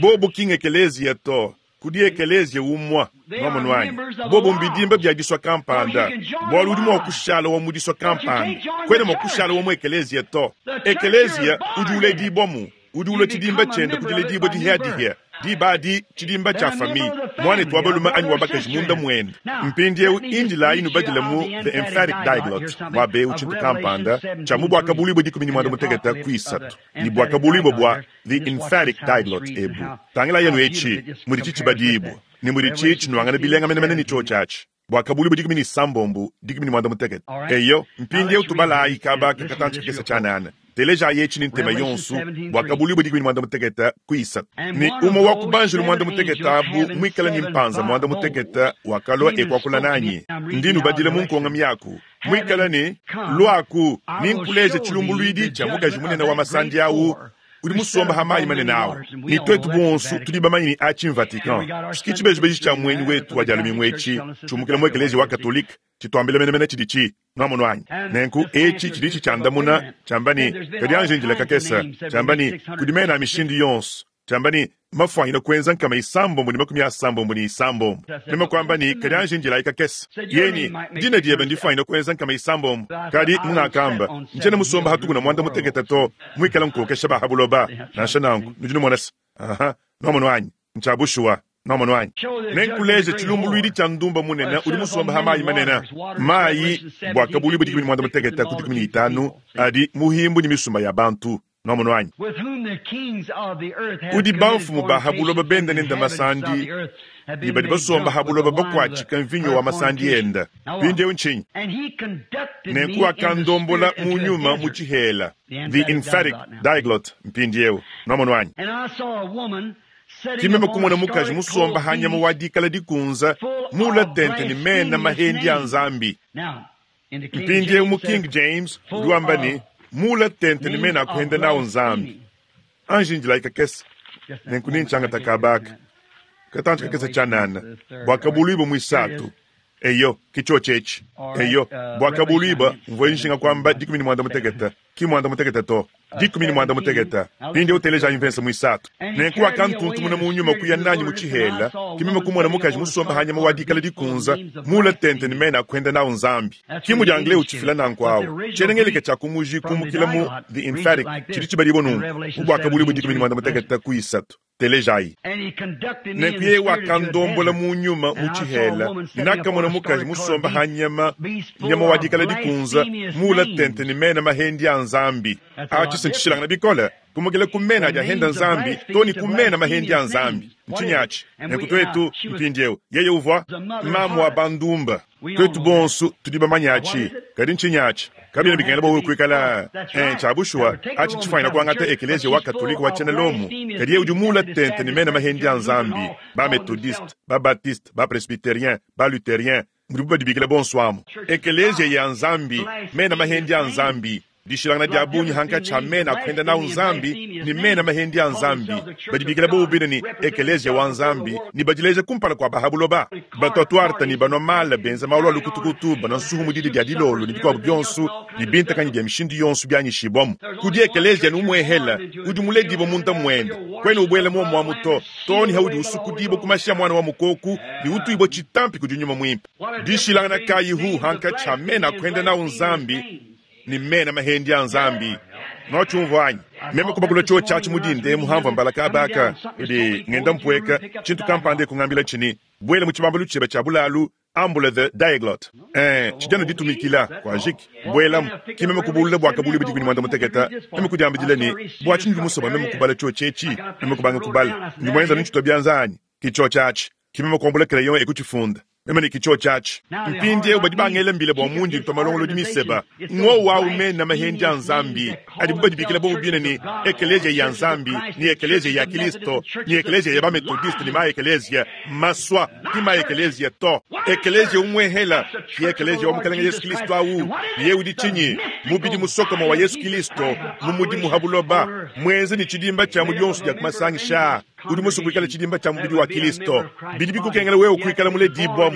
Bobo kinga ekelezia to. Kudi ekelezia umwa nwamonu anyi. Bobo mbidimba bya diswa kampanda. Bwalu udi mwa kushala wa mudiswa kampanda. Kwene mwa kushala wa mu ekelezia to. Ekelezia udi ule dibomu. Udi ule chidimba chenda kudile dibo dihia dihia. Di badi chidimba cha fami. Mwane tuwabaluma anyi wabakaji munda mwenda. Mpindi eu indila inu badila mu The Emphatic Diglot. Wabe uchintu kampanda. Cha mu bwaka bulibo dikumi ni mwanda mutegeta kuisatu. Ni bwaka bulibo bwa The Emphatic Diglot ebu. Tangila yenu echi muri chichi badibu. Ni muri chichi nuangana bilenga menemene ni chochachi. Bwaka bulibo dikumi ni sambombu dikumi ni mwanda mutegeta. Eyo mpindi eu tubala ikaba kakatanchi kesa chanana. Teleja yechi ni ntema yonsu bwaka bulibo dikumi ni mwanda mutegeta kuisatu. Ni umo wa kubanjulu mwanda mutegeta abu mwikala ni mpanza mwanda mutegeta wakalwa ekwakula nanyi. Ndinu badile munkonga miyaku. Mwikala ni lwaku ni nkuleje chilumbulwidi cha mukaji munene wa masandi awu. Udi musomba hamayi manene awo. Ni twetu bonsu tudi bamanyi ni achi Vatican. Sikichibejibeji cha mwenyi wetu wa jalumi mwechi. Chumukila mwekelezi wa Katolika. Chitwambile menemene chidichi. Nwamonu anyi. Nenku echi chidichi chandamuna chambani kadi anje njila kakesa chambani kudimena mishindi yonsu. Tshiamba ne, mafuanyina kuenza nkama isambombo ne makumi asambombo ne isambombo. Meme kuamba ne, kadi anji ndilayi kakese. Yeni, dina diebe ndifuanyina kuenza nkama isambombo. Kadi mungakamba, ntshiena musomba hatuku na muanda mutekete to, muikala nkokesha ba ha buloba. Nansha nanku, nudi numona se. Aha, nuamonu anyi, ntshia bushuwa. Nuamonu anyi. Nenkuleje tshilumbuluidi tshia ndumba munene udi musomba ha mayi manene. Mayi bua kabulu dikumi ne muanda mutekete ku dikumi ne itanu adi muhimbu ne misumba ya bantu. Nuamonu anyi. Udi bamfumu ba ha buloba benda nenda masandi, ne badi basomba ha buloba bakuatshika mvinyo wa masandi enda. Mpindieu ntshinyi? Nenku wakandombola mu nyuma mu tshihela. The emphatic diglot mpindieu. Nuamonu anyi. Kimeme kumona mukaji musomba ha nyama wa dikala dikunza mula tente ne mena mahendi a Nzambi. Mpindieu mu King James udi wamba ne mula tente ne mena akuhenda nawo Nzambi. Anji ndilayi kakese nenku nintshiangata kabaka katantshi kakese tshianana bua kabuluibua muisatu. Eyo kitsho tshetshi. Eyo bua kabuluibua mvua nshinga kuamba dikumi ne muanda mutekete ki muanda mutekete to dikumi ne muanda mutekete. Mpindieu teleja mvese muisatu. Nenku wakantuntumuna mu nyuma kuya nanyi mu tshihela kimeme kumona mukaji musomba ha nyama wa dikala dikunza mula tente ne mena akuhenda nawo Nzambi. Ki mudi anglais utshifila nanku awu tshienengeleke tshia kumuji kumukila mu the emphatic tshidi tshibadibua nunku mu bua kabuluibua dikumi ne muanda mutekete ku isatu. Telejayi. Nenku yeye wakandombola mu nyuma mu tshihela nakamona mukaji musomba ha nyama nyama wa dikala dikunza mula tente ne mena mahendi a Nzambi. Atshi ntshishilangana bikole kumukila ku mena adi ahenda Nzambi to ne ku mena mahendi a Nzambi. Ntshinyi atshi? Nenku twetu mpindieu yeye uvua mamu wa bandumba. Twetu bonso tudi bamanye atshi. Kadi ntshinyi atshi? Kabiena bikengela bua wewe kuikala tshia bushuwa atshi tshifuanyina kuangata ekeleziya wa katolika wa tshiena Lomo. Kadi yeye udi mula tente ne mena mahendi a Nzambi, ba methodiste, ba baptiste, ba presbytérien, ba luthérien, mudibu badibikila bonso amu. Ekeleziya ya Nzambi, mena mahendi a Nzambi. Dishilangana dia bungi hankatshi ha mena akuhenda nawo Nzambi ne mena mahendi a Nzambi. Badibikila bobu bine ne ekeleziya wa Nzambi ne badileja kumpala kua bahabuloba. Batwatwarta ne banwa mala benza malu a lukutukutu, banwa nsuhu mu didi dia dilolo ne bikuabu bionso ne bintakanyi bia mishindu yonso bianyishibwamu. Kudi ekeleziya numwehela udi muledibwa munda mwende. Kwena ubwela muomuamu to, to ne haudi usukudibwa ku mashi a mwana wa mukoku ne utuibwa tshitampi kudi nyuma mwimpe. Dishilangana kayi hu hankatshi ha mena akuhenda nawo Nzambi ni mena mahendi a Nzambi. Nwatshumvua anyi? Meme kubakula tsho tshiatshi mudinde muhamvua mbalaka abaka udi ngenda mpueka tshintu kampanda kungambila tshini bwela mu tshibambalu tshiebe tshia bulalu ambula the diaglot. Eh, tshidiano ditumikila kwa jiki bwela kimeme kubulula bua kabulu bidi kuni muanda mutekete. Meme kudiambidila ne bua tshinyi musoba meme kubala tsho tshetshi meme kubanga kubala ndi mwenza ntshito bianza anyi kitsho tshiatshi kimeme kuambula crayon ekuchifunda. Meme ne kitsho tshiatshi mpindieu badi bangela mbile bua mundi ntwa malongolodi miseba ngo wawu mena mahendi a Nzambi adibu badibikila bobu bine ne ekeleziya ya Nzambi ni ekeleziya ya Kristo ni ekeleziya ya bametodiste ni ma ekeleziya maswa ki ma ekeleziya to ekeleziya umwehela ki ekeleziya wa mukalenge Yesu Kristo awu ye udi tshinyi mubidi musokoma wa Yesu Kristo mu mudimu ha buloba mwenze ni tshidimba tshia mu bionso bia kumasangisha udi musu kuikala tshidimba tshia mubidi wa Kristo bidi bikukengela wewe kuikala muledibwamu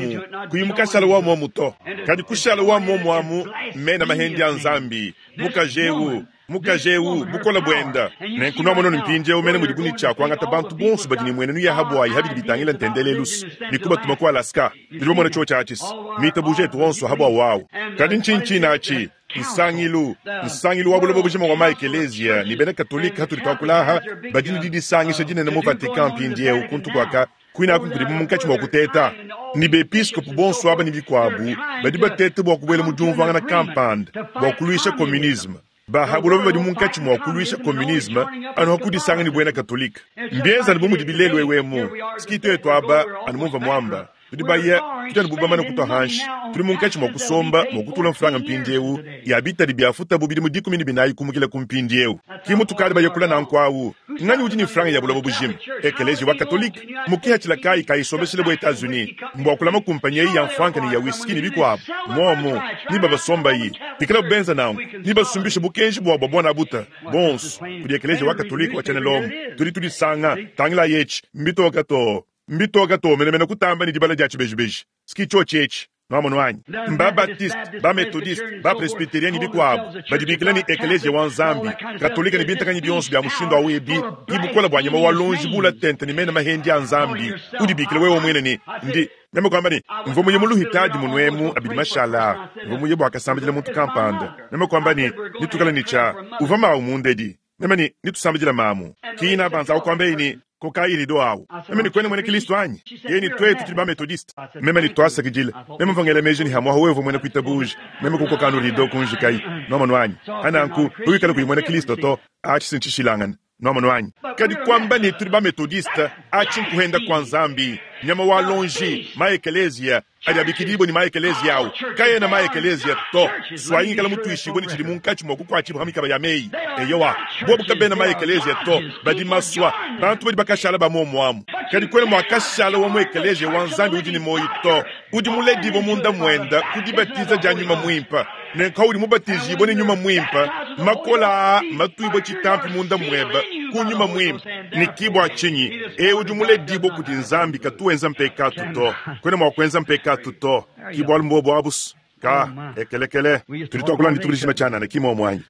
kuyimu kashala wa muomu to kadi kushala wa muomu amu mena mahendi a Nzambi mukajewu mukajewu bukola bwenda nenku nuamono mpindieu mene mudi buni tshia kuangata bantu bonso badi ne muenenu ya habwayi habidi bitangila ntendelelus ne kubatuma ku Alaska tudi bamona tsho tshiatshisi mitabuja etu onso habwa wawu kadi ntshintshina atshi nsangilu nsangilu wa buloba bujima wa maekeleziya ne bena katolika hatudi tuakulaha badi ne didisangisha dinene mu Vatican mpindieu kuntu kuaka kwina kudi munkatshi mua kuteta ni bepiskopu bonso aba ne bikuabu badi batete bua kubuela mu diumvuangana kampanda bua kuluisha communisme. Bahabuloba badi munkatshi mua kuluisha communisme anu hakudisanga ne buena katolika. Mbienza ne bu mudi bilelu ewemu sikito etu aba anu mumva muamba tudi baya tudi anu bubamana kutua hanshi tudi munkatshi mua kusomba mua kutula mfranga mpindieu ya bitadi bia futa bu bidimu dikumi ne binayi kumukila ku mpindieu ki mutukadi bayakula nanku awu nganyi udi ne franga ya buloba bujima ekeleziya wa katolika mukihatshila kayi kayisombeshele bu Etats-Unis mbua kulama kumpanyi eyi ya mfranka ne ya whisky ne bikuabu momo ni babasombayi bikala bubenza nanku ni basumbishe bukenji bua bua buana buta bonso kudi ekeleziya wa katolika wa tshiena Lomo tudi tudisanga tangila yetshi mbitoka to mbitoka to menemene kutamba ne dibala dia tshibejibeji sikitsho tshetshi Nwamonu anyi? Mba-Baptiste, ba-Methodiste, ba-Presbyterian ne bikuabu badi bikila ne Ekeleziya wa Nzambi, Katolika ne bintakanyi bionso bia mushindu awu ebi, ki bukole bua nyama wa lonji bula tente ne mena mahendi a Nzambi. Udibikila wewe mwene ne ndi meme kwamba ne mvua muye mu luhitadi munuemu abidi mashala, mvua muye bua kasambidila muntu kampanda. Meme kwamba ne nitukala ne tshia uvua mawu mundedi. Meme ne nitusambidila mamu. Kina banza kwamba ni koka irido awu. Meme ni kwene mwene Kristo anyi? Yeye ni twetu tuli ba Methodiste. Meme ni twasakidila. Meme mvangela meji ni hamwa wewe mwene kuitabuja. Meme kukoka no rido kunjikai. Noma nwanyi. Ananku uyikala kuyi mwene Kristo to achi sinchishilangana. Noma nwanyi. Kadi kwamba ni tuli ba Methodiste achi nkuhenda kwa Nzambi. Nyama wa lonji maekelezia adiabikidibo ni maekelezia awu. Kaya na maekelezia to. Swayingi kala mutuishibwe ni chili munkachi mwa kukwachibu hamikaba ya mei. Eyowa. Bobu kabena maekelezia to. Badi maswa. Bantu badi bakashala ba momwamu. Kadi kwele mwakashala wa mwekelezia wa Nzambi udi ni moyi to. Udi muledibo munda mwenda kudibatiza ja nyuma mwimpa. Nenka udi mubatizibwe ni nyuma mwimpa. Makola matuibwe chitampi munda mweba kunyuma mwimpa. Nikibwa chinyi. E udi muledibo kuti Nzambi katuenza mpekatu to. Kwene mwakwenza mpekatu to. Kibwa mbobo abus. Ka ekelekele tulitokula nditubulishima chanana kimo mwanyi.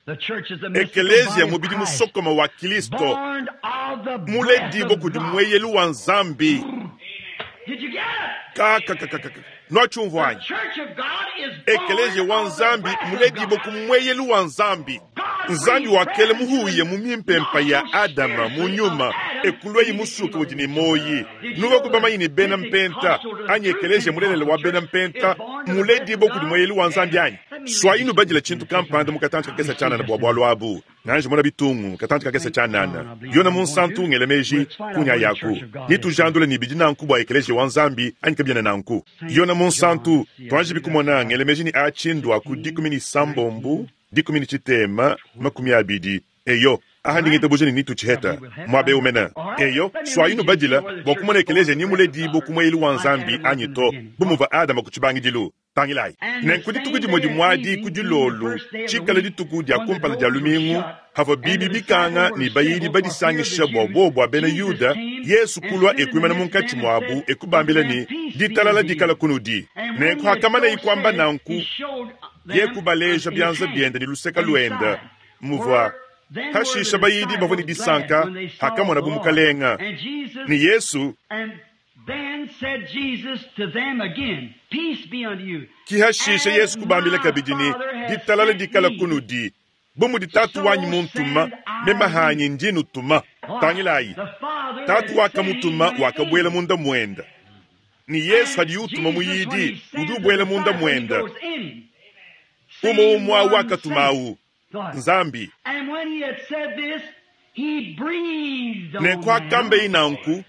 Ekelezia mubidi musokoma wa Kristo muledibo kudi mweyelu wa Nzambi. Ka ka ka ka ka. Nwachumvwanyi. Ekelezia wa Nzambi muledibo kumweyelu wa Nzambi. Nzambi wakele muhuye mu mimpempa ya Adama mu nyuma ekulweyi musuka udi ni moyi. Nuwe kubamanyi ni bena mpenta anyi ekelezia mulelele wa bena mpenta muledibo kudi mweyelu wa Nzambi anyi. Swayinu badila chintu kampanda mukatanchi kakesa chanana bwa bwalu abu. Nanje mona bitungu katanchi kakesa chanana. Yona munsantu ngele meji kunya yaku. Nitujandule ni bidi nanku bwa ekelezia wa Nzambi anyi kabiana nanku. Yona munsantu twanje bikumona ngele meji ni achindwa ku dikumi ni sambombu dikumi ni chitema makumi abidi. Eyo aha ndingita bujeni nitu chiheta mwabe umena. Eyo swayinu badila bwa kumona ekelezia ni muledibo kumweyelu wa Nzambi anyi to bumuva Adama kuchibangidilu. Tangilai. Nenku dituku dimwe dimwadi kudilolu chikala dituku dia kumpala dia lumingu hava bibi bikanga ni bayidi badisangisha bwa bo bwa bena Yuda Yesu kulwa ekwimana munkachi mwabu ekubambila ni ditalala dikala kunudi. Nenku hakamana ikwamba nanku yekubaleja byanza byenda ni luseka lwenda muvwa hashisha bayidi bavua ni disanka hakamona bumukalenga ni Yesu. Then said Jesus to them again, Peace be unto you. Kihashisha Yesu kubambila kabidi ni ditalala dikala kunudi. Bumu ditatu wanyi muntuma memahanyi ndinu tuma. Tangilayi. Tatu wakamutuma wakabwela munda mwenda. Ni Yesu hadi utuma muyidi udubwela munda mwenda. Umo umwa wakatumau. Nzambi. And when he had said this, he breathed on Ne kwa them. kambe inanku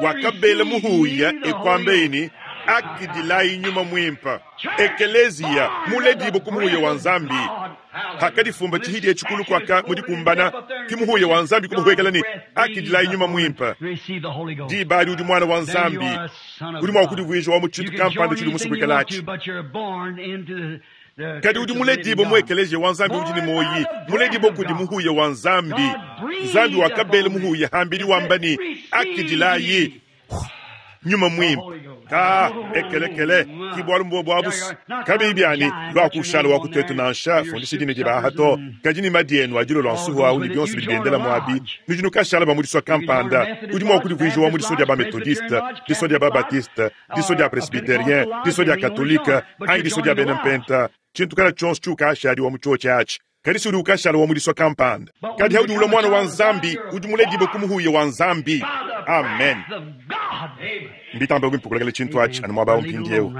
wakabela muhuya ekwambeini akidilai nyuma mwimpa ekelezia muledibo kumuhuya wa Nzambi hakadifumba chihidi echikulu kwaka mudikumbana kimuhuya wa Nzambi kumuhwekela ni akidilai nyuma mwimpa dibali udi mwana wa Nzambi udi mwa kudivwija wa muchitu kampanda chili musukwekelachi kadi udi muledibo mu ekelezia wa Nzambi udi ni moyi muledibo kudi muhuya wa Nzambi Nzambi wakabela muhuya hambili wamba ni akidilayi nyuma mwimpa ka ekelekele kibwalu mbobwa abusi kabi byani lwakushala wakutetu nansha fundisha dine dibaha to kadi ni madienu adilo lwa nsuhu awu ni byonso bidi byendela mwabi nujinu kashala ba kampanda udi mwa kudivwija wa mudiso dia ba methodiste diso dia ba baptiste diso dia presbyterien diso dia katolika anyi diso dia bena mpenta chintu kala chonso chukashali wa muchochi achi kadi si udi ukashala wa mudiso kampanda kadi haudi ula mwana wa Nzambi udi muledibo kumuhuya wa Nzambi. Amen. Mbitamba kwimpukulekele chintu achi anu mwaba umpindiewu.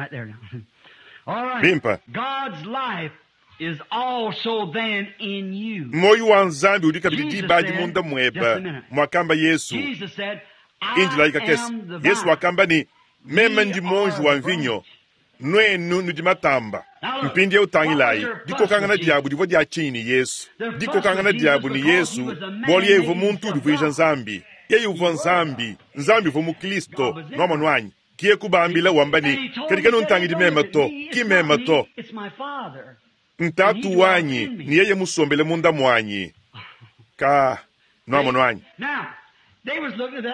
Bimpa. God's life is also then in you. Moyo wa Nzambi udi kabidi Jesus dibadi said, munda just mweba a minute. mwakamba Yesu Jesus said, I injila ikakesi am the Yesu vine. wakamba ni meme ndi monji wa mvinyo nwenu nudi matamba mpindi eutangilayi dikokangana diabu divua dia chinyi ni Yesu dikokangana diabu ni Yesu bwali yevo muntu udivuija Nzambi yeye uvua Nzambi Nzambi uvua mu Kristo nwamonu kiye kubambila wamba ni kadi kanu ntangidi mema to ki mema to It's my Father. ntatu wanyi ni yeye musombele munda mwanyi ka nwamonu Now,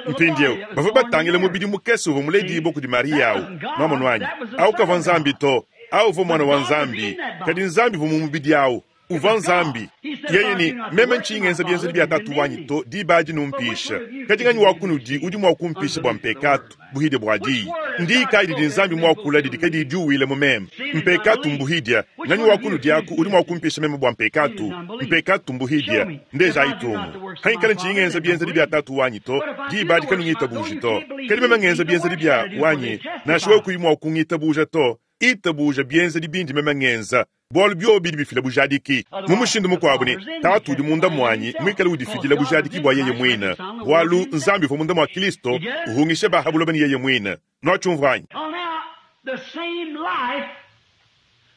Mpindieu bavua batangile mubidi mukese uvua muledibue kudi Mariya awu. Nwamonu anyi? Awu kavua Nzambi to, awu uvua Mwana wa Nzambi, kadi Nzambi uvua mu mubidi awu. Uvua Nzambi. Yeye ne, meme ntshiyi ngenza bienzedi bia Tatu wanyi to, diba adi numpisha. Kadi nganyi wa kunudi udi mua kumpisha bua mpekatu, buhidia bua diyi? Ndiyi kayi didi Nzambi muakula didi kadiyi diuwile mu meme? Mpekatu mbuhidia. Nganyi wa kunudi aku udi mua kumpisha meme bua mpekatu? Mpekatu mbuhidia. Ndejayi tumu. Hangikala ntshiyi ngenza bienzedi bia Tatu wanyi to, diba adi kanungitabuji to. Kadi meme ngenza bienzedi bia wanyi, nansha wewe kuyi mua kungitabuja to, itabuja bienzedi bindi meme ngenza. Bualu biobi bidi bifila bujadiki. Mu mushindu mukuabu ne, Tatu udi munda muanyi muikale udifidila bujadiki bua yeye muine. Bualu Nzambi uvua munda mua Kristo, uhungisha ba ha buloba ne yeye muine. Nuatshiumvua anyi? Well, now, the same life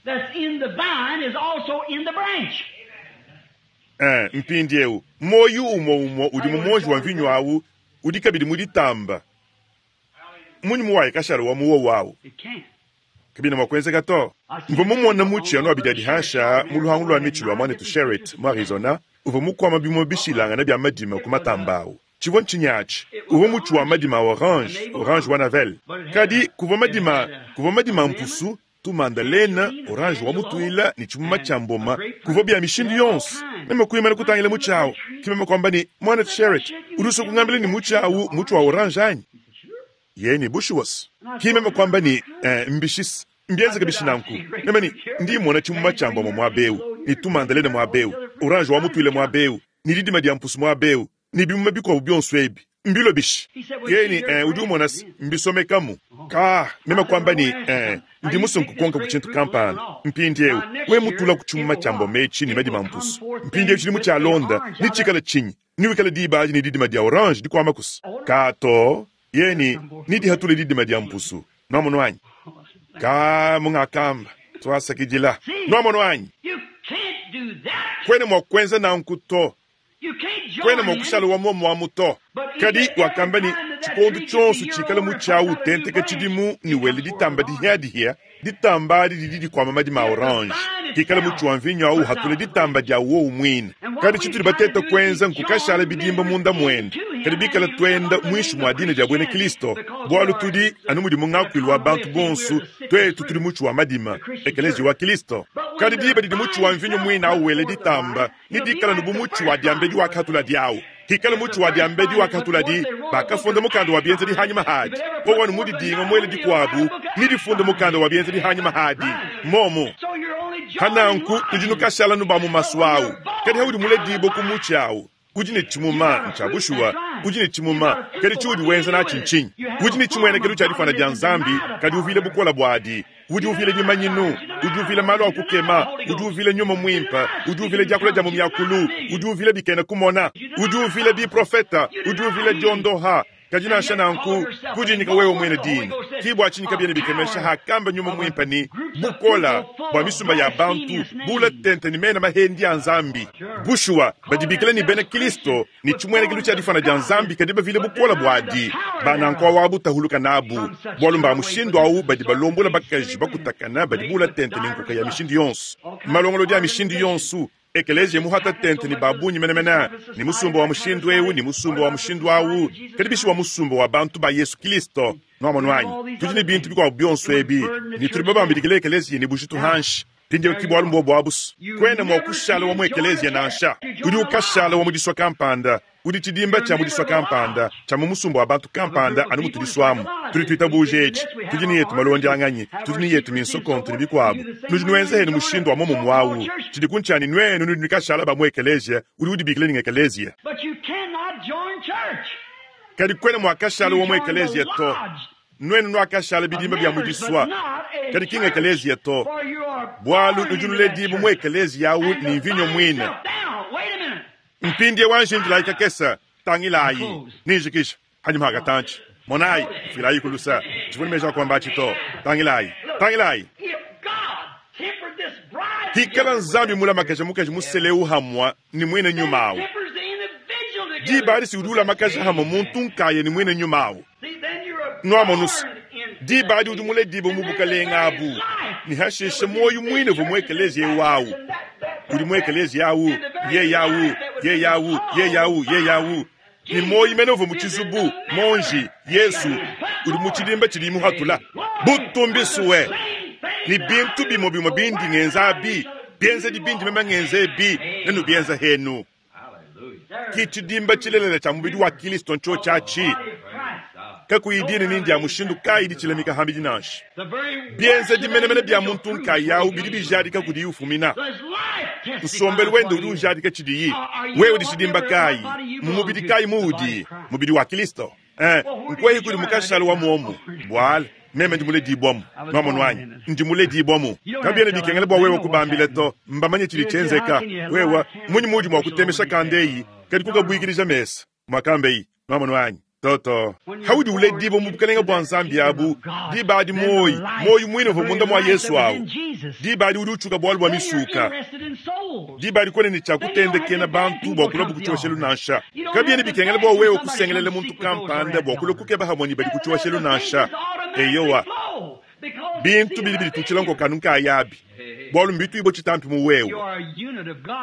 that's in the vine is also in the branch. Eh, mpindieu muoyo umue umue udi mu muonji wa mvinyo awu udi kabidi mu ditamba. Munyi muwaye kashala wa muwo wawu? It can't. Kabina mua kuenzeka to. Mvua mumona mutshi anu abidi adi hansha mu luhangu lua mitshi lua muanetu Sherritt mu Arizona, uvua mukuama bimue bishilangana bia madima ku matamba awu. Tshivua ntshinyi atshi? Uvua mutshi wa madima a orange, orange wa navel. Kadi kuvua madima, kuvua madima a mpusu, tumandalena, orange wa mutuila ne tshimuma tshia mboma, kuvua bia mishindu yonso. Meme kuimana kutangila mutshi awu, ke meme kuamba ne, muanetu Sherritt, udi usua kungambila ne mutshi awu mutshi wa orange anyi? Yeye ne bushuwa. Ke meme kuamba ne, eh, mbishisi. Mbienzeke bishi nanku. Meme ne, ndi mmona tshimuma tshia mboma muaba eu, ne tumandalena muaba eu, orange wa mutuile muaba eu, ne didima dia mpusu muaba eu, ne bimuma bikuabu bionso ebi. Mbilo bishi. Yeye ne, eh, udi umona se, mbisomekamu. Ka, meme kuamba ne, eh, ndi musue nkukonka ku tshintu kampanda. Mpindieu, we mutula ku tshimuma tshia mboma etshi ne madima a mpusu. Mpindieu tshidimu tshia londa, ne tshikala tshinyi? Niwikala diba adi ne didima dia orange dikuama kusa. Ka to, yeye ne, nidihatule didima dia mpusu. Nwamonu anyi? Ka mungakamba, twasakidila. Nwamonu anyi? You can't do that. Kwena mua kuenza nanku to. You can't join Kwena mua in. kushala wa muomu amu to. Kadi wakamba ne, tshikondo tshionso tshikala mutshi awu utenteka tshidimu ne wele ditamba dihiadihia, ditamba adi didi dikuama madima a orange. Kikala mutshi wa mvinyo awu uhatula ditamba dia wowu muine. Kadi tshitudi bateta kuenza nkukashala bidimba munda muende. Kadi bikala tuenda muinshi mua dina dia buena Kristo, bualu tudi anu mudi mu ngakuilu wa bantu bonso, twetu tudi mutshi wa madima, ekelezia wa Kristo. Kadi diba didi mutshi wa mvinyo muine awu wele ditamba, ni dikala nu bu mutshi wa diambedi wakatula diawu. Kikala mutshi wa diambedi wakatula di, bakafunda mukanda wa bienzedi hanyima hadi. Wowu mudidinga muele dikuabu, ni difunda mukanda wa bienzedi hanyima hadi. Momo. So you're only joining Hananku line. tudi nukashala nu ba mu masu awu. Kadi haudi muledibo ku mutshi awu. Udi ne tshimuma ntsha bushuwa, udi ne tshimuma, kadi tshiudi wenza natshi ntshinyi? Udi ne tshimuenekelo tshia difana dia Nzambi, kadi uvile bukola buadi. Udi uvile bimanyinu, udi uvile malu a kukema, udi uvile nyuma muimpe, udi uvile diakula dia mu miakulu, udi uvile bikena kumona, udi uvile biprofeta, udi uvile diondoha. Kadi nansha nanku, kudinyika wewe mwene dina. Kibwa tshinyika biene bikemesha hakamba nyuma muimpe ni bukola bua misumba ya bantu bula tente ni mena mahendi ya Nzambi. Bushuwa badibikila ni bena Kristo ni tshimuenekelo tshia difana dia Nzambi kadi bavile bukola buadi. Banankwa wabu tahuluka nabu. Bualu mba mushindu awu badi balombola bakaji bakutakana badi bula tente ni nkuka ya mishindu yonso. Malongolodi ya mishindu yonso. Ekelezia muhata tente ni babunyi menemene, ni musumba wa mushindu eu, ni musumba wa mushindu awu, kadi bishi wa musumba wa bantu ba Yesu Kristo. Nwamonu anyi? Tudi ne bintu bikuabu bionso ebi, ni tudi babambidikile ekelezia ni bujitu hanshi. Mpindieu ki bualu mbuobu abusu. Kwena mua kushala wa mu ekelezia nansha. Udi ukashala wa mu disua kampanda, udi tshidimba tshia mu disua kampanda, tshia mu musumba wa bantu kampanda anu mutudisuamu. Tudi tuitabuje etshi, tudi ne yetu malondianganyi, tudi ne yetu minsokonto ne bikuabu. Nudi nuenza henu mushindu wa muomumu awu. Tshidi kuntshani nuenu nudi nukashala ba mu ekelezia, udi udibikila ni ekelezia. But you cannot join church. Kadi kwena mua kashala wa mu You join the ekelezia to. lodge Nuenu nuakashala bidimba bia mu members, but disua. not a Kadi kinga church, ekelezia to. for you are Bualu born nudi into that nuledibu mu church. ekelezia awu And the ni mvinyo vine muine. itself- Now, wait a minute. Mpindie wanjindilayi kakesa, tangilayi, ninjikisha, hanyuma hakatanchi. Monayi, filayi kulusa, tshivua ne meji a kuamba atshi to. Tangilayi, tangilayi. If God tempered this bride Kikala together, Nzambi mulamakasha mukaji musele uhamwa ni mwene nyuma awu. tempers the individual together. Diba adi si udi ulamakasha hamwe muntu nkaya ni mwene nyuma awu. See, then you're a Nwamonusa. born into Diba that adi udi muledibo mu And then bukalenga the very abu. life Ni hasheshe that was moyo in this mwine vumwe church and ekelezia that wawu. and that, that, Udi mu that, ekelezia awu, and the very ye yawu, life that was ye in yawu, the ye yawu, ye yawu. Ne muoyi mene uvua mu tshizubu, monji, Yesu, udi mu tshidimba tshidi muhatula. Butumbi suwe, ne bintu bimue bimue bindi ngenza abi, bienzedi bindi meme ngenza ebi, nenubienza henu. Ki tshidimba tshilelela tshia mubidi wa Kristo ntsho tshiatshi. Kakuyi dina nindi ya mushindu kayi ditshilamika hambidi nansha. Bienzedi menemene bia muntu nkayawu bidi bijadika kudiyi ufumina. Nsombelu wende udi ujadika tshidiyi. Wewe udi tshidimba kayi? Mu mubidi kayi muudi? Mubidi wa Kristo. Eh, nkwehi kudi mukashala wa muomu. Bwala, meme ndi muledibwamu. Nwamonu anyi? Ndi muledibwamu. Kabiena bikengela bua wewe kubambila to, mbamanye tshidi tshienzeka. Wewe, munyi muudi mua kutemesha kandeyi, kadi kukabuikilija mesa. Mwakambeyi, nwamonu anyi? Toto, haudi uledibwa mu bukalenge bwa Nzambi abu, diba adi moyi, moyi mwine uvua munda mwa Yesu awu. Diba adi udi utshuka bualu bua misuka. Diba adi kwene ne tshia kutendekena bantu bua kulua kutshiosha nansha. Kabiena bikengela bua wewe kusengelela muntu kampanda bua kulua kukeba hamwe ne badi kutshiosha nansha. Eyowa, bintu bidi biditutshila nkokanu nkayabi. Bualu mbituibwe tshitampi mu wewe.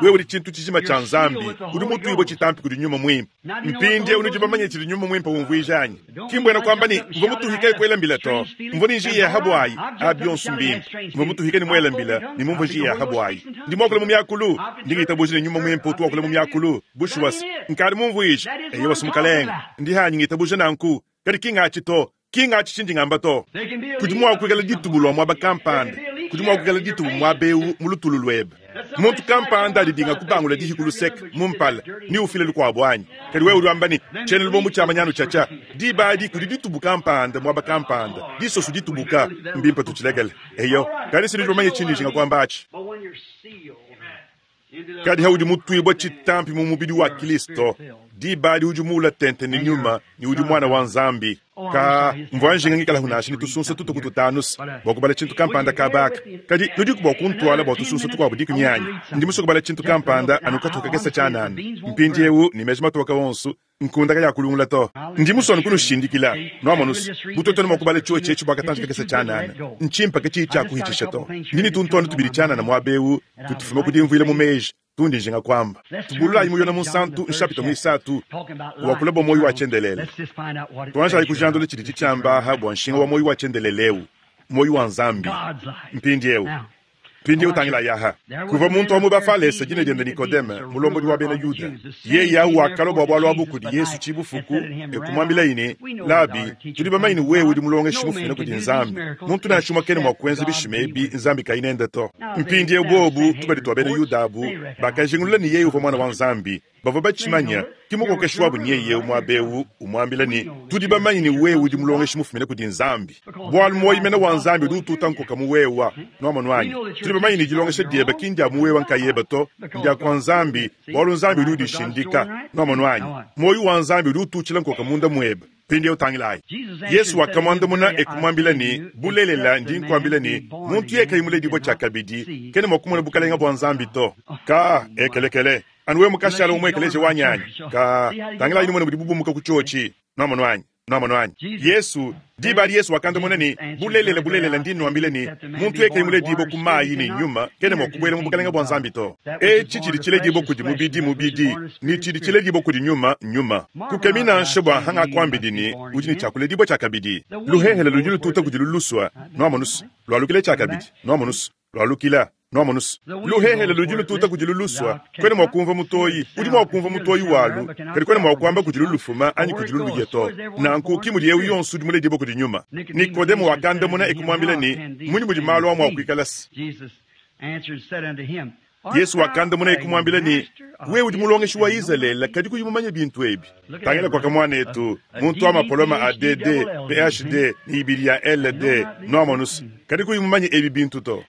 Wewe udi tshintu tshijima tshia Nzambi, udi mutuibwe tshitampi kudi nyuma mwimpe. Mpindiewu udi bamanye tshidi nyuma mwimpe umvuija anyi? Ki mbwena kwamba ni mvua mutuhike kuela mbila to. Mvua ni njiya ya habwayi, abi yonso mbimpe. Mvua mutuhike ni muela mbila, ni mumvua njiya ya habwayi. Ndi mwakula mu myakulu, ndi ngitabuje ne nyuma mwimpe utu wakula mu myakulu. Bushuwasi, nkadi mumvuija. Eyowa simukalenga. Ndi hanyi ngitabuje nanku. Kadi ki ngatshi to. Ki ngatshi tshindi ngamba to. Kudi mua kuikala ditubu lua muaba kampanda. Kudi mua kuikala ditubu muaba ewu mu lutulu luebe. Muntu kampanda adidinga kubangula dihi ku luseke mu mpala, ni ufile lukuabu anyi. Kadi wewe udi wamba ne, tshiena lubombo tshia manyanu tshiatshia. Diba adi kudi ditubu kampanda muaba kampanda. Disosu ditubuka, mbimpe tutshilekele. Eyo, kadi sinudi bamanye tshindi njinga kuamba atshi. Kadi haudi mutuibwa tshitampi mu mubidi wa Kristo, diba adi udi muula tente ne nyuma, ne udi mwana wa Nzambi. Ka mvua njinga ngikala hunasha ne tusunsa tutuku tutanusa bua kubala tshintu kampanda kabaka. Kadi nudiku bua kuntwala bua tusunsa tukuabu dikumi anyi? Ndi musue kubala tshintu kampanda anu katuka kakese tshianana. Mpindiewu ne meji matoka wonso, nkunda kaya kulungula to. Ndi musue anu kunushindikila. Nwamonusa, butoto ne mua kubala tshiwe tshietshi bua katanji kakese tshianana. Ntshimpa ke tshiyi tshia kuhitshisha to. Ndi ne tuntuanu tubidi tshianana muaba ewu, tutufuma ku dimvuila mu meji. Tundi njinga kwamba. Tubululayi mu Yona Munsantu, nshapita mwisatu, wakula bua moyo wa tshiendelele. Tuanjayi kujandula tshidi tshitshiambaha bua nshinga wa moyo wa tshiendelele ewu, moyo wa Nzambi. Mpindiewu. Mpindiewu tangila yaha. Kuva muntu wa mu Bafalese dina diende Nikodeme, mulombodi wa bena Yuda. Yeye awu wakalua bua bualu abu kudi Yesu tshibufuku, e kumwambila yine, Labi, tudi bamanye ne wewe udi mulongeshi mufumine kudi Nzambi. Muntu nansha umue kena mua kuenza bishima ebi Nzambi kayinende to. Mpindiewu bobu, tubadi tua bena Yuda abu, bakajingulula ne yeye uvua mwana wa Nzambi. Bavua batshimanya, ki mukokeshi wabu nyeye muaba ewu, umuambila ne, tudi bamanye ne wewe udi mulongeshi mufumine kudi Nzambi. Bualu moyi mene wa Nzambi udi ututa nkoka mu wewa. Nwamonu anyi? Tudi bamanye ne dilongesha diebe ki ndia mu wewa nkayebe to, ndia kwa Nzambi, bualu Nzambi udi udishindika. Nwamonu anyi? Moyi wa Nzambi udi ututshila nkoka munda muebe. Mpindiewu tangilayi. Yesu wakamwandamuna e kumwambila ne, bulelela ndi nkuambila ne, muntu yeye kayi muledibue tshiakabidi, kena mua kumona bukalenga bua Nzambi to. Ka ekelekele. Anu wewe mukashala umwekeleje wanyanyi. Ka tangilayi numone budi bubumuka ku tshiotshi. Nwamonu anyi? Nwamonu anyi? Yesu, diba adi Yesu wakandamuna ne, bulelela bulelela ndi nnuambila ne, muntu yeye kayi muledibue ku mayi ne nyuma, kena mua kubuela mu bukalenga bua Nzambi to. Etshi tshidi tshiledibue kudi mubidi mubidi, ne tshidi tshiledibue kudi nyuma nyuma. Kukemi nansha bua hanga kuambidi ne, udi ne tshiakuledibua tshiakabidi. Luhehele ludi lututa kudi luluswa. Nwamonusa, lwalukile tshiakabidi. Nwamonusa, lwalukila. Nwamonusa, luhehele ludi lututa kudi luluswa. Kwena mua kumva mutoyi, udi mua kumva mutoyi walu, kadi kwena mua kuamba kudi lulufuma anyi kudi luluye to. Nanku ki mudi ewu yonso udi muledibue kudi nyuma. Nikodemo wakandamuna e kumwambila ne, munyi mudi malu a mua kuikala se? Yesu wakandamuna e kumwambila ne, wewe udi mulongeshi wa Izalele, kadi kuyi mumanye bintu ebi. Tangila kwa kamwanetu, muntu wa mapoloma a D D, P H D, ni ibidi ya L D, nwamonusa, kadi kuyi mumanye ebi bintu to.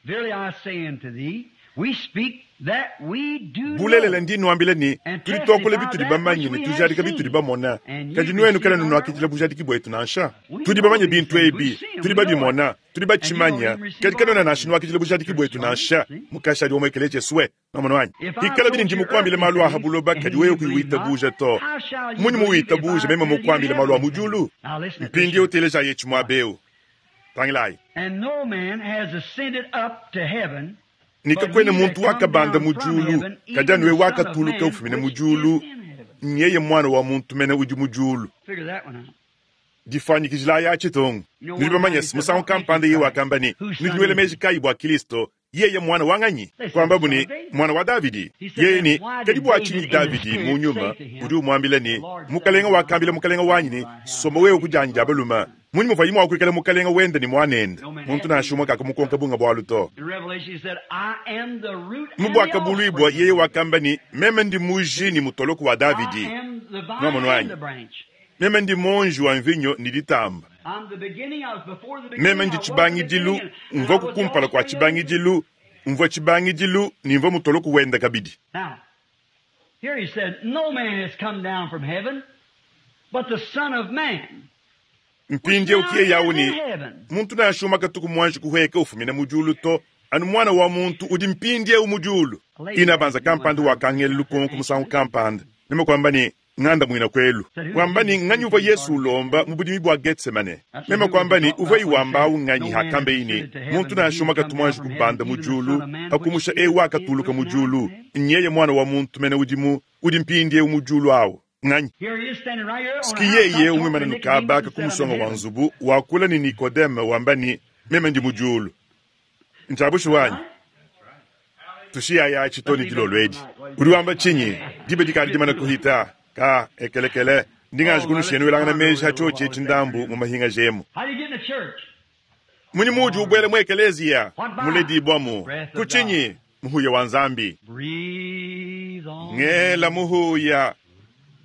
Bulelela ndi nwambila ne, tudi tuakula bitudi bamanye ne tujadika bitudi bamona. Kadi nuenu kena nunuakidila bujadiki bwetu nansha. Tudi bamanye bintu ebi, tudi babimona, tudi batshimanya. Kadi kanuena nansha nuakidila bujadiki bwetu nansha. Mukashadi wa mwekele Jeswe, nwamonu anyi? Ikala bini ndi mukuambile malu aha buloba, kadi wewe kuyiwitabuja to. Munyi muwitabuja meme mukuambile malu a mu diulu? Mpindiewu teleja yetshi muaba ewu. Tangilayi. Nikakwena muntu wakabanda mu diulu, kadi anu wewe wakatuluka ufumina mu diulu, Nyeye mwana wa muntu mene udi mu diulu. Figure that one out. Difuanyikijila tshitongo. Nudi bamanye musangu kampanda yeye wakamba ne nudi nuela meji kayi bua Kristo yeye mwana wa nganyi kwamba ni mwana wa Davidi yeye ni kadi bua tshinyi Davidi mu nyuma udi umwambila ne mukalenga wakambila mukalenga wanyi ne soma wewe kujanja baluma munyi muvayi mwa kuikala mukalenga wenda ni mwanende muntu nansha kakamukonka bunga bwalu to In Revelation, he said, I am the root and the mubwakabulwibwa offspring. yeye wakamba ni meme ndi muji ni mutoloko wa Davidi I am the vine Mwa and mwanyi. the branch. meme ndi monji wa mvinyo ni ditamba I'm the beginning, I was before the beginning, meme I ndi was the tshibangidilu beginning, and I mvua was the kukumpala kwa offspring of the tshibangidilu mvua tshibangidilu ni mvua mutoloko wenda kabidi Now, here he said, No man has come down from heaven, but the Son of Man. mpindye Which now ukiye yawu is ni in heaven. muntu nashuma katuku mwanji kuhweka ufumina mujulu to anu mwana wa muntu udi mpindye umujulu ina banza kampanda wakangela lukonko musangu kampanda nime kwamba ni ng'anda mwina kwelu kwamba ni ng'anyi uva yesu ulomba mu budimi bwa getsemane meme kwamba ni uva iwambawu ng'anyi hakambe ini muntu nashuma katu mwanji kubanda mujulu hakumusha ewu akatuluka mujulu nyeye mwana wa muntu mene udimu udi mpindye umujulu awo ng'anyi Here he is standing right here on siki a yeye housetop umwimana talking to nukabaka Nicodemus and ku musonga said, wa "I'm in nzubu wakula ni nikodeme wamba ni meme ndi mujulu ntabushi wanyi tushiyaya chitoni dilolwedi uri wamba chinyi dibe dikali dimana kuhita ka ekelekele ndingaji kunushenu welangana meji hachoche chindambu mu mahinga jemu How do you get in the church? munyi muji ubwele mu ekeleziya muledibwamu kuchinyi muhuya wa nzambi Breathe on ngela muhuya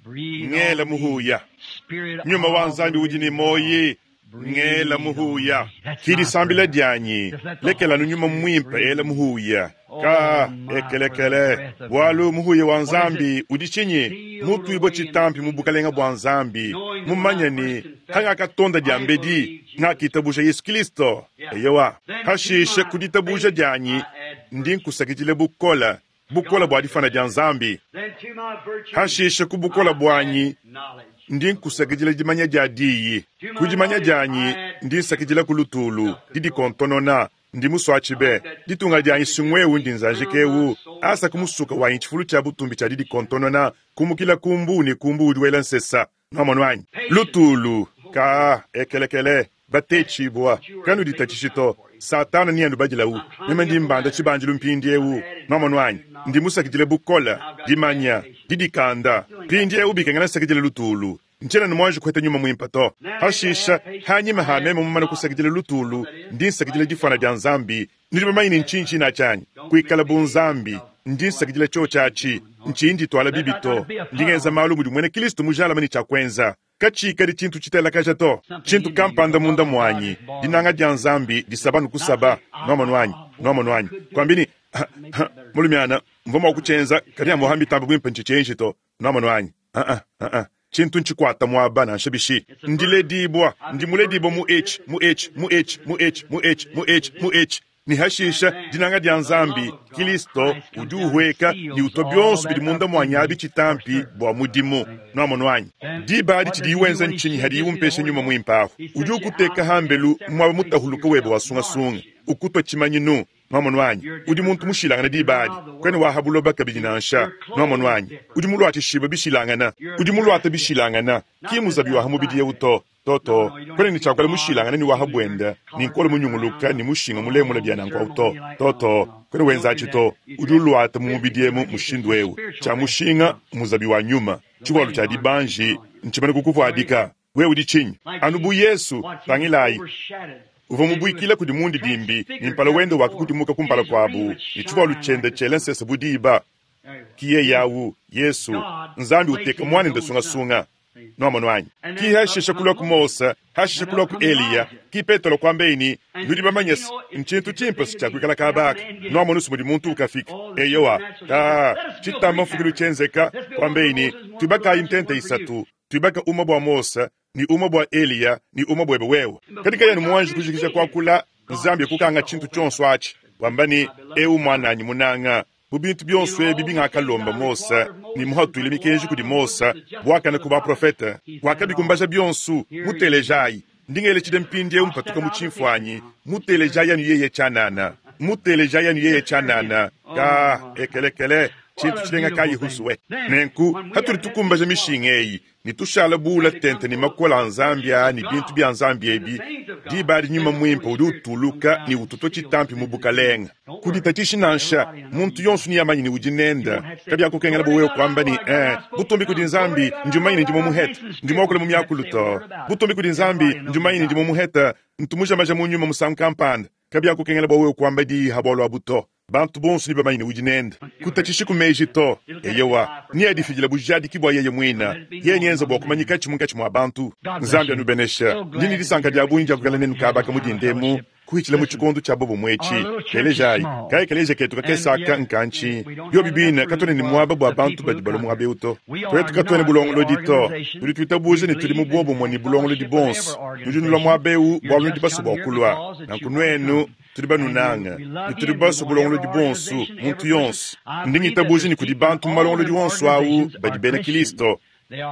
breathe ngela on me. muhuya Spirit nyuma wa of nzambi the udi ni living moyi God, breathe ngela on muhuya me. That's my kilisambila prayer. dyanyi Just let the lekela Holy nunyuma Spirit mwimpe breathe. ela muhuya Oh, ka my, for the ekelekele breath of bwalu God. muhuya wa What is it? nzambi udi chinyi Sealed mutuibwa away in the chitampi mu kingdom bukalenga of bwa God. nzambi Knowing that when mumanya I ni first confessed, hangakatonda I dyambedi believed Jesus. ngakitabusha yesu kristo Yeah. eyewa Then to hashishe my kuditabusha faith dyanyi I add ndi virtue. nkusakidile bukola bukola bwa difana dya nzambi Then to my virtue hashishe ku bukola I add bwanyi knowledge ndi of the word. nkusakidila dimanya dya diyi To my ku dimanya knowledge dyanyi I add ndi nsakidila ku lutulu self-control. didikontonona ndi I muswachibe like that ditunga dyanyi sing'wewu ndi crown my nzanjikewu soul asa kumusuka wanyi chifulu cha butumbi cha didikontonona kumukila kumbu ni kumbu udi wela nsesa nomonu wanyi Patience. lutulu Oh, ka ekelekele that's batechibwa what you were kanu made with ditachishito time for. satana ni andu bajilawu I'm meme climbing ndi up the mbanda ladder. chibanjilu mpindi I've ewu added nomonu wanyi virtue ndi knowledge. musakidile bukola Now I've got to add dimanya patience. didikanda Still ain't got pindi ewu patience. bikengela nsakidile lutulu ncena nimwanji kuheta nyuma mwimpa to Now after I hashisha add patience, hanyima I ha add meme mumana knowledge. kusakidile lutulu What that is, ndi nsakidile like difana God. dya nzambi nidi bamanyine nchinchi na chanyi Don't kuikala make me bunzambi of ndi like nsakidile cho Christian chachi gentlemen. Or nchindi twala let bibi not to be a ndingenza puddle. malu mudi mwene kristu mujalama ni chakwenza kachikali chintu chitelakaja to Something chintu in you, kampanda the munda love of God mwanyi is born dinanga in dya you. nzambi disaba Not say, nukusaba ah, nomonu wanyi ah, boy, nomonu I wanyi could do it. kwambini Maybe I better do it. mulumiana mvoma wakuchenza It's kadi amuhambi tamba bwimpe nchichenji to nomonu wanyi ah ah ah chintu nchikwata mwaba nanshabishi It's a birth. ndiledibwa I've been ndimuledibwa birthed mu into h this, mu and h this, mu and h this, mu and h this, mu and h this, mu and h this, mu and this. h ni And hashisha then dinanga dya the nzambi love of God, kilisto Christ comes udi down and uhweka ni seals utwa all byonso that bidi munda up in mwanyabi me for chitampi service. bwa mudimu See? nomonu wanyi Then dibali what chidi does he do iwenza when he nchinyi gives hadi you the iwumpesha Holy nyuma Ghost? mwimpaho He udi sets you ukuteka out and hambelu mwaba separate mutahuluka webe yourself, wasungasunga marks you. ukutwa chimanyinu nomonu wanyi You're a udi different muntu person. mushilangana You're dibali not of the kwene world. wahabuloba kabidi nansha You're nomonu clothed wanyi different. udi mulwathishiba bishilangana You're udi mulwata dressed different. bishilangana Not that kimuzabi waha that's mubidi side yeuto No, toto no, you don't kwene have to ni be chakwala odd mushilangana and ni waha peculiar, bwenda ni colored nkola around, munyunguluka ni mushinga mulemula long byananku auto ceremony like no, toto no. kwene You don't do wenzachi that. to You udi dress ulwata mu mubidi physically emu like it's a mushindu ewu spiritual cha vest mushinga on. muzabi wa nyuma The chiwalu wedding cha garment is dibanji on you. nchimene So anyway, kukuvuadika wewe udi chinyi like anu bu Jesus, yesu watch, he was tangilayi overshadowed uva and he was mubuikila kudi mundi dimbi ni transfigured mpala just wende before. wakakutimuka And kumpala his kwabu raiment ni shine chiwalu like chende the chele sun. nsese budiba There he was. kiye yawu yesu God nzambi uteka placing his mwana own son. ndesungasunga See? nomonu wanyi And ki then up hashisha come kulwa ku Moses. Mose hashisha And kulwa up ku come Eliya Elijah. ki Petero kwambeini And nudi you bamanyesi know, it's, nchintu it's a chimpe thing to be sichakwikala down kabaka and get. nomonu simudi muntu ukafika Oh, the eyowa supernatural. ka Let us build chitamba three mfukilu tabernacles. chenzeka Let's build one for kwambeini Moses, one for twibakayi Elijah, ntente one for you. isatu twibaka uma bwa Mose ni uma bwa Eliya ni uma bwebe wewe And katika before he yanu got mwanji through kujikisha speaking, kwakula God nzambi shut kukanga the chintu whole thing up. chonso achi wamba ni My beloved ewu son, mwananyi munanga mu bintu in byonso ebi all these things bingakalomba I Mose required of ni Moses and muhatwile put the law mikenji out kudi of Moses, Mose the justice of bwakana the ku prophets. baprofeta He's done it all. wakabikumbaja byonso Here he is. mutelejayi ndingele chide mpindi ewu I'll mpatuka step mu out of the picture chimfwanyi now. Just hear mutelejayi him. anu yeye chanana mutelejayi anu yeye Just hear him. chanana Oh ka my. ekelekele Tshintu tshilenga kayi husuwe. Nenku hatudi tukumbaja mishinga eyi ne tushala buula tente ne makola a Nzambi aa ne bintu bya Nzambi ebi, diba adi nyuma mwimpe udi utuluka ne ututwa tshitampi mu bukalenga. Kuditatshishi nansha muntu yonso ni yamanyi ne udi nenda kabyakukengela bwa wewe kwamba ni eh butumbi kudi Nzambi ndi mmanyi ne ndi mumuheta ndi mwakula mu myakulu to butumbi kudi Nzambi ndi mmanyi ne ndi mumuheta ntumujamaja mu nyuma musangu kampanda kabyakukengela bwa wewe kwamba diyi ha bwalwa buto bantu bonso ni bamanyi ne udi nenda kutatshishi ku meji to eyewa ni adifidila bujadiki bwa yeye mwina yeye nyenza bwa kumanyika tshimunkatshi mwa bantu Nzambi anubenesha ndini disanka dia bungi dia kukala nenu kabaka mudindemu kuhitshila mu tshikondo tshia bobo mwetshi telejayi kayi kaleja ketu kakesaka nkanchi yo bibina katone ni mwaba bwa bantu badi balo mwabe uto twetu katone bulongolodi to tudi twitabuja ne tudi mu bobo mwe ni bulongolodi bonso tudi nulwa mwabeu bwa lunudi baso bwa kulwa nanku nwenu tudi banunanga ne tudi baso bulongolodi bonso muntu yonso ndingitabuja ni kudi bantu mu malongolodi wonso awu badi bena Kristo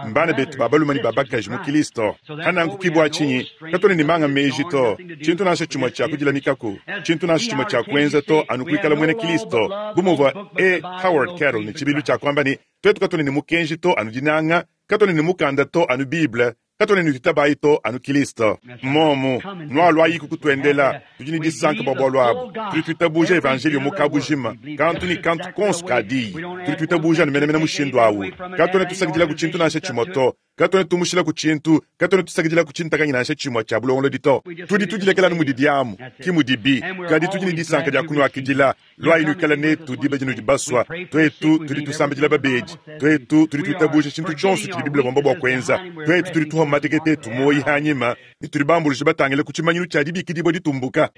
mbana betu babaluma ni babakaji mu Kristo hananku kibwa chinyi katone ni manga meji to chintu nasha chimwe cha kudila mikako chintu nasha chimwe cha kuenza to anukuikala mwene Kristo bumuvwa e Howard Carroll ni chibilu cha kwamba ni twetu katone ni mukenji to anudinanga katone ni mukanda to anu Bible katone ni tutabayi to anu Kristo momo nwalwa yiku kutwendela tudi ni disanka bwa bwalwabo tudi twitabuja evangelio mukabujima kantu ni kantu konso kadiyi tudi twitabuja numenamena mushindu awu katone tusakidila ku tshintu nansha tshimwe to katone tumushila ku tshintu katone tusakidila ku tshintakanyi nansha tshimwe tshia bulongolodi to tudi tudilekela nu mudi diamu ki mudibi kadi tudi ni disanka dia kunuakidila lwayi nuikala netu diba dinu dibaswa twetu tudi tusambidila babedi twetu tudi twitabuja tshintu tshionso tshidi Biblia wamba bwa kuenza twetu tudi tuha matekete tumoyi hanyima ne tudi bambuluja batangile ku tshimanyinu tshia dibikidibwa ditumbuka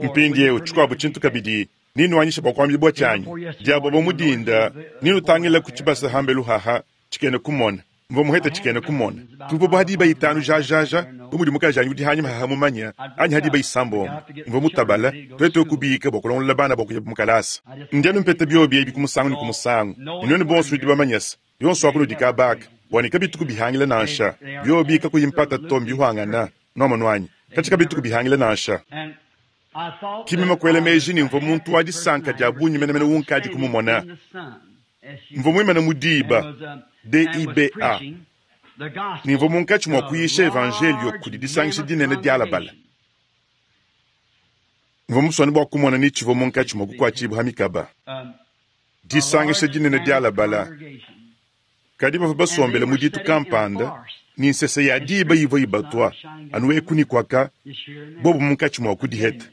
mpindiewu tshikuabu tshintu kabidi ninuanyisha bwa kuambibwa tshanyi diabo bwa mudinda ninutangila ku tshibasa hambelu haha tshikene kumona mva muheta tshikene kumona tupo bwa hadiba itanu jajaja bu mudi mukajanyi udi hanyima haha mumanya anyi hadiba isambombo mva mutabala twetu kubika bwa kulongolola bana bwa kuya mukalasa ndianu mpeta byobi ebi kumusangu ni kumusangu ninwenu bonso nudi bamanyasa yonso akunudi kabaka bwani kabitu kubihangila nansha byobi kakuyimpata to mbihwangana nomanwanyi katshi kabitu kubihangila nansha kimima kwela meji ni mva muntu wa disanka dia bunyi menemene wunkadi kumumona mva mwimana mudiba D I B A nimva munkatshi mwa kuyisha evangelio kudi disangisha dinene dialabala mva muswani bwa kumona ni tshivo munkatshi mwa kukuatshibwa ha mikaba disangisha dinene dialabala kadi bava basombela mu ditu kampanda ni nsese ya diba yivo yibatwa anu ekunikwaka bobo munkatshi mwa kudiheta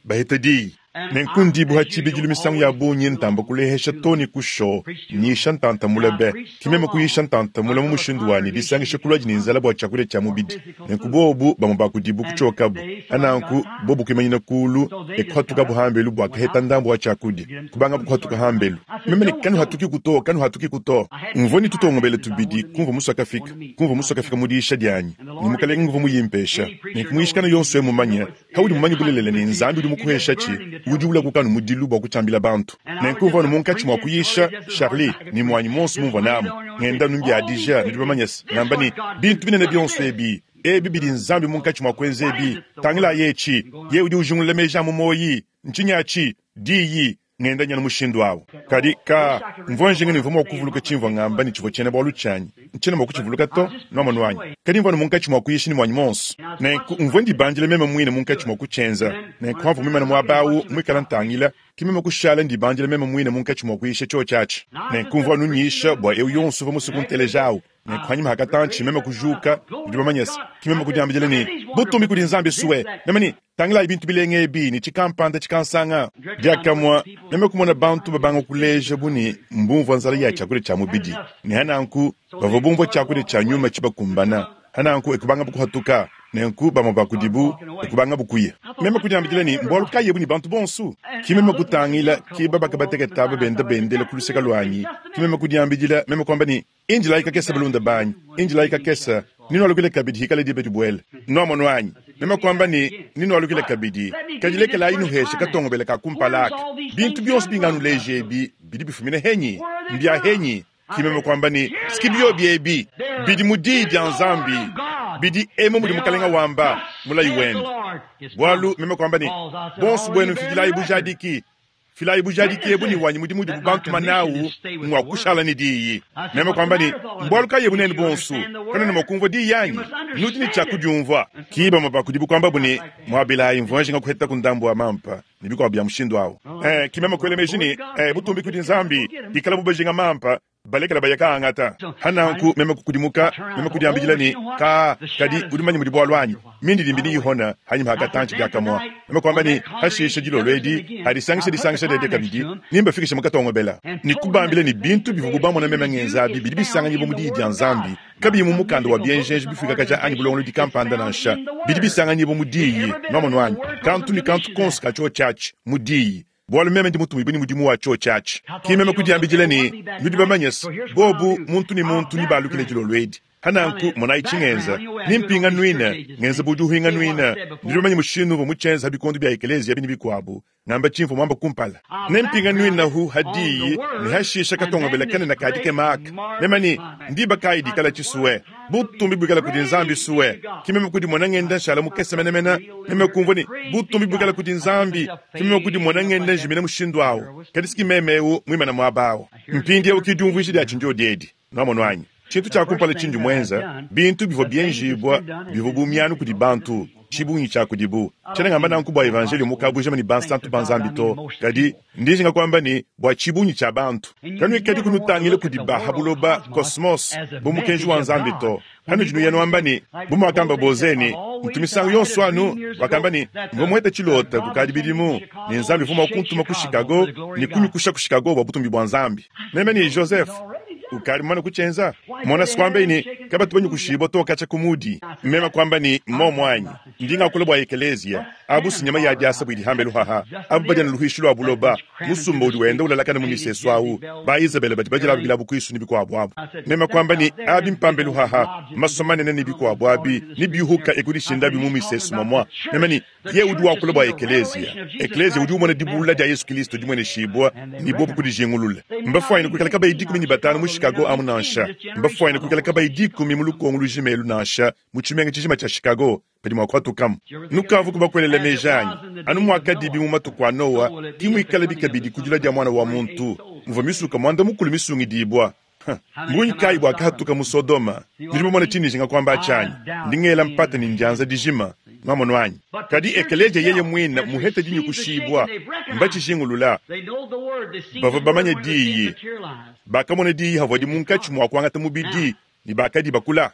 baheta diyi nenku ndibu tshibidilu misangu ya bungi ntamba kulehesha to ni kusho nyisha ntantamula be kimema kuyisha ntantamula mu mushindu wani disangisha kulwa ni nzala bwa tshiakudia tshia mubidi nenku bobu bamwe bakudibu kutshokabu ananku bobu kuimanyina kulu ekuhatuka buhambelu bwa kaheta ndambu wa tshiakudia kubanga bukuhatuka hambelu meme ne kanu hatuki kuto kanu hatuki kuto mvua ni tutongobele tubidi kumva musakafika kumva musakafika mu diisha dianyi ni mukalenge nguva muyimpesha nenku muyishikana yonso emumanya haudi mumanyi bulelele ni Nzambi udi mukuhesha tshi udi ula kukanu mudilu bwa kutshiambila bantu nenku mvua munkatshi mwa kuyisha Charlie ni mwanyi monso mumvua namu ngenda numbiadija nudi bamanyasa ngamba ni bintu binene bionso ebi ebi bidi Nzambi munkatshi mwa kuenza ebi tangila yetshi ye udi ujungulula meji a mu moyi ntshinyatshi diyi ngenda nyana mushindu awu kadi ka mvua njinga ni mvua mwa kuvuluka tshimvua ngamba ni tshivua tshiena bwalu tshianyi ntshiena mwa kutshivuluka to nwamanu wanyi kadi mvua munkatshi mwa kuyisha ni mwanyi monso nenku mvua ndibandila meme mwine munkatshi mwa kutshienza nenku hamvua mwimana muaba awu mwikala ntangila kimeme kushala ndibandila meme mwine munkatshi mwa kuyisha tshio tshiatshi nenku mvua nunyisha bua eu yonso uvua musuku nteleja awu nenku hanyima hakatantshi meme kujuka ndi bamanyasa kimeme kudiambidila ni butumbi kudi Nzambi suwe meme ni tangilayi bintu bilenge ebi ni tshikampanda tshikansanga diakamwa meme kumona bantu babanga kuleja buni mbumvua nzala ya tshiakudia tshia mubidi ne hananku bavua bumvua tshiakudia tshia nyuma tshibakumbana hananku ekubanga bukuhatuka nenku bamwe bakudibu ekubanga bukuya meme kudiambidila ni mbwalu kayebu ni bantu bonso kimeme kutangila kiba bakabateketaba benda bendela kuluseka lwanyi kimeme kudiambidila meme kwamba ni injilayi kakesa balunda banyi injilayi kakesa ninwalukile kabidi hikale dibe dibwele nomono anyi meme kwamba ni ninwalukile kabidi kadilekelayi nuhesha katongobele kakumpalaka bintu bionso binganuleja ebi bidi bifumine henyi mbya henyi kimeme kwamba ni sikibio biebi bidi mudii dia Nzambi bidi emo mudi mukalenga wamba mulayi wenu bwalu meme kwamba ni bonso bwenu mfidilayi bujadiki Filayi bujadiki ebu ne wanyi mudimu udibu bantuma nawu ng'wa kushala ne diyi. Meme kuamba ne, Mbualu kayi ebu nenu bonsu? Kanuena mua kumvua diyi anyi? Nudi ne tshia kudiumvua. Ki bamue ba kudibu kuambabu ne, Muabilayi, mvua njinga kuhetaku ndambu wa mampa ne bikuabu bia mushindu awu. Eh, ki meme kuela meji ne, eh, butumbi kudi Nzambi, bikalabu bajinga mampa, balekela baya kaangata. Hananku meme kukudimuka, meme kudiambidila ne, Ka, kadi udi mumanye mudi bualu anyi? Mindidimbi niyihona hanyima ha katantshi diakamue. Meme kuamba ne, hashishe dilolo edi, hadisangisha disangisha diadi kabidi, nimbafikishe mu katongobela. Ne kubambila ne bintu bivubu bamona meme ngenza abi bidi bisanganyibua mu diyi dia Nzambi, kabiyi mu mukanda wa bienjenje bifuikakaja anyi bulongolodi kampanda nansha. Bidi bisanganyibua mu diyi, nwamonu anyi? Kantu ne kantu konso ka tshiotshi atshi, mu diyi. Bualu meme ndi mutumibue ne mudimu wa tshiotshi atshi. Ki meme kudiambidila ne, Nudi bamanye se, bobu, muntu ne muntu, nebalukile dilolo edi. Hananku, monayi tshingenza, nimpinganuine, ngenza bu udi uhinganuina. Nudi bamanye mushindu umvua mutshienza ha bikondo bia ekeleziya bi ne bikuabu, ngamba tshimvua muamba kumpala. Nempinganuinahu ha diyi, ne hashisha katongobela kanene ka dikema aka. Meme ne, ndiba kayi dikala tshisue? Butumbi buikala kudi Nzambi sue. Ki meme kudimona ngenda nshala mukese menemene. Meme kumvua ne, butumbi buikala kudi Nzambi. Ki meme kudimona ngenda njimina mushindu awu. Kadi si ki meme eu muimane muaba awu. Mpindieu ki diumvuija dia tshindiodi edi. Nwamonu anyi? Tshintu tshia kumpala tshindi muenza, bintu bivua bienjibua bivua bu mianu kudi bantu, tshibungi tshia kudibu. Tshiena ngamba nanku bua evanjeliyo mu kabujima ne bansantu ba Nzambi to, kadi ndi njinga kuamba ne bua tshibungi tshia bantu. Kanuikadi kunutangila kudi ba ha buloba, kosmos, bu mukenji wa Nzambi to. Panudi nuya nuamba ne, bu muakamba Boze ne, ntu misangu yonso anu, wakamba ne, mvua muhete tshilota kukadi bidimu, ne Nzambi uvua mua kuntuma ku Chicago ne kunyukusha ku Chicago bua butumbi bua Nzambi. Meme ne Joseph, ukadi mumane kutshienza? Mona sikuambe ne, kabatu banyukushibua to katshia ku mudi. Meme kuamba ne, mmomu anyi? Ndi ngakula bua ekeleziya. Abu si nyama ya diasa buidi hambelu haha. Abu badi anu luhuishi lua buloba. Musumba udi wenda ulalakana mu misesu awu. Ba Izabela badi badila bilabu kuisu ne bikuabu abu. Meme kuamba ne, abi mpambelu haha. Maso manene ne bikuabu abi, ne biuhuka ekudishindabi mu misesu momua. Meme ne, ye udi wakula bua ekeleziya. Ekeleziya udi umona dibulula dia Yesu Kristo dimueneshibua ne bobu kudijingulula. Mbafuanyine kuikala kabayi dikumi ne batanu mu Chicago amu nansha. Mbafuanyine kuikala kabayi dikumi mu lukongo lujima elu nansha, mu tshimenga tshijima tshia Chicago, badi mua kuhatukamu. Nukavu kubakuelela meji anyi? Anu muakadibi mu matuku a Noa, ki muikalabi kabidi ku dilua dia Mwana wa muntu, muvua misuka muanda mukulu misungidibua. Mbungi kayi buakahatuka mu Sodoma? Nudi bamone tshindi njinga kuamba atshi anyi? Ndi ngela mpata ne ndianza dijima. Nwamonu anyi? Kadi ekeleziya yeye muine muhete dinyukushibua, mbatshijingulula. Bavua bamanye diyi, bakamona diyi havua munkatshi mua kuangata mubidi ne bakadi bakula.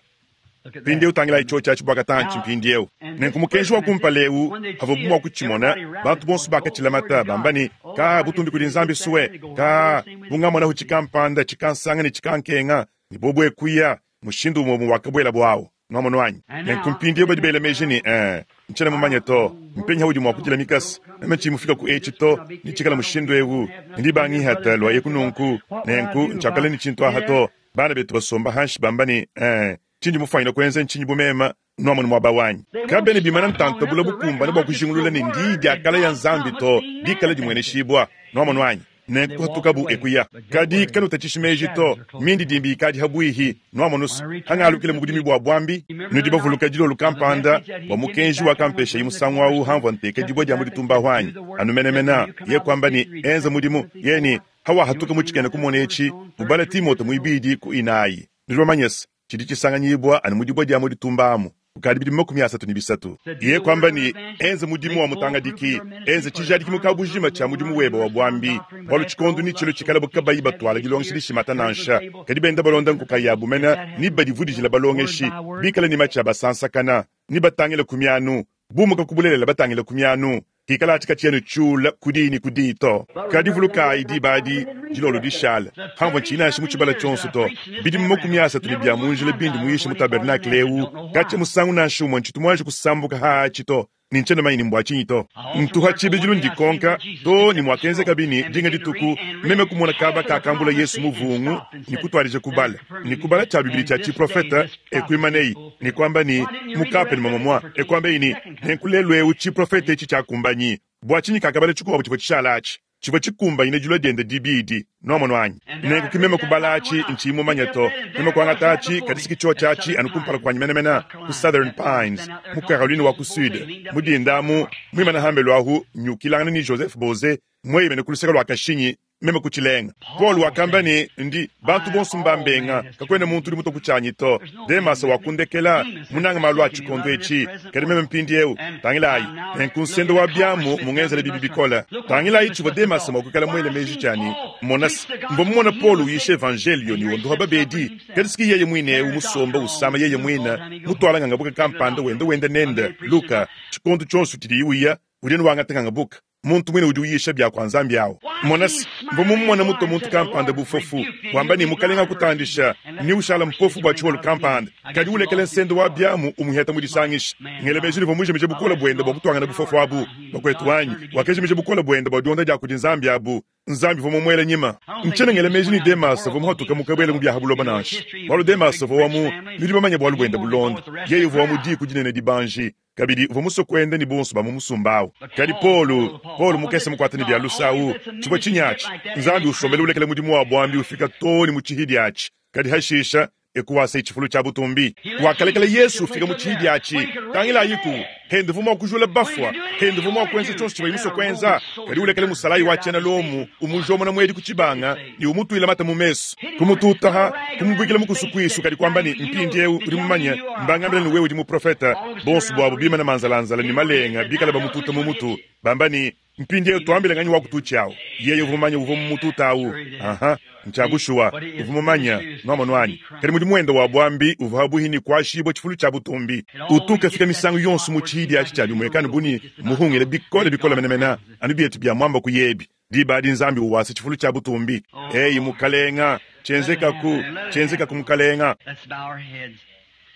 Mpindieu tangilayi tshiotshi atshi bua katantshi mpindieu. Nenku mukenji wa kumpala eu, havuabu mua kutshimona, bantu bonso bakatshilamata, bamba ne, Ka, butumbi kudi Nzambi sue, ka, bungamonahu tshikampanda, tshikansanga ne tshikankenga, ne bobu ekuya, mushindu umue umue wakabuela buawu. Nwamonu anyi? Nenku mpindieu badi bela meji ne, eh, ntshiena mumanye to, mpenyi haudi mua kudila mikasa, meme tshiyi mufika ku etshi to, ne tshikala mushindu eu, ndi bangihata lua eku nunku, nenku ntshiakala ne tshintu aha to. Bana betu basomba hanshi bamba ne, eh, tshindi mufuanyine kuenza ntshinyi bu meme nwamonu muaba wanyi? Kabena bimana ntanta bula bukumbane bua kujingulula ne ndiyi dia kala ya Nzambi to, dikala dimueneshibua. Nwamonu anyi? Nenku kuhatukabu ekuya. Kadi kanutatshishi meji to, mindidimbi ikadi habuihi, nwamonu se, hangalukile mu budimi bua buambi. Nudi bavuluka dilolo kampanda bua mukenji wakampeshayi musangu awu hamvua nteka dibue dia mu ditumba ahu anyi? Anu menemena, ye kuamba ne, enza mudimu, ye ne, hawahatuka mu tshikena kumona etshi, ubala Timote muibidi ku inayi. Nudi bamanye se, tshidi tshisanganyibua anu mu dibue dia mu ditumba amu, kukadi bidimu makumi asatu ne bisatu. Ye kuamba ne, enza mudimu wa mutangadiki, enza tshijadiki mu kabujima tshia mudimu webe wa buambi, bualu tshikondo ne tshilo tshikalabu kabayi batuala dilongesha dishimata nansha, kadi benda balonda nkuka yabu mena ne badivudijila balongeshi, bikale ne matshi a basansakana, ne batangile ku mianu, bumuka ku bulelela batangile ku mianu. Kikala atshi katshiena tshiula ku diyi ne ku diyi to. Kadi vulukayi diba adi dilolo dishala, hamvua ntshiyi nansha mu tshibala tshionso to. Bidimu makumi asatu ne bia mu njila bindi muyishe mu tabernakle eu, katshia musangu nansha umue ntshitu muanji kusambuka haatshi to, ne ntshiena mumanye ne mbua tshinyi to. Ntuha tshibidilu ndikonka to ne muakenzekabi ne dinga dituku meme kumona kaba kakambula Yesu muvungu ne kutuadija kubala ne kubala tshia bibidi tshia tshiprofeta ekuimaneyi ne kuamba ne mukape ne mamamua ekuambeyi ne nenku lelu eu tshiprofeta etshi tshiakumbanyi. Bua tshinyi kakabala tshikuabu tshivua tshishala atshi tshivua tshikumbanyine dilua diende dibidi? Nwamonu anyi? Nenku ki meme kubala atshi ntshiyi mumanye to. Meme kuangata atshi, kadi siki tshiotshi atshi anu kumpala kuanyi menemene ku Southern Pines, mu Caroline wa ku Sud, mu dinda amu, muimane hambelu ahu nyukilangana ne Joseph Boze Mweyemene ku luseke lwa kashinyi, meme kutshilenga. Paul wakamba ne, ndi bantu bonso mbambenga, kakwena muntu udi mutue ku tshianyi to. Demasa wakundekela, munanga malu a tshikondo etshi, kadi meme mpindieu, tangilayi, nenku nsenda wa biamu mungenzele bibi bikole. Tangilayi tshivua Demasa mua kuikala muele meji tshiani, mona se, mvua mumone Paul uyisha evangelio ne wondoha babedi, kadi siki yeye muine eu musomba usama yeye muine, mutwala ngangabuka kampanda wenda wenda nende, Luka, tshikondo tshionso tshidiye uya, udi ne wangata ngangabuka. Muntu mwine udi uyisha bya kwa Nzambi awo. Mona se, mvua mumone mutue muntu kampanda bufofu, wamba ne mukalenga akutandisha, ni ushala mpofu bua tshiholo kampanda, kadi ulekele nsendo wa biamu umuheta mu disangisha. Ngele meji livua mujimije bukole buende bua kutuangana bufofu abu. Bakwetu wanyi, wakajimija bukole buende bua dionda dia kudi Nzambi abu. Nzambi vua mumuele nyima. Ntshiena ngele meji ni Demasa vua muhatuka mukabwele mu byaha buloba nansha. Bualu Demasa vua wa mu, nudi bamanye bualu buende bulonda. Yeye uvua wa mu diku dinene dibanji. Kabidi uvua musue kuenda ne bonso ba mu musumba awu. Kadi Paul, Paul mukese mukuate ne bia lusa awu, tshivua tshinyatshi. Nzambi usombele ulekele mudimu wa buambi ufika too ne mu tshihidi atshi. Kadi hashisha, ekuwasa tshifulu tshia butumbi. Wakalekela Yesu ufika mu tshihidi atshi. Tangilayiku, hende vua mua kujula bafua, hende vua mua kuenza tshionso tshivua musue kuenza. Kadi ulekele musalayi wa tshiena Lomu, umujomona muedi ku tshibanga, ne umutuila mata mu mesu. Kumututaha, kumubuikila mu kusukuisu, kadi kuamba ne, mpindieu udi mumanye, mbangambila ne wewe udi muprofeta. Bonso buabu bimana manzalanzala ne malenga bikala bamututa mu mutu. Bamba ne, mpindieu tuambile nganyi wa kututshiawu. Yeye uvua mumanye uvua mumututa awu. Aha, ntshiabushuwa, uvua mumanye, nuamono anyi. Kadi mudimu wende wa buambi uvua habuhi ne kuashibua tshifulu tshia butumbi. Utuka fika misangu yonso mu tshihidi atshi tshia bimuekano buni muhungile bikole bikole menemene, anu bietu bia mwamba ku yebi. Diba adi Nzambi uwasa tshifulu tshia butumbi. Eyi mukalenga, tshenzekaku, tshenzekaku mukalenga. Let's bow our heads.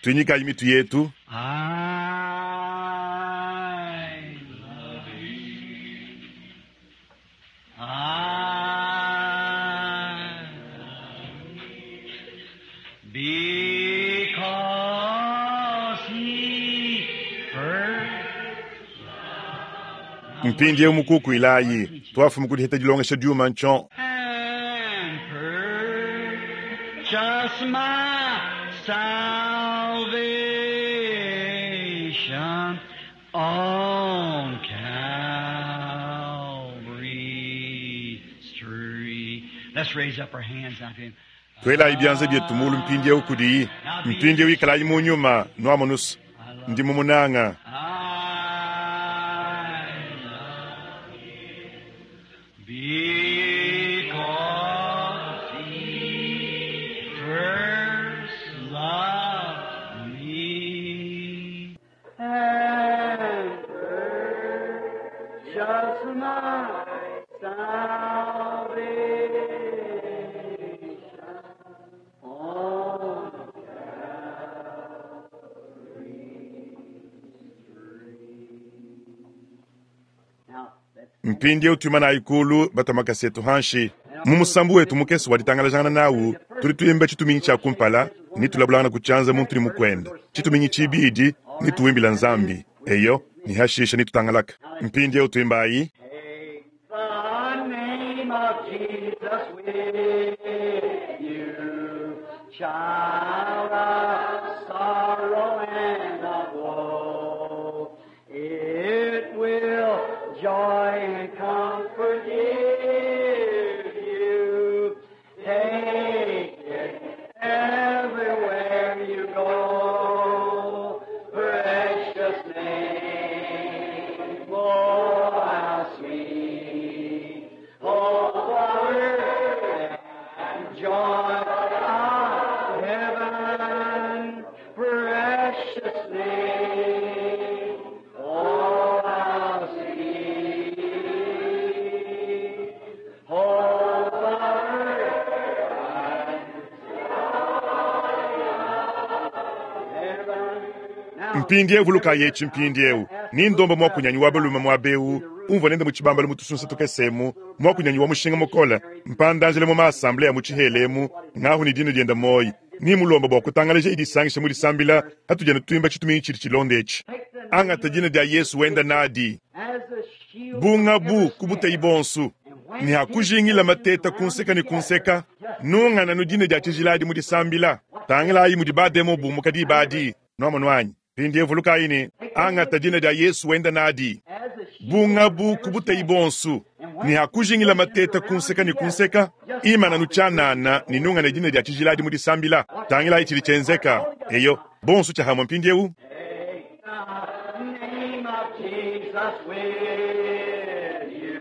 Tuinyikayi mitu yetu. I love you. I because he first Mpindieu mukuku ilayi, twafumu kudiheta dilongesha diuma ntsho. and purchase my salvation on Calvary's tree. Let's raise up our hands unto him. Twelayi bianza bietu mulu mpindieu kudiyi. Mpindieu ikalayi mu nyuma, nuamonusa. Ndi mumunanga. I love him because he first loved me and purchased my salvation on Now, let's Mpindieu tuimanayi kulu batamakasetu hanshi. Mu musambu wetu mukese wa ditangalajangana nawu, tudi tuimba tshituminyi tshia kumpala, ni tulabulangana ku tshianza muntu ni mukwenda. Tshituminyi tshibidi, ni tuwimbila Nzambi. Eyo, ni hashisha ni tutangalaka. Mpindieu tuimbayi. Take the name of Jesus with you, child of sorrow and of woe. It will joy and comfort give you. Take it everywhere you go. Precious name, oh how sweet, oh power and joy of heaven, precious name, oh how sweet, oh power and heaven. Mpindieu vulukayi etshi mpindieu. Ni ndomba mwakunyanyi wa balume mwa beu, umvua nende mu tshibambalo mu tusunsa tukesemu, mwakunyanyi wa mushinga mukola, mpandanjele mu maasamblea mu tshihelemu, ngahu ni dino dienda moyi. Ni mulomba bua kutangalaja idisangisha mu disambila, hatujana tuimba tshituminyi tshidi tshilonda etshi. Angata dina dia Yesu wenda nadi. As the shield Bunga bu kubuteyi bonsu. Ni hakujingila mateta kunseka ni kunseka. Nungana nu dina dia tshijiladi mu disambila. Tangilayi mudi bademo bumuka dibadi. Nuamono anyi. Mpindieu vulukayi ne, angata dina dia Yesu wenda nadi. as the shield Bunga bu kubuteyi bonsu. Ne hakujingila mateta kunseka ne kunseka, imana tshianana ne nungane dina dia tshijila adi mu disambila. Tangilayi tshidi tshienzeka. Eyo, bonso tshiahamwe mpindiewu. The name of Jesus with you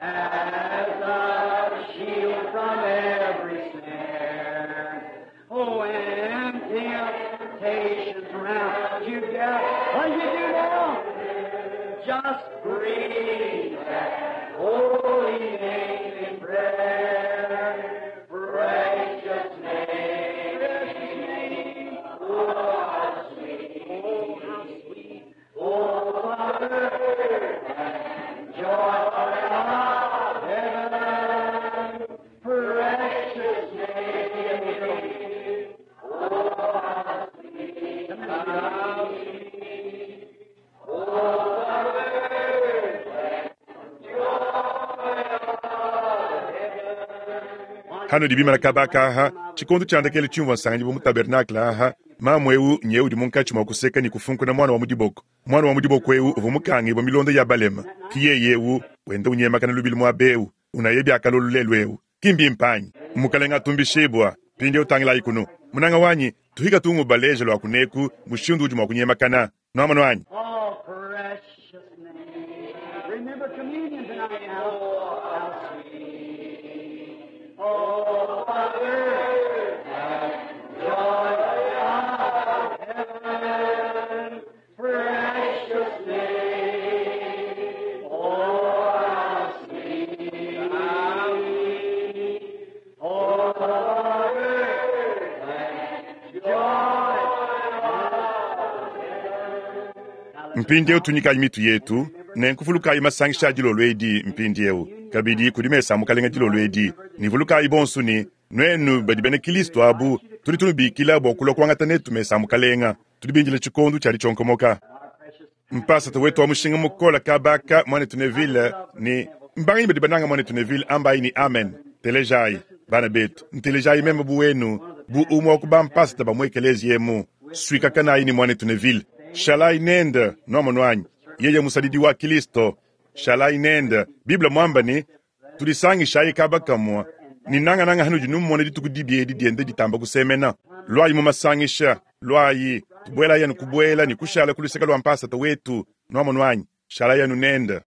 as a shield from every snare. Oh, and temptations round you gather. What do you do now? Just breathe that holy name in prayer. Precious name, precious name. Oh, how sweet, oh, how sweet. Oh, Father, and joy of heaven. Precious name. Oh, how sweet, how sweet. Oh, Father, and joy of heaven. Hano dibimana kabaka aha, tshikondo tshiandakele tshimvua nsanganyibwa mu tabernakle aha, mamu ewu nyewu udi munkatshi mua kuseka ne kufunkuna mwana wa mu diboko. Mwana wa mu diboko ewu uvua mukangibwa milonda ya balema. Ki yeye ewu wenda unyemakana lubili muaba ewu, unaye biakalolu lelu ewu. Kimbi mpanyi. Mukalenga atumbishibwa, mpindiewu tangilayi kunu. Munanga wanyi, tuhika tungu baleje lwa kuneku, mushindu udi mua kunyemakana. Nwamanu wanyi. Oh, precious name. Remember communion tonight now. Oh, how sweet. Oh, Father, joy of heaven. Precious name. Oh, how sweet. How sweet. Oh, Father, joy of heaven. Mpindiewu tunyikayi mitu yetu, nenkuvulukayi masangisha a dilolo edi mpindiewu. Kabidi kudi mesa a mukalenga dilolo edi. Nivulukayi bonso ne, nuenu badi bena Kristo abu, tudi tunubikila bua kulua kuangata netu mesa a mukalenga. Tudi bindile tshikondo tshia ditshionkomoka. Mpasata wetu wa mushinga mukola kabaka mwanetu Neville ne mbanganyi badi bananga mwanetu Neville ambayi ni amen. Telejayi bana betu, ntelejayi meme bu wenu, bu umwe wa ku bampasata ba mu ekelezia emu. Suikakanayi ni mwanetu Neville. Shalayi nende nwamonu wanyi, yeye musadidi wa Kristo. Shalayi nende. Biblia mwamba ni tudisangishayi kaba kamwa ni nangananga hanudi numona dituku dibi edi diende ditamba kusemena. Lwayi mu masangisha, lwayi tubuela yanu kubuela ni kushala kuluseka lwa mpasata wetu nwamonu wanyi, shala yanu nende.